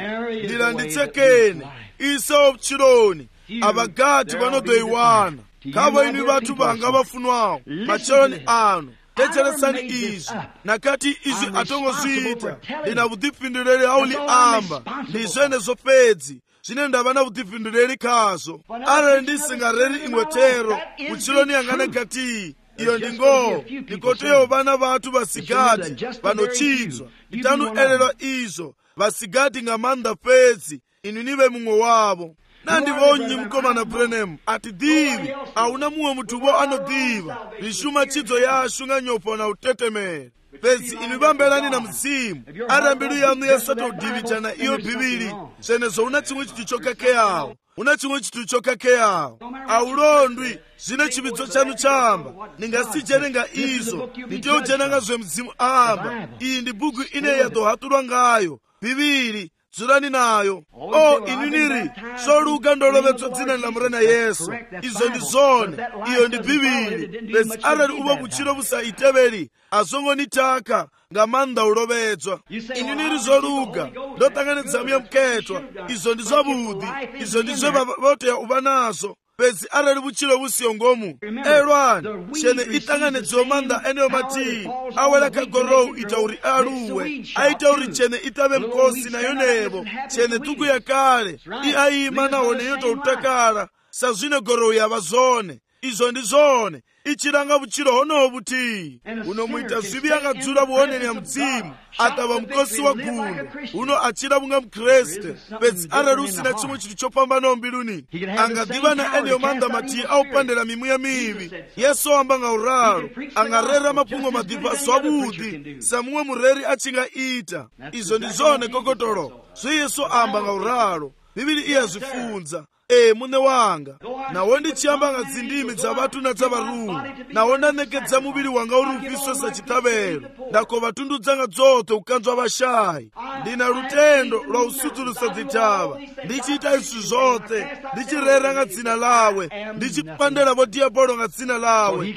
ndila nditsekene isa opchiloni avagati vanodoiwana khavo inu vathu vanga vafunwawo macheloni anu tetseresani izi nakati izi atongozviita ndina vudhifinduleli hauli amba ndi zvenezo fedzi zvine ndava na vudhifinduleli khazvo arali ndisingareri ingwetero muchiloni yangane kati iyo ndingo ndikoteyo vana vathu vasigati vanochidzwa itanuelelwa izvo vasigati ngamanda fedzi inu nive mumwe wavo nandivonyi mukomana Branham atidivi auna mumwe muthuvo anodiva rishuma chidzo yashu nga nyopo na utetemere fedzi inu vambelani na mzimu ara mbilu yanu yasatodivichana iyo bhibili zvenezo una chimwe chitu chokakeyawo una chimwe chitu chokakeyawo aulondwi zvine chividzo chanu chamba ningasicherenga izvo nditeuchenanga zve mzimu amba iyi ndi bhuku ine yadohatulwa ngayo bhibili dzurani nayo inuniri soluka ndolovetswa dzina la murena Yesu izo ndi zone iyo ndi bhibili besi arali uva kuchiro vusaiteveri azongonitaka ngamanda ulovetswa inuniri zoluka ndotanganidzamuya mketwa izo ndi zvavudi izo ndi zve voteya uva nazo besi arali vuchiro vusiyongomu elwani chene itanganidziwa manda eneyo mati awela kagorowu itauri aluwe aitauri chene itave mkosi nayo nevo chene tuku yakale iayima nawo neyo toutakala sazvine gorowu yava zone izo ndi zone ichilanga vuchiro honoho vuti unomuita zvivi akadzula vuoneni ya mzimu atava mkosi wa gunde uno achila vunga mkreste besi arali usina chimwe chitu chopambanawo mbiluni angadiva na eneyo manda mati aupandela mimuya mivi Yesu amba nga uralo angarera mapungo madivaso avudi samumwe mureri achingaita izo ndi zone kokotolo zwe Yesu amba nga uralo bibili iyazvifunza mune wanga nawo ndichiyamba nga dzindimi dza vathu na dza varungu nawo ndanekedza muviri wanga uri upiswe sachitavero ndakova tundu dzanga dzote ukanzwa vashayi ndina lutendo lwa usudzulusa dzitava ndichiita isu zote ndichirera nga dzina lawe ndichipandela vodiyabolo nga dzina lawe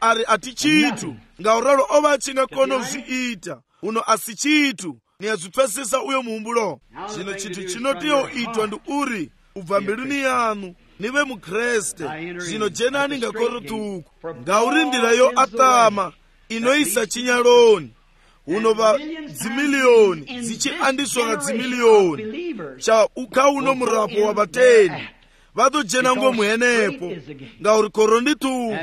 ari ati chitu ngauralo ova achingakona uzviita uno asi chitu niyazvipesesa uyo muhumbulo zvino chitu chinotiyo itwa ndi uri ubva mbiluni yanu nive mukreste zvino jenani ngakorotuku ngaurindirayo atama inoisa chinyaloni unova dzimiliyoni zichiandiswa nga dzimiliyoni cha ukauno murapo wa vateni vatojena ngomuhenepo ngauri korondituku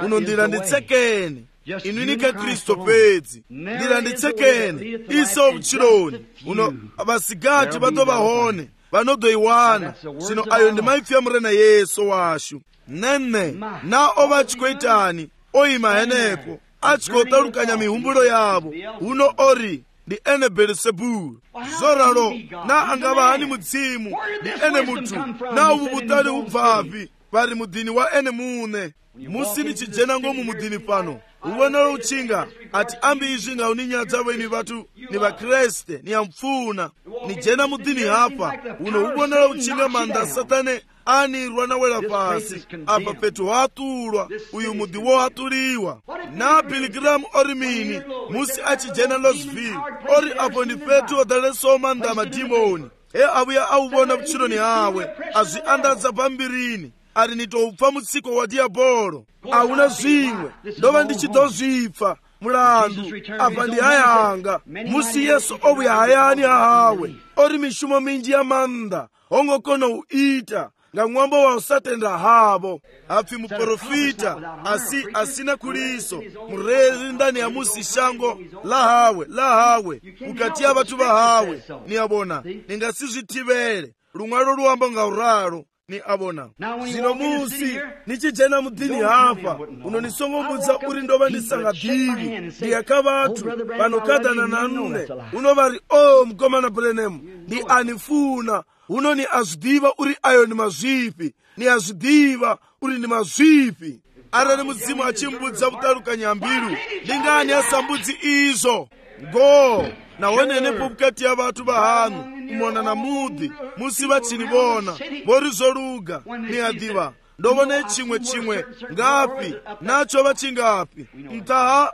uno ndira nditsekene inunika Kristo pedzi ndira nditsekene iso vuchiloni uno vasigati vatovahone vanodoiwana zvino ayo ndi maipfi ya murena Yesu washu nene na ova achikoitani oima henepo achikotalukanya mihumbulo yavo uno ori ndi ene Beelzebulu zoralo na angava hani mudzimu ndi ene mutu na uvu vutali ubvapi vari mudini wa ene mune musini chijenango mu mudini pano uwonalo uchinga ati ambi izvi ngauninyadza weni vatu ni vakreste ni amfuna ni jena mudini hapa uno uwonalo uchinga manda satane anirwa nawela pasi apa petu hatulwa uyu mudi wo hatuliwa na Bilgram ori mini musi achijena Losville ori apo ndi petu odaleso manda madimoni abuya auwona vuchiloni hawe azviandadza pambirini ari nitoupfa mutsiko wa diabolo auna zvimwe ndova ndichitozvipfa mulandu apa ndi hayanga musi Yesu obuya hayani hahawe ori mishumo minji ya manda ongokona uita nga mwambo wa usatenda havo apfi muprofita asina kuliso murezi ndani ya musi shango lahawe ukatia vatu vahawe ni abona ningasizvitivere lumwalo luwamba nga uralo ni abona zino musi nichijena mudini hapa unonisongombudza uri ndova ndisanga dhivi ndiyaka vatu vanokadana nanune unovari mukomana Branham ndi anifuna uno ni azvidiva uri ayo ni mazvipi ni azvidiva uri ni mazvipi arali mudzimu achimbudza kutalukanya mbilu ndingani asambudzi izo go nawonenepo vukati ya vatu vahanu umona na mudhi musi vachinivona vorizoluga ni adiva ndovone chimwe ngapi nacho vachingapi mtaha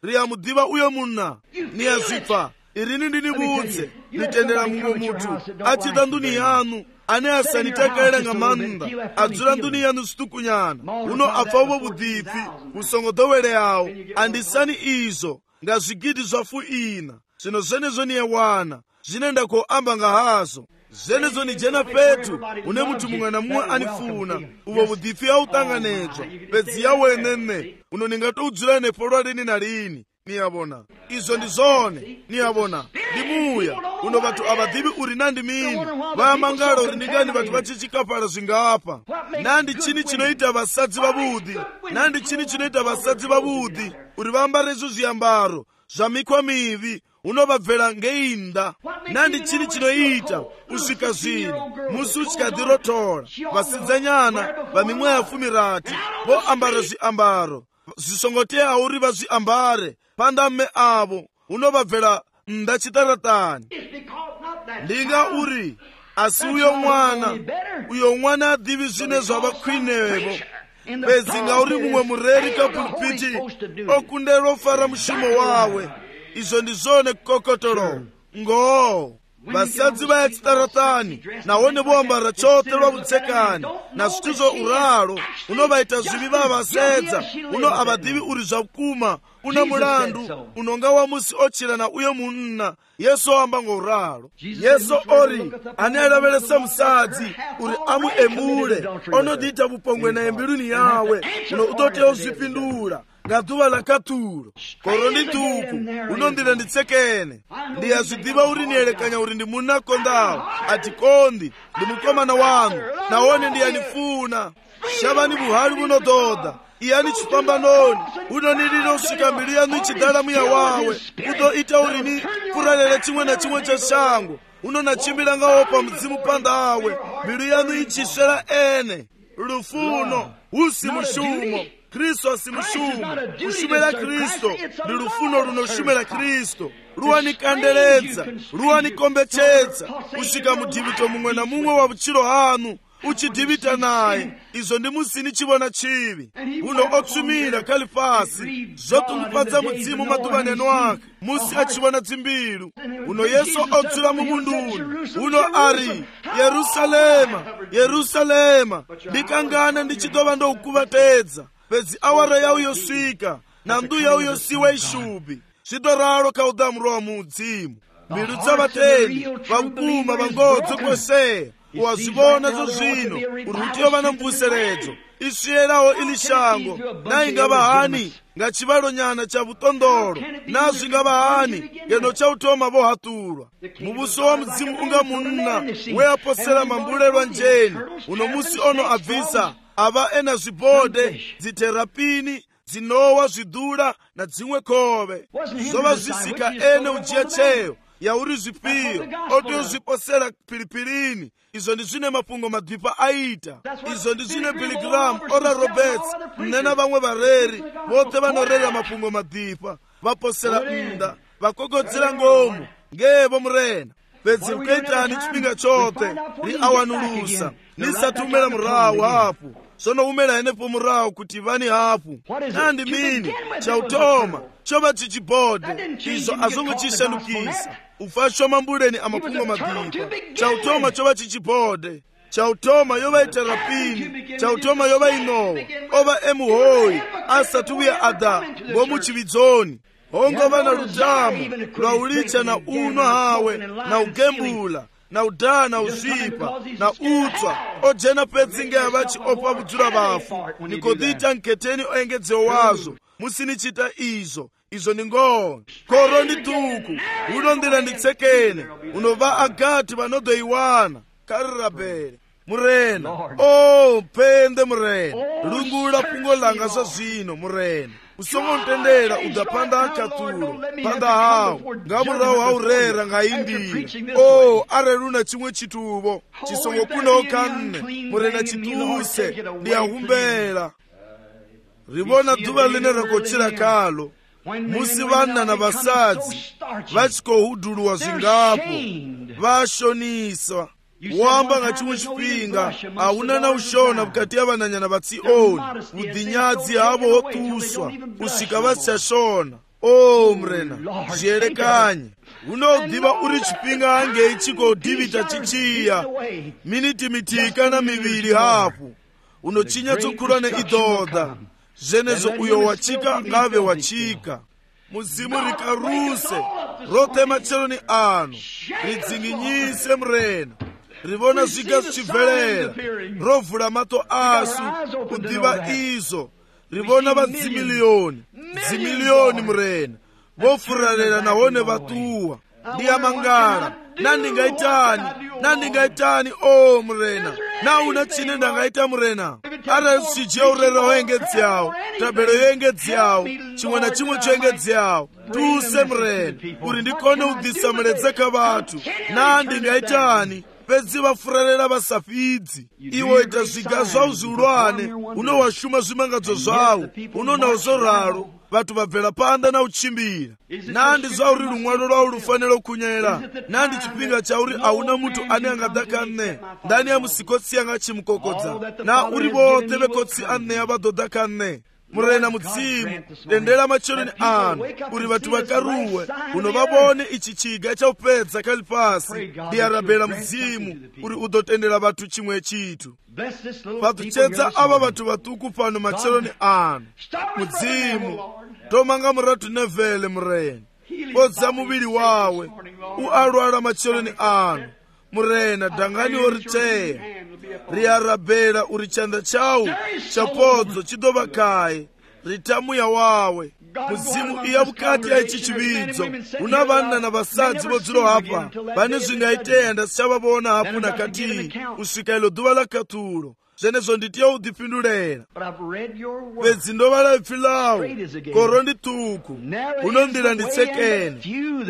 riya mudiva uyo muna ni azvipa irini ndinibudze nitendera mumwe mutu achita nduni yanu ane asanitakaira nga manda adzura nduni yanu situkunyana uno apfavo vudhipi usongodowere yawo andisani izo nga zvigidi zvafu ina zvino zvenezvo niyewana zvinenda koamba nga hazo zvenezvo nijena petu une mutu mumwe na mumwe anifuna uvo vudhipi yautanganedzwa pedzi yawenene uno ningatoudzura nepolwa rini na rini niyabona izo ndizone niyabona ndimuya uno vatu avadhivi uri nandi mini vayamangala uri ndingani vatu vachichikapala zvingapa nandi chini chinoita vasadzi vavudhi nandi chini chinoita vasadzi vavudhi uri vambare izvo zviyambaro zvamikwa mivi unovabvera ngeinda nandi chini chinoita usvika zvino musi uchikadirotora vasidzanyana vamimwe yafumirati voambara zviambaro zvisongoteya uri vazviambare pandame avo unovabvera ndachitaratani ndinga uri asi uyo mwana adhivi zvine zvavakhwinevo pedzi ngauri mumwe mureri kapulpiti okunderwa ofara mushumo wawe izvo ndizvone kukokotoro ngoo vasadzi vayachitaratani nahone voambara chote rwavutsekani nazviti zvo uraro unovaita zvivi vavasedza uno avadhivi uri zvakuma una mulandu unonga wamusi ochirana uye munna yesu oamba ngouraro yesu ori ane alaveresa musadzi uri amuemule onodiita vupongwe naye mbiluni yawe uno utoteya uzvipindura ngadhuva lakaturo koro ndituku unondira nditsekene ndiyazvidiva uri niyerekanya uri ndimunakondawo atikondi ndimukomana wanu nahone ndiyanifuna shavani vuhari vunodhodha iyani chipambanoni unonirira usvika mbilu yanu ichidara muya wawe utoita urini kuralele chimwe na chimwe cheshango unonachimbira ngawo pamudzimu pandawe mbilu yanu ichisvera ene rufuno usi mushumo kristu asi mushumo kushumira kristu ndi rufuno runoshumira kristu ruwanikanderedza ruwanikombechetsa kusvika mudhivito mumwe na mumwe wa vuchiro hanu uchidhivita naye izvo ndi musini chivona chivi uno otsvimira kali pasi zvotumupatsa mudzimu madhuvaneno ake musi achivona dzimbilu uno yesu odzura mumunduni uno ari yerusalema yerusalema ndikangana ndichitova ndoukuvatedza pedzi awara yau yosvika na ndu yau yosiwa ishubi zvitoraro kaudhamuro wa mudzimu mbilu dzavatendi vakuma vangodzo kweseya wazvivona zvo zvino urutiyo vana mvuseredzo isviyerawo ili shango naingava hani ngachivalo nyana cha vutondoro nazvingava hani ngeno chautoma vohaturwa muvuso wa mudzimu unga munna weaposera mambulelwa njeni uno musi ono abvisa ava ena zvibhode dziterapini dzinowa zvidhura na dzimwe khove zova zvisika ene ujiya cheyo yauri zvipiyo otozviposera pilipirini izvo ndizvine mapungo madhipa aita izvo ndizvine Billy ora Roberts nena vamwe vareri vote vanorera mapungo madhipa vaposera mnda vakogodzera ngomo ngevo murena pedzi ukaitani chipinga chote riawanulusa nisatumela murawu hapo sonoumela enepo murawu kuti vani hapo nandi mini chautoma chova chichibhode izvo azongochishandukisa ufashwa mambuleni amapungo madhipa chautoma chova chichibhode chautoma yova iterapini chautoma yova inowa ova emuhoyi asatuya ada ngomuchividzoni hongo vana lutamu lwaulicha na uno hawe na ugembula na udaa na uzvipa na utswa ojena pedzinge yavachi opa vudzura vafu nikodhita nketeni oengedzewo wazvo musinichita izvo ni ngoo koro ndituku unondira nditsekene unova agati vanodoiwana karirabere murena pende murena lungula pungo langa zva zvino murena usongontendera udapanda akaturo panda hawo ngamurawo haurera ngaimbira areruna chimwe chituvo chisongokunawo kanne murena chituse ndiyahumbera rivona dhuva line rakochira kalo musi vana na vasadzi vachikohudhulwa zvingapo vashoniswa wamba nga chimwe chipinga hauna na ushona vukati yavananyana vatsioni udhinyadzi havo hotuswa kusvika vasichashona mrena zviyerekanye unodziva uri chipinga ngeichiko divita chichiya miniti mitika na miviri hafu unochinya tsokhulwane idodha zvenezo uyo wachika ngave wachika muzimu rikaruse rote macheloni ano ridzinginyise murena rivona zviga zvichibvelera rovhura mato asu kudziva izvo rivona vadzimiliyoni dzimiliyoni murena vofurarira nahone vatuwa ndiyamangara nandingaitani o murena nauna chine ndangaita murena ara zvichiyaurera waengedzeyawo tabero yoengedzeyawo chimwe na chimwe choengedzeyawo tuse murena uri ndikone udhisa muredzeka vatu nandingaitani pedzi vafurarira vasafidzi iwo ita zviga zvavo zviulwane unowashuma zvimangadzo zvavo unonawo zoraro vatu vabvela panda na uchimbira nandi zvauri rumwano rwavo rufanira kunyera nandi chipinga chauri hauna mutu ane angadhakane ndani ya musikotsi anga chimukokodza na uri vote vekotsi ane vadodhakane murena mudzimu dendera macheloni ano uri vatu vakaruwe unovavone ichi chiga chaupedza kali pasi ndiyarabhera mudzimu uri udotendera vatu chimwe chitu patuchedza ava vatu vatuku pano macheloni ano mudzimu tomanga muratu nevhele murena podza muviri wawe ualwala macheloni ano murena dhangani oriteya riyarabhera uri chanda chau chapodzo chidova kaye ritamuya wawe muzimu iya vukati ya ichi chividzo una vanna na vasadzi vodziro hapa vane zvingaiteya ndasichavavona hapo nakati kusvika ilo dhuva lakaturo zvenezvo nditiya udhipindurera pedzi ndovala ipfi lawo koro ndituku unondira nditsekene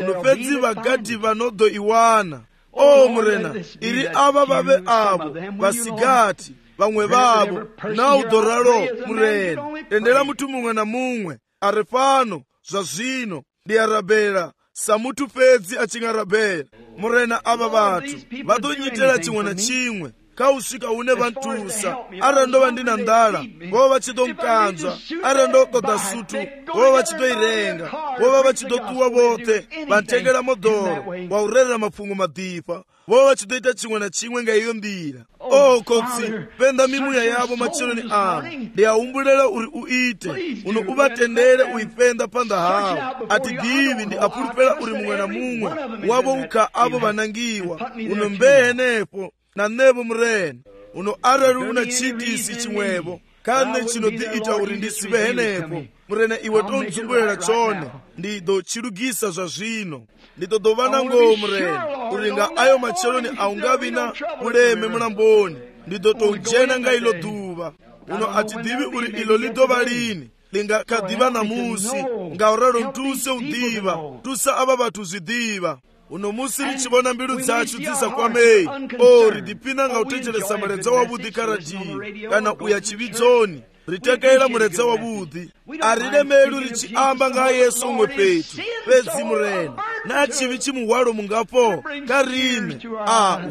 unopedzi vagadhi vanodoiwana o murena iri ava vave avo vasigati vamwe vavo naudhoralo murena dendera mutu mumwe na mumwe ari pano zvazvino ndiyarabhera samutu pedzi achingarabhera murena ava vatu vadonyitera chimwe na chimwe kausvika une vantusa ara ndova ndina ndala vova vachitomkanzwa ara ndotoda sutu vova vachitoirenga vova vachitotuwa vote vantengera modhoro waurerera mapfungo madhifa vova vachitoita chimwe na chimwe ngaiyo ndira o kotsi penda mimuya yavo macheloni ano ndiyaumbulela uri uite uno uvatendere uipenda panda havo ati divi ndi apulupela uri mumwe na mumwe wavo ukha avo vanangiwa uno mbehenepo na nevo murena uno arari una chitisi chimwevo kane chinodiita uri ndisive henepo murena iwe tonzungulera chone ndidochilugisa zvazvino nditodovana ngoo murena uringa ayo macheloni aungavina uleme mulamboni ndidotojena nga ilo dhuva uno atidivi uri ilo lidova lini lingakadiva namusi ngauraro ntuse udiva tusa ava vatu zidiva uno musi richivona mbilu dzachu dzisakwamei o ridipina nga utenjeresa muredza wavudhi karadiyo kana uya chividzoni ritekera muredza wavudhi arilemelu richiamba nga yesu umwe petu pedzi murena na chivi chimuhwalo mungapo karine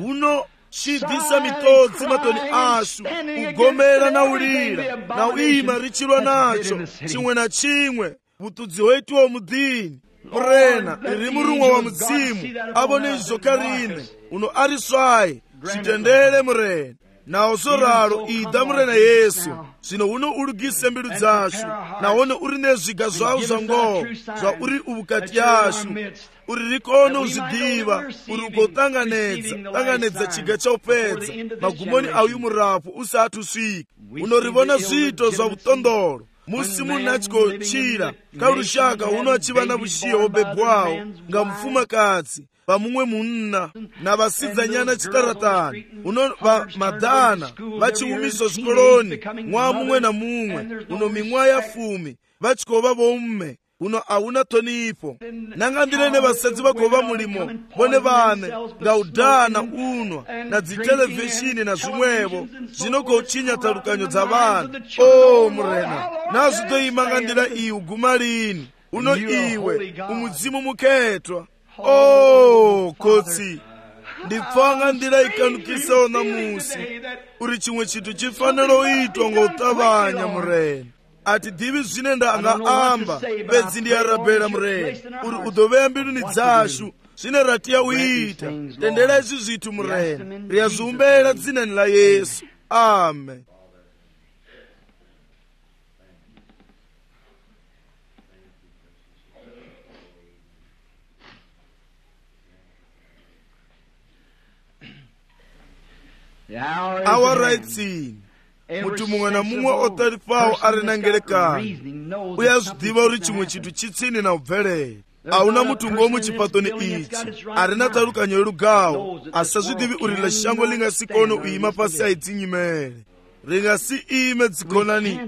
uno chidhisa mitodzi matoni ashu ugomera na ulira na uima richilwa nacho chimwe na chimwe vutudzi hweitiwo mudhini murena iri murumwa wa mudzimu avone izvo karine uno ari swai chitendere murena nawo zoraro ida murena yesu zvino uno ulugise mbilu dzachu nawone uri nezviga zvavo zvangoho zvauri uvukati yashu uri rikono uzvidiva uri ugotanganedza chiga chaupedza magumoni auyu murapo usati usvika unorivona zviito zvavutondoro musi munhu achikochira karushaka uno achiva na vushiyo wobebwawo nga mufumakadzi vamumwe munna na vasidzanyana chitaratani uno vamadhana vachiumiswa zvikoloni mwa mumwe na mumwe uno mimwa ya 10 vachikova vomme uno hauna tonipo nangandirene vasadzi vakova mulimo vone vane ngaudhana unwa na dzitelevhishini na zvimwevo zvinokochinya talukanyo dza vanhu o murena nazvitoima ndira iyi uguma lini uno iwe umudzimu muketwa o kotsi ndipfanga ndira ikanukisawo namusi uri chimwe chitu chifanira uitwa ngautavanya murena ati divi zvine ndanga amba pedzi ndiyarabhera murena uri udoveya mbiluni dzashu zvine ratiya uita tendera izvi zvithu murena riyazumbera dzinani la Yesu. Amen. Our rights in munthu mumwe na mumwe otarifawo ari na ngelekano uyazvidiva uri chimwe chinthu chitsini na ubvelere. Auna mutungo muchipatoni ichi arina tarukanyo yerugawo asazvidivi uri lashango lingasikono uima pasi aidzinyimere ringasi ime dzikonani.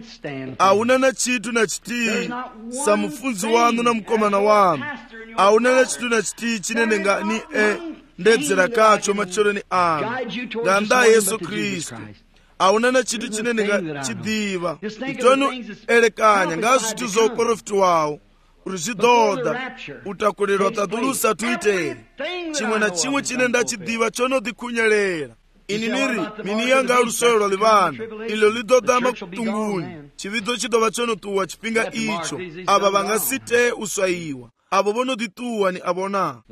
Auna na chitu na chitii samufunzi wanu na mukomana wanu. Auna na chitu na chitii chinene ngani ndedzera kacho machoroni anu nganda Yesu Kristu. Auna na chitu chinene ngachidiva itonu elekanya ngazvitu zoprofitwawo urizvidoda utakulirwa tadulusa tuite chimwe na chimwe chine ndachidiva chonodikunyerera. Ini niri mini yanga rusoyo livana ilo lidodama kutunguni chividzo chidova chonotuwa chipinga icho aba vangasite uswaiwa abo bonodituwa ni abona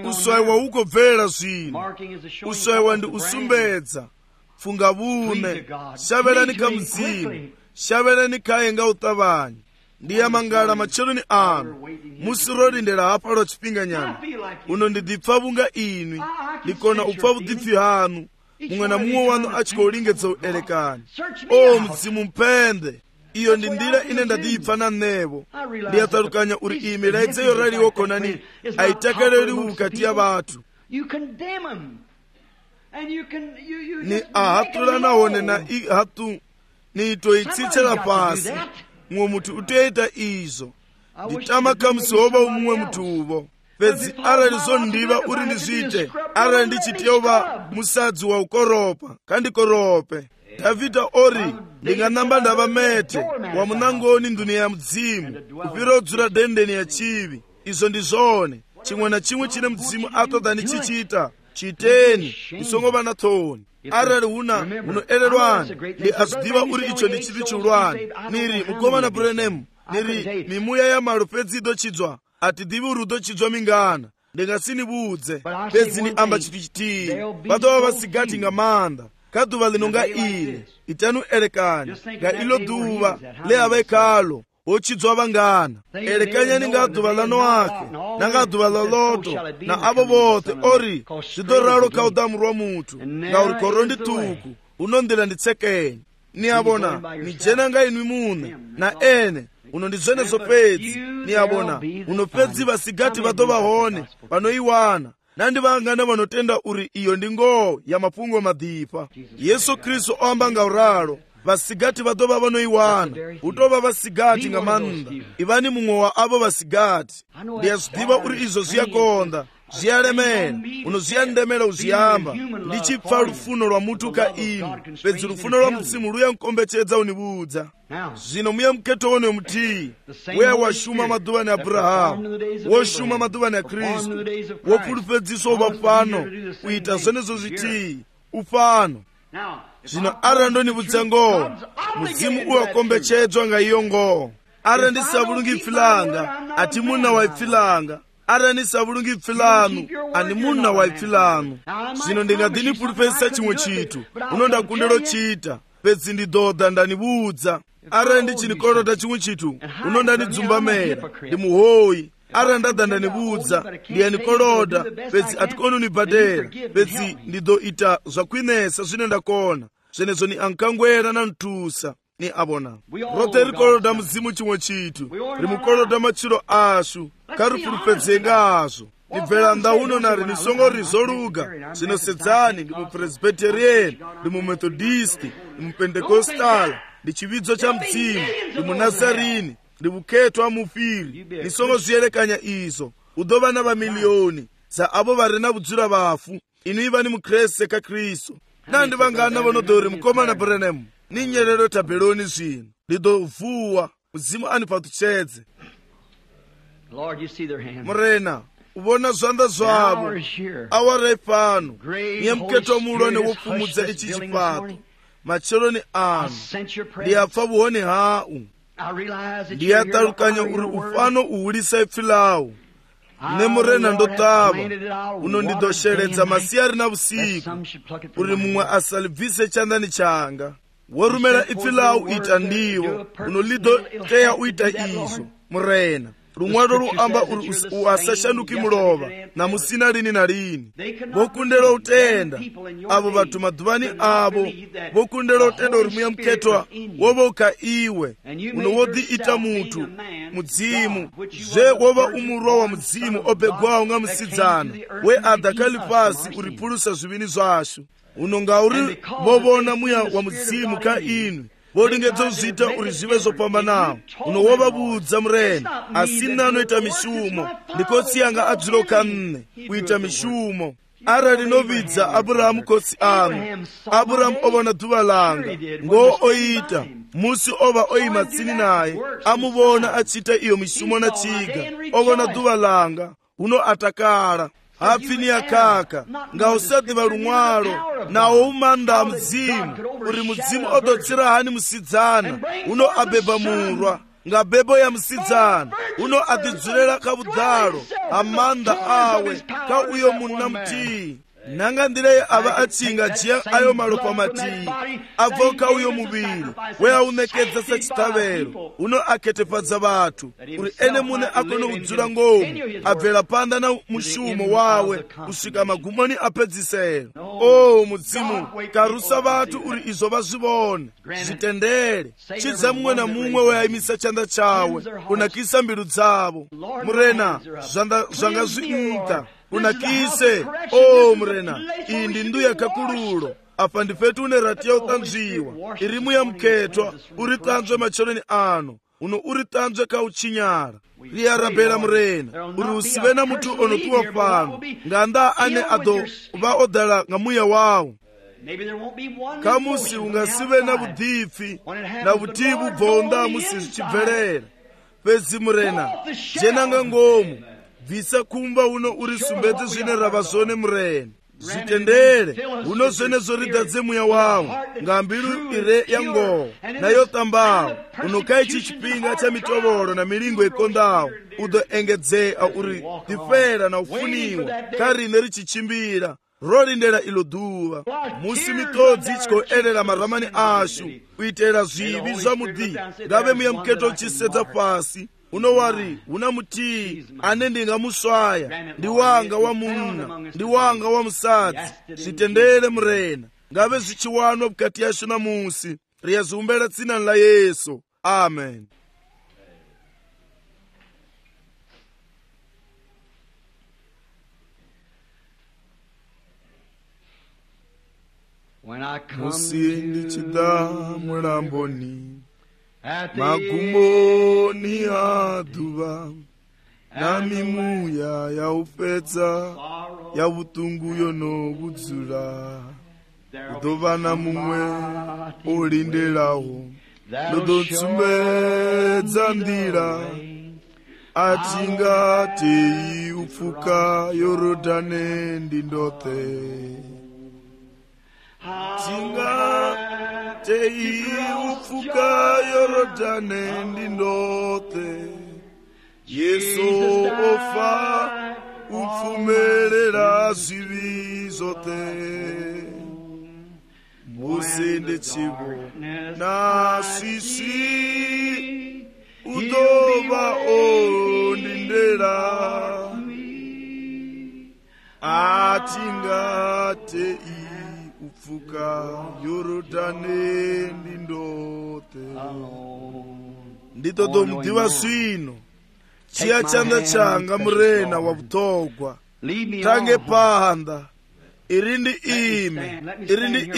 uswaiwa uko bvera zvino. Uswaiwa ndi usumbedza funga vune shaverani kamzimu shaverani kayenga utavanyi ndiya mangala macheloni anu musirolindera hapa lo chipinga nyana uno ndidipfa vunga inwi ndikona upfa vudipfi hanu mumwe na mumwe wanu achikolingetsa uelekani. O mzimu mpende iyo ndi ndira ine ndadipfa na nevo ndiyatarukanya uri imi laidzeyo raliwo konani aitakaleli ukati ya vatu ni ahatula naone na hatu ni itoitsitsela pasi mwe mutu uteita izo nditama kamusoba umwe mutuvo pedzi aralizo ndiva uri ndizvite arali ndichiteuva musadzi wa ukoropa kandikorope. Davhidha ori ndinganamba ndava mete wa munangoni nduniya ya mudzimu kupira udzura dendeni ya chivi. Izo ndizvone chimwe na chimwe chine mudzimu atoda ndichichita chiteni isongova na thoni. Arali huna unoererwani ndi azvidiva uri icho ndi chiri chulwani niri mukomana Branham niri mimuya ya malo pedzi idochidzwa atidivi uri udochidzwa mingana ndingasinibudze pedzi ni amba chithu chitii vatova vasigati ngamanda kaduva linonga ile itanu elekanya nga ilo duva leava ekalo ochidzwa vangana elekanyani nga duva lano ake nanga duva loloto na avo vote ori zvidoralo kaudamu rwa mutu nga uri korondi tuku unondela nditsekenya ni abona ni jena nga inwi mune na ene unondizvenezo pedzi ni abona uno pedzi vasigati vatova hone vanoiwana nandi vangana vanotenda uri iyo ndingo ya mapungo madhipa. Yesu Kristu oamba nga uralo vasigati vatova vanoiwana utova vasigati nga manda ivani mumwe wa avo vasigati. Ndiyazvidiva uri izvo zviyakonda zviyalemera unozviyandemera uzviyamba ndichipfa rufuno rwa mutu ka inu pedzi rufuno rwa mudzimu ruyankombechedza unibudza. Zvino muye muketo wone mutii weya washuma madhuvani Abrahamu woshuma madhuvani ya Kristu wopulupedziswa uvafano kuita zvenezo zvitii ufano. Zvino ara ndonibudza ngoo mudzimu uwakombechedzwa nga iyo ngoo ara ndisavulungi pfilanga ati muna waipfilanga ara ndisavulungi pfilanu ani muna waipfilanu. Zvino ndingadini pulupedzisa chimwe chitu unondakundelo chita pedzi ndidodha ndanibudza ara ndichinikolota chimwe chitu unondanidzumba-mera ndi muhoyi ara ndadha ndanibudza ndiyanikolota pedzi atikoni unibhadera pedzi ndidoita zvakwinesa zvine ndakona zvenezo ni ankangwera na ntusa ni abona rote rikolota mudzimu chimwe chitu rimukolota machiro ashu karipulupedzenga azvo nibvera ndauno nari nisongo rizoluga zvinosedzani ndi mupresbyterian ndi mumethodist ndi mupendekostala ndi chividzo cha mdzimu ndi munazarini ndi vuketo wa mufiri nisongo zviyerekanya izo udova na vamiliyoni za avo vari na vudzura vafu inu ivani mukreste ka Kristu nandi vangana vanodori mukomana Branham ni nyerero tabeloni zvino ndidovuwa mudzimu anipatuchedze. Murena uvona zvanda zvavo awara pano niye muketo mulone wopfumudza ichi chipato macheloni anu ndiyapfa vuhoni hau ndiyatarukanya uri ufano uwulisa ipfilawu ne murena ndotava unondidosheredza masiyari na usiku uri mumwe asalibvise chandani changa worumela ipfi lau ita ndiwo unolidoteya uita izvo murena rumwaro ruamba uri uasashanduki mulova na musina lini na lini vokundela utenda avo vatu madhuvani avo vokundela utenda uri muya muketwa wovoka iwe unowodhiita mutu mudzimu zve wova umurwa wa mudzimu obegwawo nga musidzana weadhakali pasi uripulusa zvivini zvashu unonga uri vovona muya wa mudzimu ka inu volingedza kuzviita uri zvive zvopambanawo unowovavudza murena asina anoita mishumo ndikotsi yanga adziroka nne kuita mishumo ara rinovidza abhurahamu kotsi anu abhurahamu ovona dhuva langa ngo oita musi ova oima tsini naye amuvona achiita iyo mishumo na chiga ovona dhuva langa uno atakala hapfini yakaka ngausadhiva rumwaro nawo umanda mudzimu uri mudzimu odotsira hani musidzana uno abeba murwa ngabebo ya musidzana uno adidzurela kavudzalo amanda awe ka uyo munna mutii nanga ndireye ava achinga jiya ayo malopa matii avoka uyo muviri weaunekedza sechitavero uno aketefadza vatu uri ene mune akone kudzura ngomu abvela panda na mushumo wawe kusvika magumoni apedzisero mudzimu karusa vatu uri izvo vazvivone zvitendere chidza mumwe na mumwe weaimisa chanda chawe kunakisa mbiru dzavo murena zvanga zviita unakise murena iyi ndi ndu yakakululo apa ndifetu une rati yautanzviwa iri muya muketwa uri tanzwe macholeni ano uno uri tanzwe kauchinyara riyarabhela murena uri usive na mutu onotuwa pano nganda ane ado vaodala nga muya wawo kamusi ungasive na vudhipfi na vutivi bvonda musi zvichibvelela pedzi murena jenanga ngomu bvisa kumba uno uri sumbedze zvine rava zvone murena zvitendere uno zvene zvoridadze muya wawo ngambiru ire yangoho nayotambawo unokai chichipinga cha mitovolo na milingo ikondawo udoengedzea uri difera na ufuniwa karine richichimbira rolindela ilo dhuva musi mitodzi ichikoelela maramani ashu kuitela zvivi zva mudhi ngave muya muketo uchisedza pasi unowari una mutii ane ndingamuswaya ndi wanga wa munna ndi wanga wa musadzi zvitendere murena ngave zvichiwanwa bukati yashu namusi riyazumbela tsinani la Yesu amen. musi ndichida mulamboni magumoni adhuva namimuya yaupedza yavutungu yonovudzula udova na mumwe olindelawo ndodotsumedza ndira atingatei upfuka yorodhane ndindote tingatei upfuka yorodhane ndindote Yesu ofa upfumerera zvivi zote musende chivo na sisi udova ondindera atingatei upfuka yorodhane ndindote nditotomudiva svino chiya chanda changa murena wa vutogwa tange pahanda iri ndi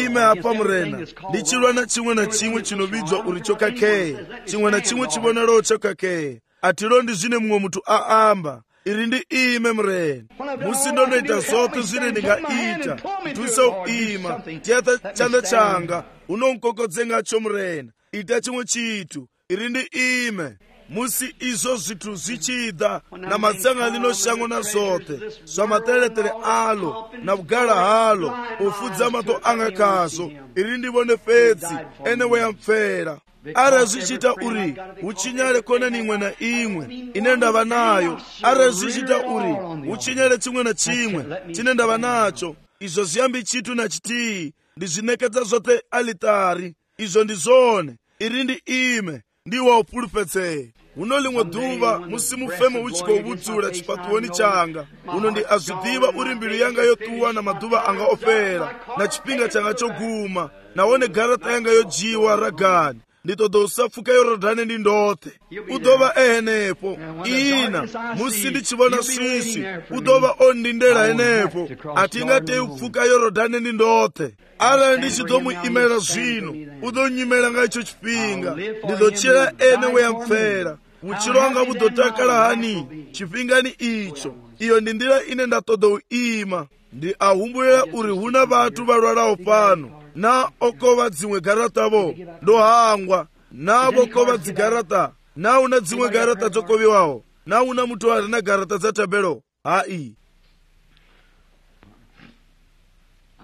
ime apa murena ndichilwa na chimwe na chimwe chinovidzwa uri chokakeya chimwe na chimwe chivonero chokakeya atilo ndi zvine mumwe mutu aamba iri ndi ime murena musi ndonoita zote zvine ndingaita kutwisa uima tiyata chanda changa unonkokodzengacho murena ita chimwe chitu iri ndi ime musi izvo zvithu zvichida na matsanganino shango na zote zva mateletele alo na kugala halo ufudza mato anga kazo iri ndivone fedzi ene weyamfera arazvichita uri uchinyare konani imwe na imwe ine ndava nayo, arazvichita uri uchinyare chimwe na chimwe chine ndava nacho. Izvo zviyambi chitu na chitii ndizvinekedza zvote alitari. Izvo ndizvone iri ndi ime ndiwa upulupetsei. Uno limwe dhuva musimufemo uchikovudzula chipatuoni changa. Uno ndi azvidiva uri mbilu yanga yotuwa na madhuva anga opera na chipinga changa choguma. Naone garata yanga yojiwa ragani. Nditoda usafuka Yorodani ndi ndote. Udova enepo ina musindichivona swisi. Udova ondindera enepo atingatei upfuka Yorodani ndi ndote. Ala ndichidomu imela zvino udonyimela nga icho chipinga. Ndidochera ene weyamfera uchiro wanga budotakala hani chipingani icho. Iyo ndi ndira ine ndatoda uima. Ndi ahumbulira uri huna vatu valwalawo pano na okova dzimwe garata vo ndohangwa navo kova dzigarata na una dzimwe garata dzokoviwawo na una mutu ari na garata dzatabelo hai.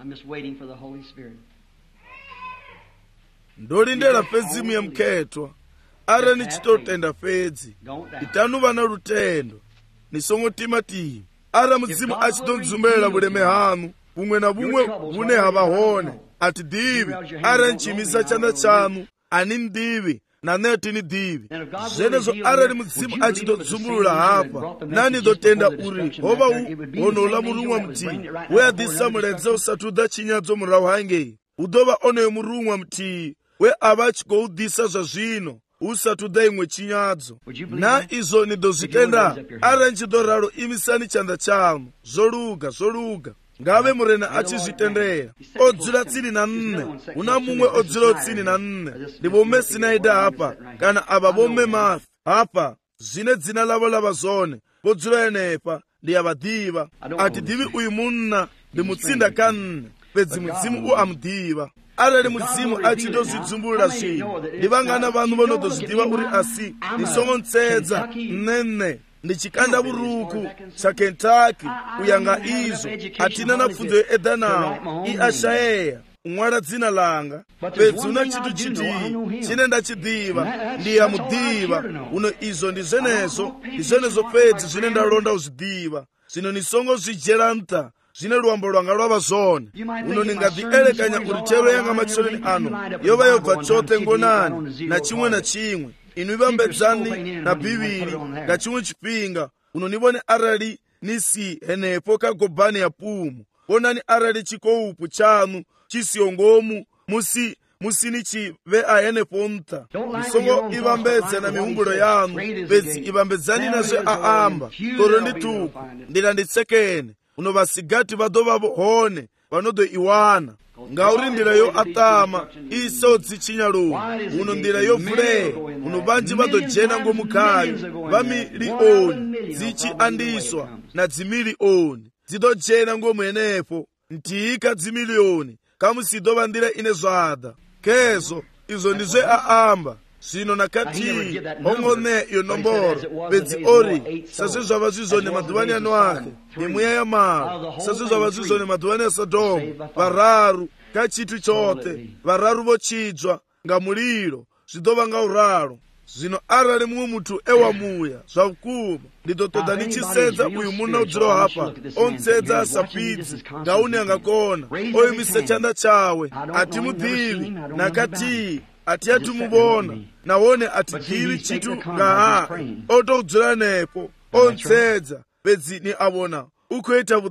I'm just waiting for the Holy Spirit. Ndolindera pedzimu ya mkhetwa ara nichitotenda fedzi itanu vana lutendo nisongotima tii ara mudzimu achitondzumela buleme hanu bumwe na bumwe bune havahone ati divi ara nchimisa chanda chanu ani ndivi na neti ni divi zenezo ara ni mudzimu achitodzumulula hapa nani dotenda uri hova honola murumwa mti we adisa muledze usatuda chinyadzo murawu hange udova oneyo murumwa mti we avachigoudisa zva zvino usatuda imwe chinyadzo na izo nidozvitenda ara nchidoraro imisani chanda chanu zvoluga ngave murena achizvitendera odzula tsini na nne una mumwe odzula tsini na nne ndivome Sinaida hapa kana ava vome Mafi hapa zvine dzina lavo lava zone vodzula enepa ndiyavadiva ati divi uyu munna ndimutsinda kanne pedzi mudzimu uamudiva. Arali mudzimu achitozvidzumburira zvinhu ndivangana vanhu vanodozvidiva uri asi ndisongontsedza nene ndichikanda buruku cha Kentucky kuyanga izo atina na pfunzo yoeda nawo iashayeya umwala dzina langa pedzi una chitu chiti chine ndachidiva ndiyamudiva uno izo ndizvenezo pedzi zvine ndalonda uzvidiva zvino nisongo zvijeranta zvine luambo lwanga lwava zvone uno ningadhielekanya uri chero yanga macholeni ano yova yobva chote ngonani na chimwe na chimwe inu ivambedzani na bhiviri nga chimwe chipinga uno nivone arali nisi henepo kagobhani ya pumu onani arali chikoupu chanu chisiyongomu musini chive ahenepo mta musongo ivambedze na mihumbulo yanu bedzi ivambedzani nazve aamba toro ndituku ndila nditsekene uno vasigati vadovavo hone vanodoiwana ngauri ndira yo atama isodzi chinyaloni uno ndira yovuleya uno vanji vadojena ngomukhayo vamiliyoni dzichiandiswa na dzimiliyoni dzidojena ngomwenepo ntiika dzimiliyoni kamusidova ndira ine zvada kezo izo ndizve aamba zvino nakati ongone iyo nomboro bedzi ori sazve zvava zvizone madhuvani ano ake nemweya yamaro sazve zvava zvizone madhuvani aSodhomu vararu kachitu chote vararu vochidzwa ngamuliro zvidova ngauraro. Zvino arali mumwe mutu ewamuya zvakuma ndidotoda nichisedza uyu muna udziro hapa ontsedza asapidzi ngauni angakona oyimise chanda chawe atimudivi nakati ati atumubona nawone atidivi chitu ngaha otoudzira nepo ontsedza bedzi ni avona ukoita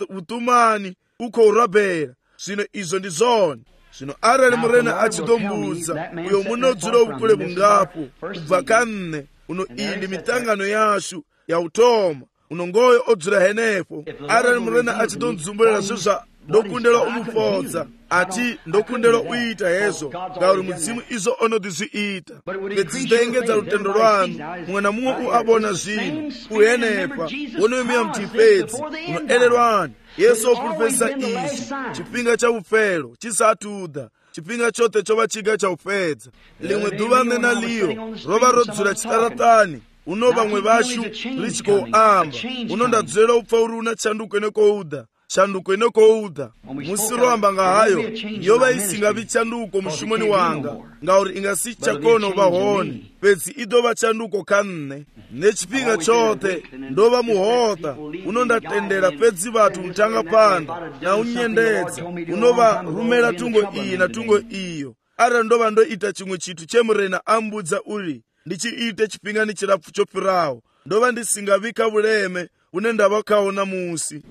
utumani ukourabhera zvino izvo ndizvona. Zvino arali murena achidombudza uyo munodzira ubukule bungapo kubva kanne uno iyi ndi mitangano yashu yautoma uno ngoyo odzira henepo arali murena achidondzumburira zvizva ndokundela umufodza ati ndokundela uita hezvo ngauri mudzimu izo onodizviita bedzi zitoengedza lutendo lwanu mumwe na mumwe uabona zvino uhenepa wonoyimiya mtipedzi unoelelwani Yesu opulupesa izi chipinga cha ufero chisatuda chipinga chote chova chiga cha ufedza limwe dhuva nena liyo rova rodzula chitaratani uno vamwe vashu richikoamba uno ndadzera upfa uri una chanduko nekouda tshanduko inokouda musi roamba nga hayo yova isingavi tshanduko mushumoni wanga ngauri ingasi chakona uva hone pedzi idova tshanduko ka nne nechipinga chothe ndova muhota unondatendera pedzi vathu mutanga panda na unyendedza unova rumela tungo iyi na tungo iyo ara ndova ndoita chimwe chithu chemurena ambudza uri ndichiite chipingani chirapfu chopirawo ndova ndisingavika vuleme une ndava kaona musi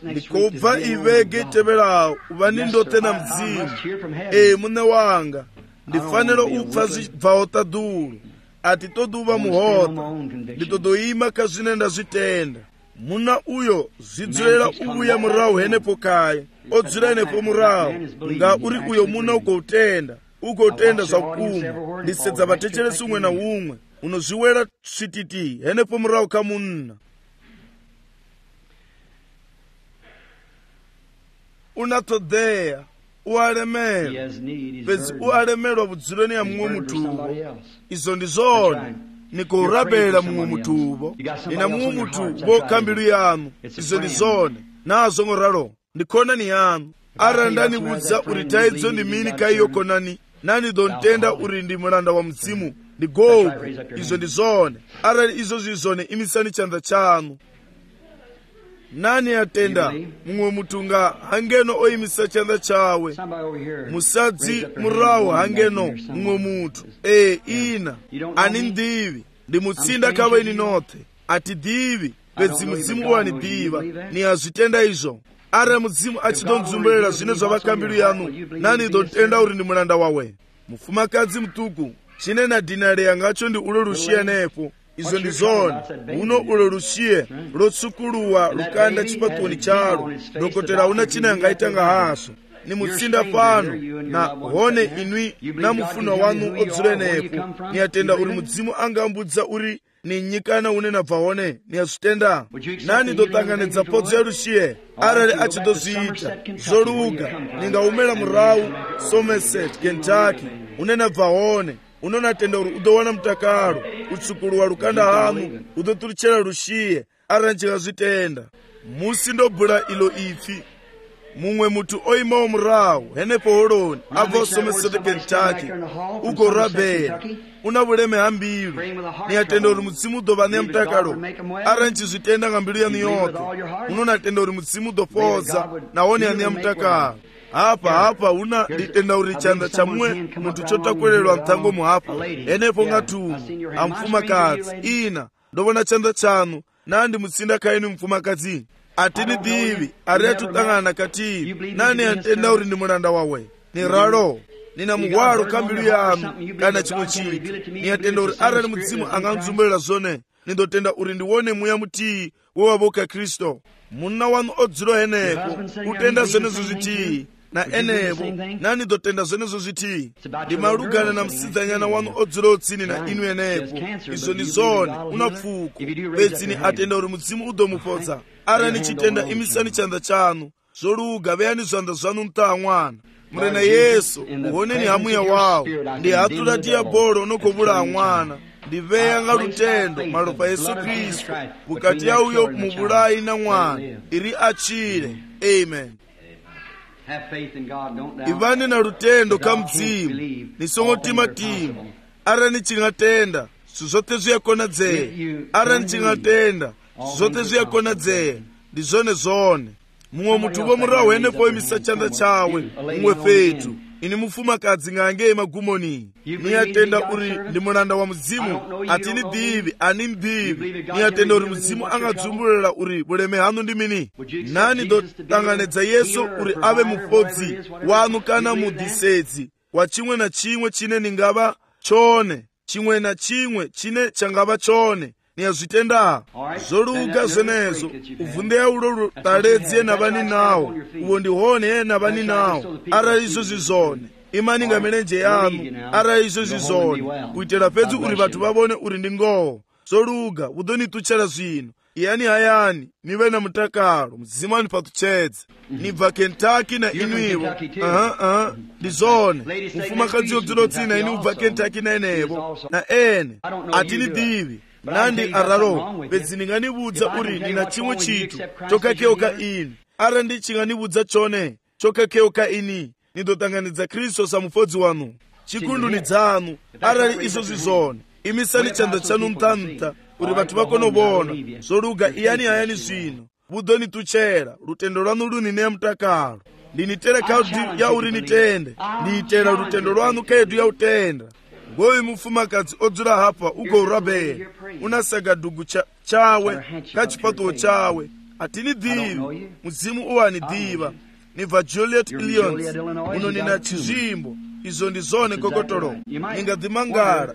ndikobva ivege iteverawo uva nindotena mdzimu mune wanga ndifanira upfa zvibvawo tadulu ati toduva muhota nditodoima kazvine ndazvitenda muna uyo zvidzorera uya murawo henepo kaye odzira henepo murawo nga uri uyo muna ugoutenda zvakukuma ndisedza vatecheresi umwe na umwe unozviwera svititi henepo murawo kamunna unatodheya ualemera pedzi ualemerwa vudzironi ya mumwe mutuvo izo ndizone nikurabela mumwe mutuvo ina mumwe mutuvo kambilu yanu izo ndizone nazo ngoralo ndikonani yanu ara ndanivudza uri taidzo ndimini kaiyokonani nani dontenda uri ndi mulanda wa mzimu ndigogo izo ndizone ara izo zizone imisani chanza chanu nani atenda mumwe mutunga hangeno oimisa chanza chawe musadzi murawo hangeno mumwe mutu ina ani ndivi ndimutsinda kaweni nothe ati divi pedzi mudzimu wanidiva ni azvitenda izvo ara mudzimu achidonzumbulela zvine zvavakambilu yanu nani dontenda uri ndi mulanda wawe mufumakadzi mutuku chine na dinari yangacho ndi ulo rushiye nepo izo ndizone uno ulo rushiye lotsukuluwa lukanda chipatoni chalo dokotera una china yangaitanga haso ni mutsinda pano na hone inwi na mufuno wanu odzule nepo ni atenda uri mudzimu angambudza uri ni nyikana une nabva hone ni azvitenda nani dotanganidza podzo ya rushiye arali achidozviita zvoluga ningaumela murawu Somerset Kentucky une nabva hone unonatenda uri udowana mutakalo utsukuluwa lukanda hanu udotulichera rushiye arali chingazvitenda musi ndobhula ilo ipfi mumwe mutu oimawo murawo henepo holoni abva Somerset Kentucky ugorabhera una vuleme hambilu niyatenda uri mudzimu udova nemutakalo ara nchizvitenda ngambilu yanu yothe unonatenda uri mudzimu udopodza nahone yani yamutakalo hapa una nditenda uri chanza chamwe muntu chotakwelelwa mtsango muhapa henepo ngatumu amfumakadzi ina ndovona chanza chanu nandi mutsinda kaini mfumakadzi atini divi ari atutangana kati nani yatenda uri ndi mulanda wawe ni ralo nina muhwalo kambilu yanu kana chimwe chinthu niyatenda uri arali mudzimu anganzumbulela zone nindotenda uri ndiwone muya mutii wewavoka Kristo munna wanu odzilo henepo utenda zonezo zitii na enevo nani dotenda zonezo zitii ndimalugana na msidzanyana wanu odzilo utsini na inu enepo izo ndi zone unapfuko pedzini atenda uri mudzimu udomupodza arani chitenda imisani chanza chanu zoluga veyani zvanza zvanu mtaa mwana murena Yesu uhoneni hamuya wawo ndi hatula diabolo unokovula mwana ndiveya nga lutendo malopa Yesu Kristu bukati ya uyo mubulayi na mwana iri achile amen. Ivani na lutendo kamdzimu nisongotima timu ara nichingatenda suzote zuyakona dzeye ara nichingatenda suzote zuyakona dzeye ndizone zone mumwe mutu vomurawo henepo imisa chanza chawe mumwe fetu ini mufumakadzi ngange magumoni niyatenda uri ndi mulanda wa mudzimu atini divi ani mdivi niyatenda uri mudzimu angadzumbulira uri buleme hanu ndi mini nani dotanganedza Yesu uri ave mufodzi wanu kana mudisedzi wa chimwe na chimwe chine ningava chone chimwe na chimwe chine changava chone niyazvitenda zoluga zvenezo uvundeya ulo taledzi ena vani nawo uwo ndihone ena vani nawo ara izo zizone imani nga milenje yanu ara izo zizone kuitira pedzi uri vatu vavone uri ndi ngoho zoluga udonituchera zvino iyani hayani nive na mutakalo mzimani patuchedze nibva Kentucky na inuivo ndizone mufumakadzi yodzilo tsina ini ubva Kentucky na enevo na ene atini divi nandi araro pedzi ndinganibudza uri ndina chimwe chitu chokakeuka ini ara ndichinganibudza chone chokakeuka ini nindotanganidza Kristu samufodzi wanu chikunduni dzanu arali izo zvizone imisani chanza chanu mtamta uri vatu vakonobona zoruga iyani zvino budonituchera rutendo rwanu runine mutakalo ndinitera kaudi yauri nitende ndiitera rutendo rwanu kedu yautenda ngovi mufumakadzi odzura hapa ugourabhera unasaga dhugu chawe kachipato chawe atinidivi mudzimu uwanidhiva nibva Juliet Lyons uno nina chizvimbo izo ndizone kokotoro ningadhimangara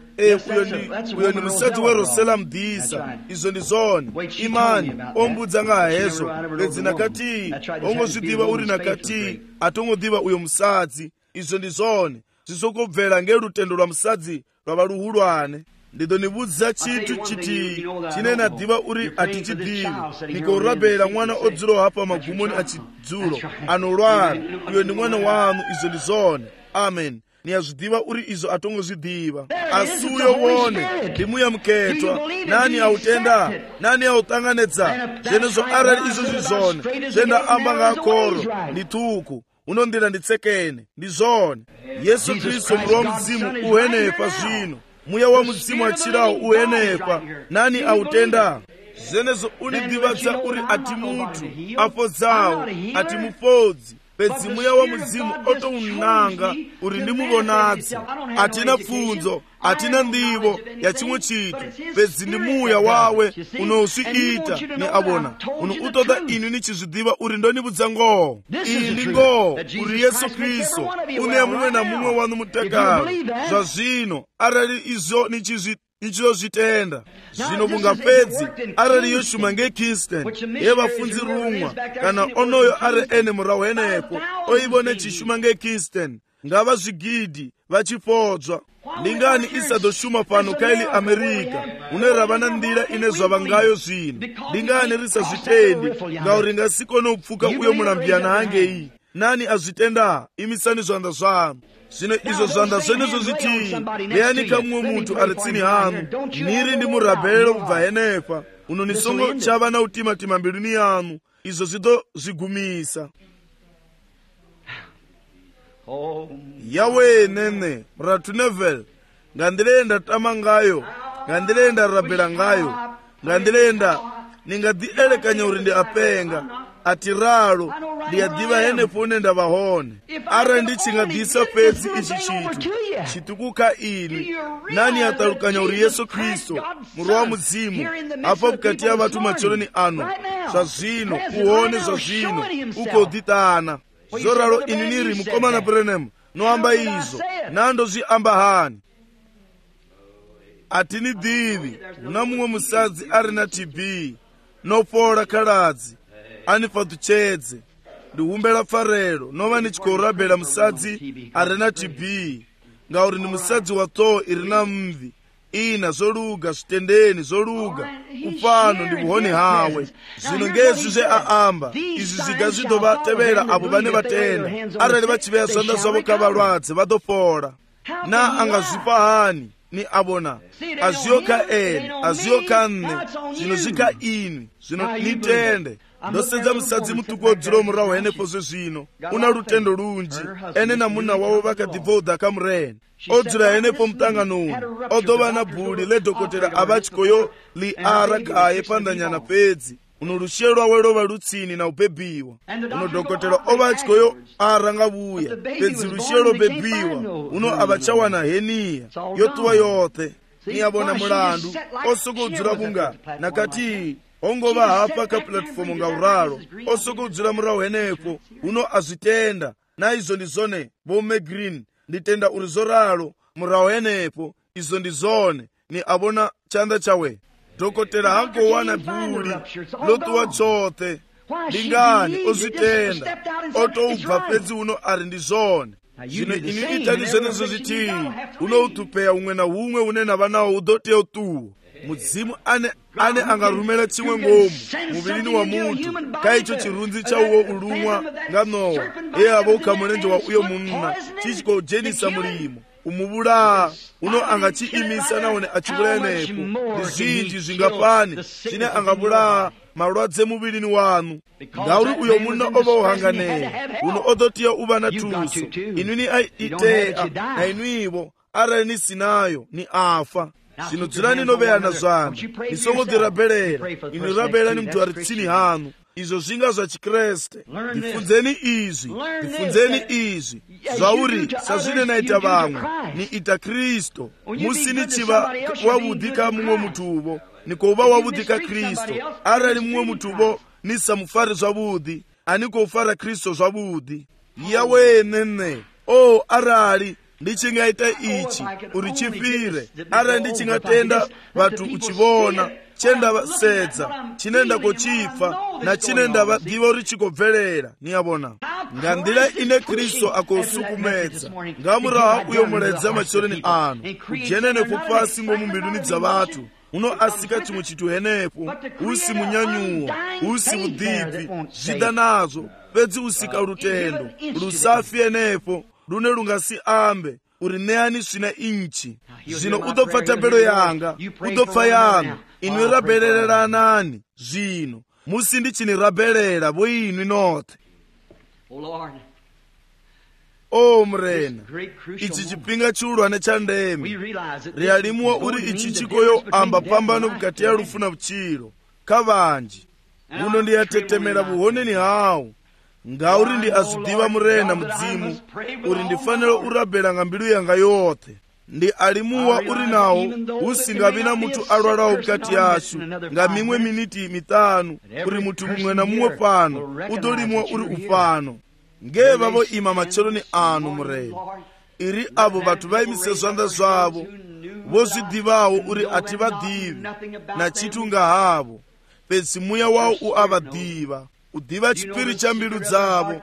uyo ni musadzi werosela mudhisa izo ndizone imani ombudza ngahezo bedzi nakati ongozvidhiva uri nakati atongodhiva uyo musadzi izo ndizone zvisokobvera ngerutendo rwamusadzi rwava ruhulwane ndidonibudza chitu chiti chine nadhiva uri atichidhivi nikourabhera mwana odzuro hapa magumoni achidzulo anorwara uyo ni mwana wanu izo ndizone amen niyazvidhiva uri izo atongozvidhiva asi uyo wone ndimuyamuketwa nani autenda nani autanganedza zvenezvo arali izo zvizone zvenda amba ngakoro ndituku unondira nditsekene ndizvone Yesu Kristu mroho mudzimu uhenepa zvino muya wa mudzimu achirawo uhenepa nani autenda zvenezvo unidhivadza uri ati mutu afodzawo ati mufodzi pedzi muya wa mudzimu otounanga uri ndimuvonadzi atina pfunzo atina ndivo ya chimwe chitu pedzi ndi muya wawe unousviita ni avona uno utoda inu nichizvidhiva uri ndonibudza ngoho iyi ndi ngoho uri Yesu Kristu une mumwe na mumwe wanu mutakalo zvazvino arali izvo nichizozvitenda zvino mungapedzi arali yoshuma ngeKirsten yevafunzi rumwa kana onoyo ari ene murahu henepo oivone chishuma ngeKirsten ngava zvigidhi vachifodzwa ndingani isadoshuma pano kaili Amerika une ravana ndira ine zvava ngayo zvino ndingani risazvitendi ngauri ngasikone kupfuka uyo murambiyana hangei nani azvitenda imisani zvanda zvanu zvino izvo zvanda zvenezvo zvitii leyani kamumwe muntu ari tsini hanu niri ndimurabherero kubva henepa uno nisongo chava na utimatima mbiluni yanu izvo zvitozvigumisa yawe nene muratu Neville ngandirenda tama ngayo ngandirenda rabhera ngayo ngandirenda ningadhielekanya uri ndi apenga ati ralo ndiyadhiva henepo unenda vahone ara ndichingadhisa pedzi ichi chitu chitukuka ini nani atarukanya uri Yesu Kristu muroho wa mudzimu apa mukati ya vatu macholoni ano zvazvino uone zvazvino ukodhitana zoraro ini niri mukomana Branham noamba izo nando zviamba hani atinidhivi una mumwe musadzi ari na TB nopora kaladzi anifa tuchedze ndihumbela pfarelo nova nichikourabhera musadzi ari na TB ngauri ni musadzi wa Thor iri na mvi ina zoluga zvitendeni zoluga upano ndi buhoni hawe zvino ngezvi zveaamba izvi zviga zvidovatevera avo vane vatenda arali vachiveya zvanda zvavo kavalwadze vadopora na angazvipa hani ni avona azviyoka ene azviyoka nne zvino zvika ini zvino nitende ndosedza musadzi mutuku odziro murahu henepo zvezvino una rutendo runji ene namuna wavo vakadhibvodha kamureni odzira henepo mutangano uno odova na bhuri ledhokotera avachikoyo liara gaye pandanyana pedzi uno rushiye rwawe rova rutsini na ubhebhiwa uno dhokotera ovachikoyo arangavuya pedzi rushiye robhebhiwa uno avachawana heniya yotuwa yothe niyavona mulandu osokodzira bunga nakati ongova hapa ka platform ngauralo osokodzira murahu henepo uno azvitenda naizvo ndizone vome green nditenda uri zoralo murahu henepo izo ndizone ni avona chanda chawe dhokotera hangowana bhuri lotuwa chothe ndingani ozvitenda otoubva pedzi uno ari ndizvone zvino ini itani zvenezvo zvitii unoutupeya umwe na umwe une navanawo udoteya utuwo mudzimu ane angarumela chimwe ngomu muviri wa muntu kaicho chirunzi chauwo ulumwa nganowa iye ava ukamurenje wa uyo munna chichikojenisa mulimo kumubula uno angachiimisa naone achibulanepo ndi zinji zingapani chine angabula malwadze mubili wanu ngauri uyo munna oba uhanganeye uno odotiya uba na tuso inuni aitea na inuivo arani sinayo ni afa zino dzirani nobeyana zanu nisongodzirabelera inirabela ni mtu ari tsini hanu izo zinga za chikreste ndifunzeni izi zvauri sazvine naita vamwe ni ita Kristo musini chiva wavudhika mumwe mutuvo nikouva wavudhika Kristo arali mumwe mutuvo nisamufari zvavudhi anikofara Kristo zvavudhi yawenene arali ndichingaita ichi uri chifire arali ndichingatenda vatu uchivona chenda vasedza chinenda kochifa na chinenda vadiva uri chikobvelera niyavona ngandila ine Kristo akosukumedza ngamuraha uyo muledza machoreni anu kujenene kupasi ngomumbiluni dza vatu uno asika chimwe chitu henepo usi munyanyuwa usi udhibvi zvida nazo pedzi usika rutendo rusafi henepo rune rungasi ambe uri neani svina inchi zvino udopfa tambelo yanga udopfa yanu inwi rabelereranani zvino musindichini-rabelera vo inwi nothe murena ichi chipinga chiulwane cha ndeme rialimuwa uri ichi chikoyo amba pambano vukati ya rufu na vuchiro kavanji uno ndiyatetemera vuhoneni hawo ngauri ndi azidiva murena mudzimu uri ndifanira urabela nga mbilu yanga yothe ndi alimuwa uri nawo usingavi na mutu alwalawo vukati yasu nga mimwe miniti mitanu uri mutu mumwe na mumwe pano udolimuwa uri ufano ngeva vo ima macheloni anu murena iri avo vatu vaimise zwanda zwavo vozvidivawo uri ati vadivi na chitu nga havo pedzi muya wawo uavadiva udiva chipiri cha mbilu dzavo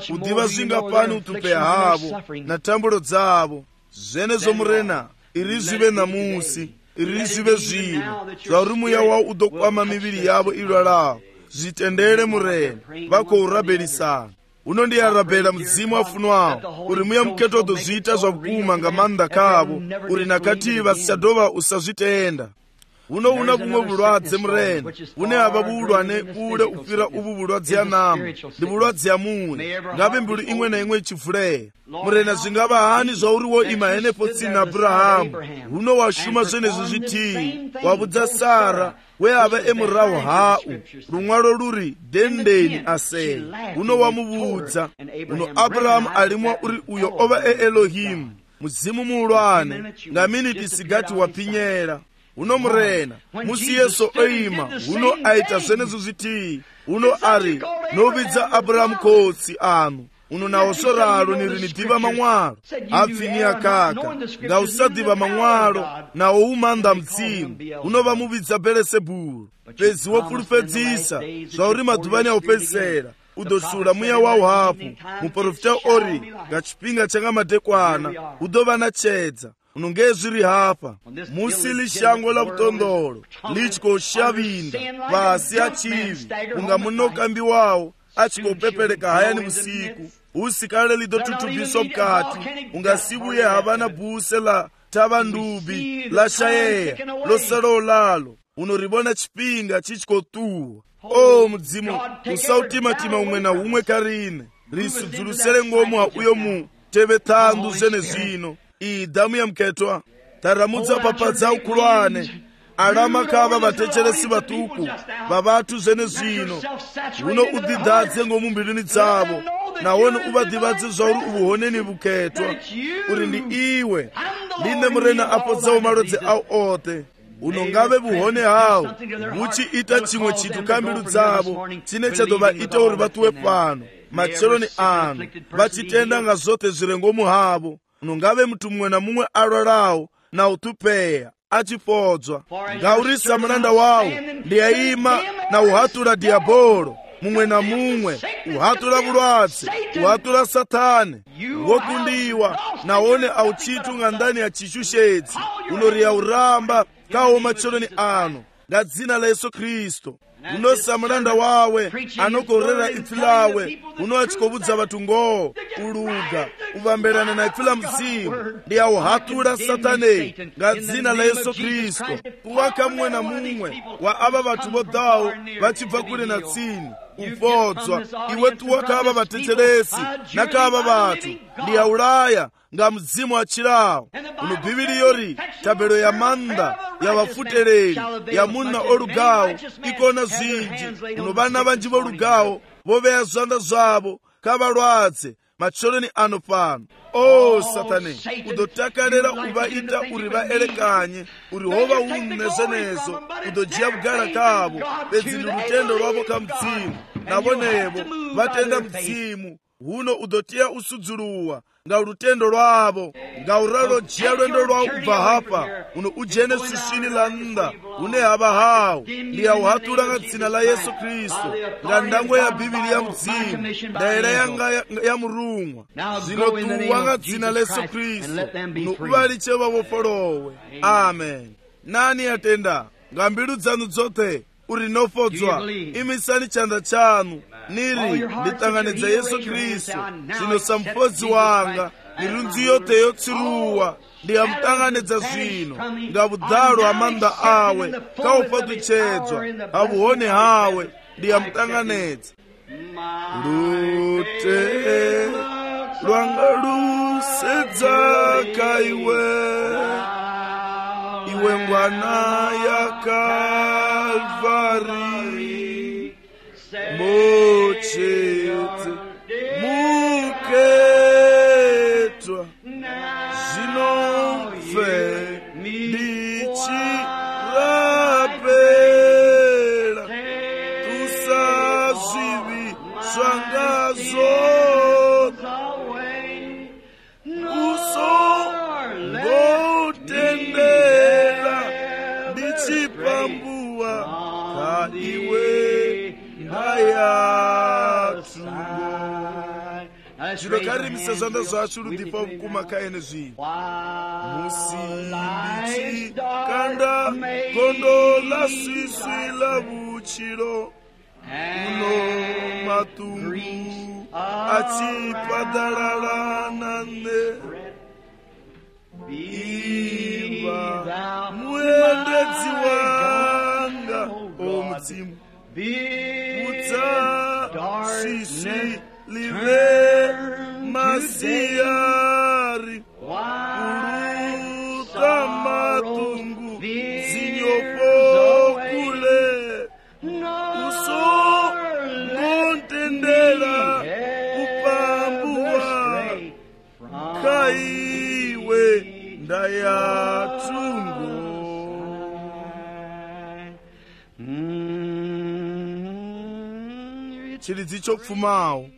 udiva zvingapani utupeya havo na tambulo dzavo zvenezo murena iri zvive namusi iri zvive zvino zvauri muya wawo udokwama miviri yavo ilwalawo zvitendere murena vakourabelisana uno ndiyarabela mudzimu afunwawo uri muya muketo udozviita zvakukuma nga manda kavo uri nakati vasichadova usazvitenda uno una kumwe vulwadze murena une ava vuulwane ule ufira uvu vulwadze ya namu ndi vulwadze ya mune ngave mbilu imwe na imwe ichivuleya murena zvingava hani zvauri wo ima henepo tsini na Abrahamu uno washuma zvenezvi zvitii wavudza Sara we ava emurawo hau rumwalo ruri dendeni asei uno wamuvudza uno Abrahamu alimwa uri uyo ova Elohimu muzimu muulwane nga miniti sigati wapinyera uno murena musi yesu oima uno aita zvenezvo zvitii uno ari novidza Abrahamu kotsi anu uno nawo soralo nirinidiva mamwalo apfini akaka nga usadiva mamwalo nawo umanda mtsimu uno vamuvidza Belesebulu pedzi wopulupedzisa zvauri madhuvani aupedzisera udosula muya wawo hapo muprofita ori nga chipinga changa madekwana udova na chedza unonge zviri hapa musi lishango la vutondolo lichikoshavinda vasi achivi unga munokambi wawo achikopepeleka hayani vusiku usikale lidotutubiswa mukati ungasivuye havana bhuse la tava ndubi la shayeya losalo lalo unoribona chipinga chichikotuwa mudzimu usautima umwe na umwe karine risudzulusele ngomu ha uyo muteve thandu zvene zvino iyi dhamu ya mketwa taramudza papadza ukulwane alama kava vatecheresi vatuku vavatu zvene zvino uno udhidhadze ngomumbiluni dzavo nawone uvadhivadze zvauri uvuhoneni vuketwa uri ndi iwe ndine murena apodzawo malodzi awo othe unongave vuhone hawo vuchiita chimwe chitu kambilu dzavo chine chadova ita uri vatuwe pano macheloni anu vachitenda nga zothe zvirengomu havo unongave mutu mumwe na mumwe alwalawo na utupeya achifodzwa ngaurisa muranda wawo ndiyayima na uhatula diabolo mumwe na mumwe uhatula vulwadze uhatula satani wokundiwa nawone auchitu nga ndani ya chishushedzi unoriya uramba kawo macheloni anu nga dzina la Yesu Kristo unosa mulanda wawe anokorera ipfi lawe uno achikobudza vathu ngoo uluga uvambirana na ipfi la mzimu ndi auhatula satane nga dzina la Yesu Kristo kuwaka mumwe na mumwe wa ava vathu vodhawo vachibva kule na tsini uvodzwa iwe tuwaka ava vatecheresi nakava vathu ndi aulaya nga mzimu achirawo uno bhibili yori tabelo ya manda ya vafutereri ya muna olugawo ikona zinji uno vana vanji volugawo voveya zwanda zvavo kavalwadze macholoni ano pano satane udotakalera uvaita uri vaelekanye uri hova une zvenezo udojiya kugara kavo bedzi ni lutendo rwavo kamdzimu navonevo vatenda mdzimu huno udotiya usudzuluwa nga lutendo rwavo nga uralo jiya lwendo rwawo ubva hapa uno ujene susini la nda une hava hawo ndi auhatula nga dzina la Yesu Kristo nga ndangwe ya bhibili ya mdzimu ndaera yanga ya murumwa zvino tuwa nga dzina la Yesu Kristo uno uvaliche vavofolowe amen. Nani atenda nga mbilu dzanu dzothe uri nofodzwa imisani chanda chanu niri nditanganidza Yesu Kristo zvino samufodzi wanga mirunzi yote yotsiruwa ndiyamutanganidza zvino nga vudhalo amanda awe kaupatuchedzwa avuhone hawe ndiyamutanganidza lute lwanga lusedzaka iwe ngwana ya Kalvari mochete muketwa zinomve ndichirapela tusazvivi svangazo usongotendela ndichipambuwa kaiwe ndayatu zvinokarimisa zvanda zvacho rudipa vukuma kaene zvino musimbichi kanda gondo la swiswi la vuchiro uno matungu achipadalala nane iva muendedzi wanga omudzimu utsa swiswi live masiyari uluta matungu zinyofokule usongotendela kupambuwa kaiwe ndayatungo chiridzi chopfumawo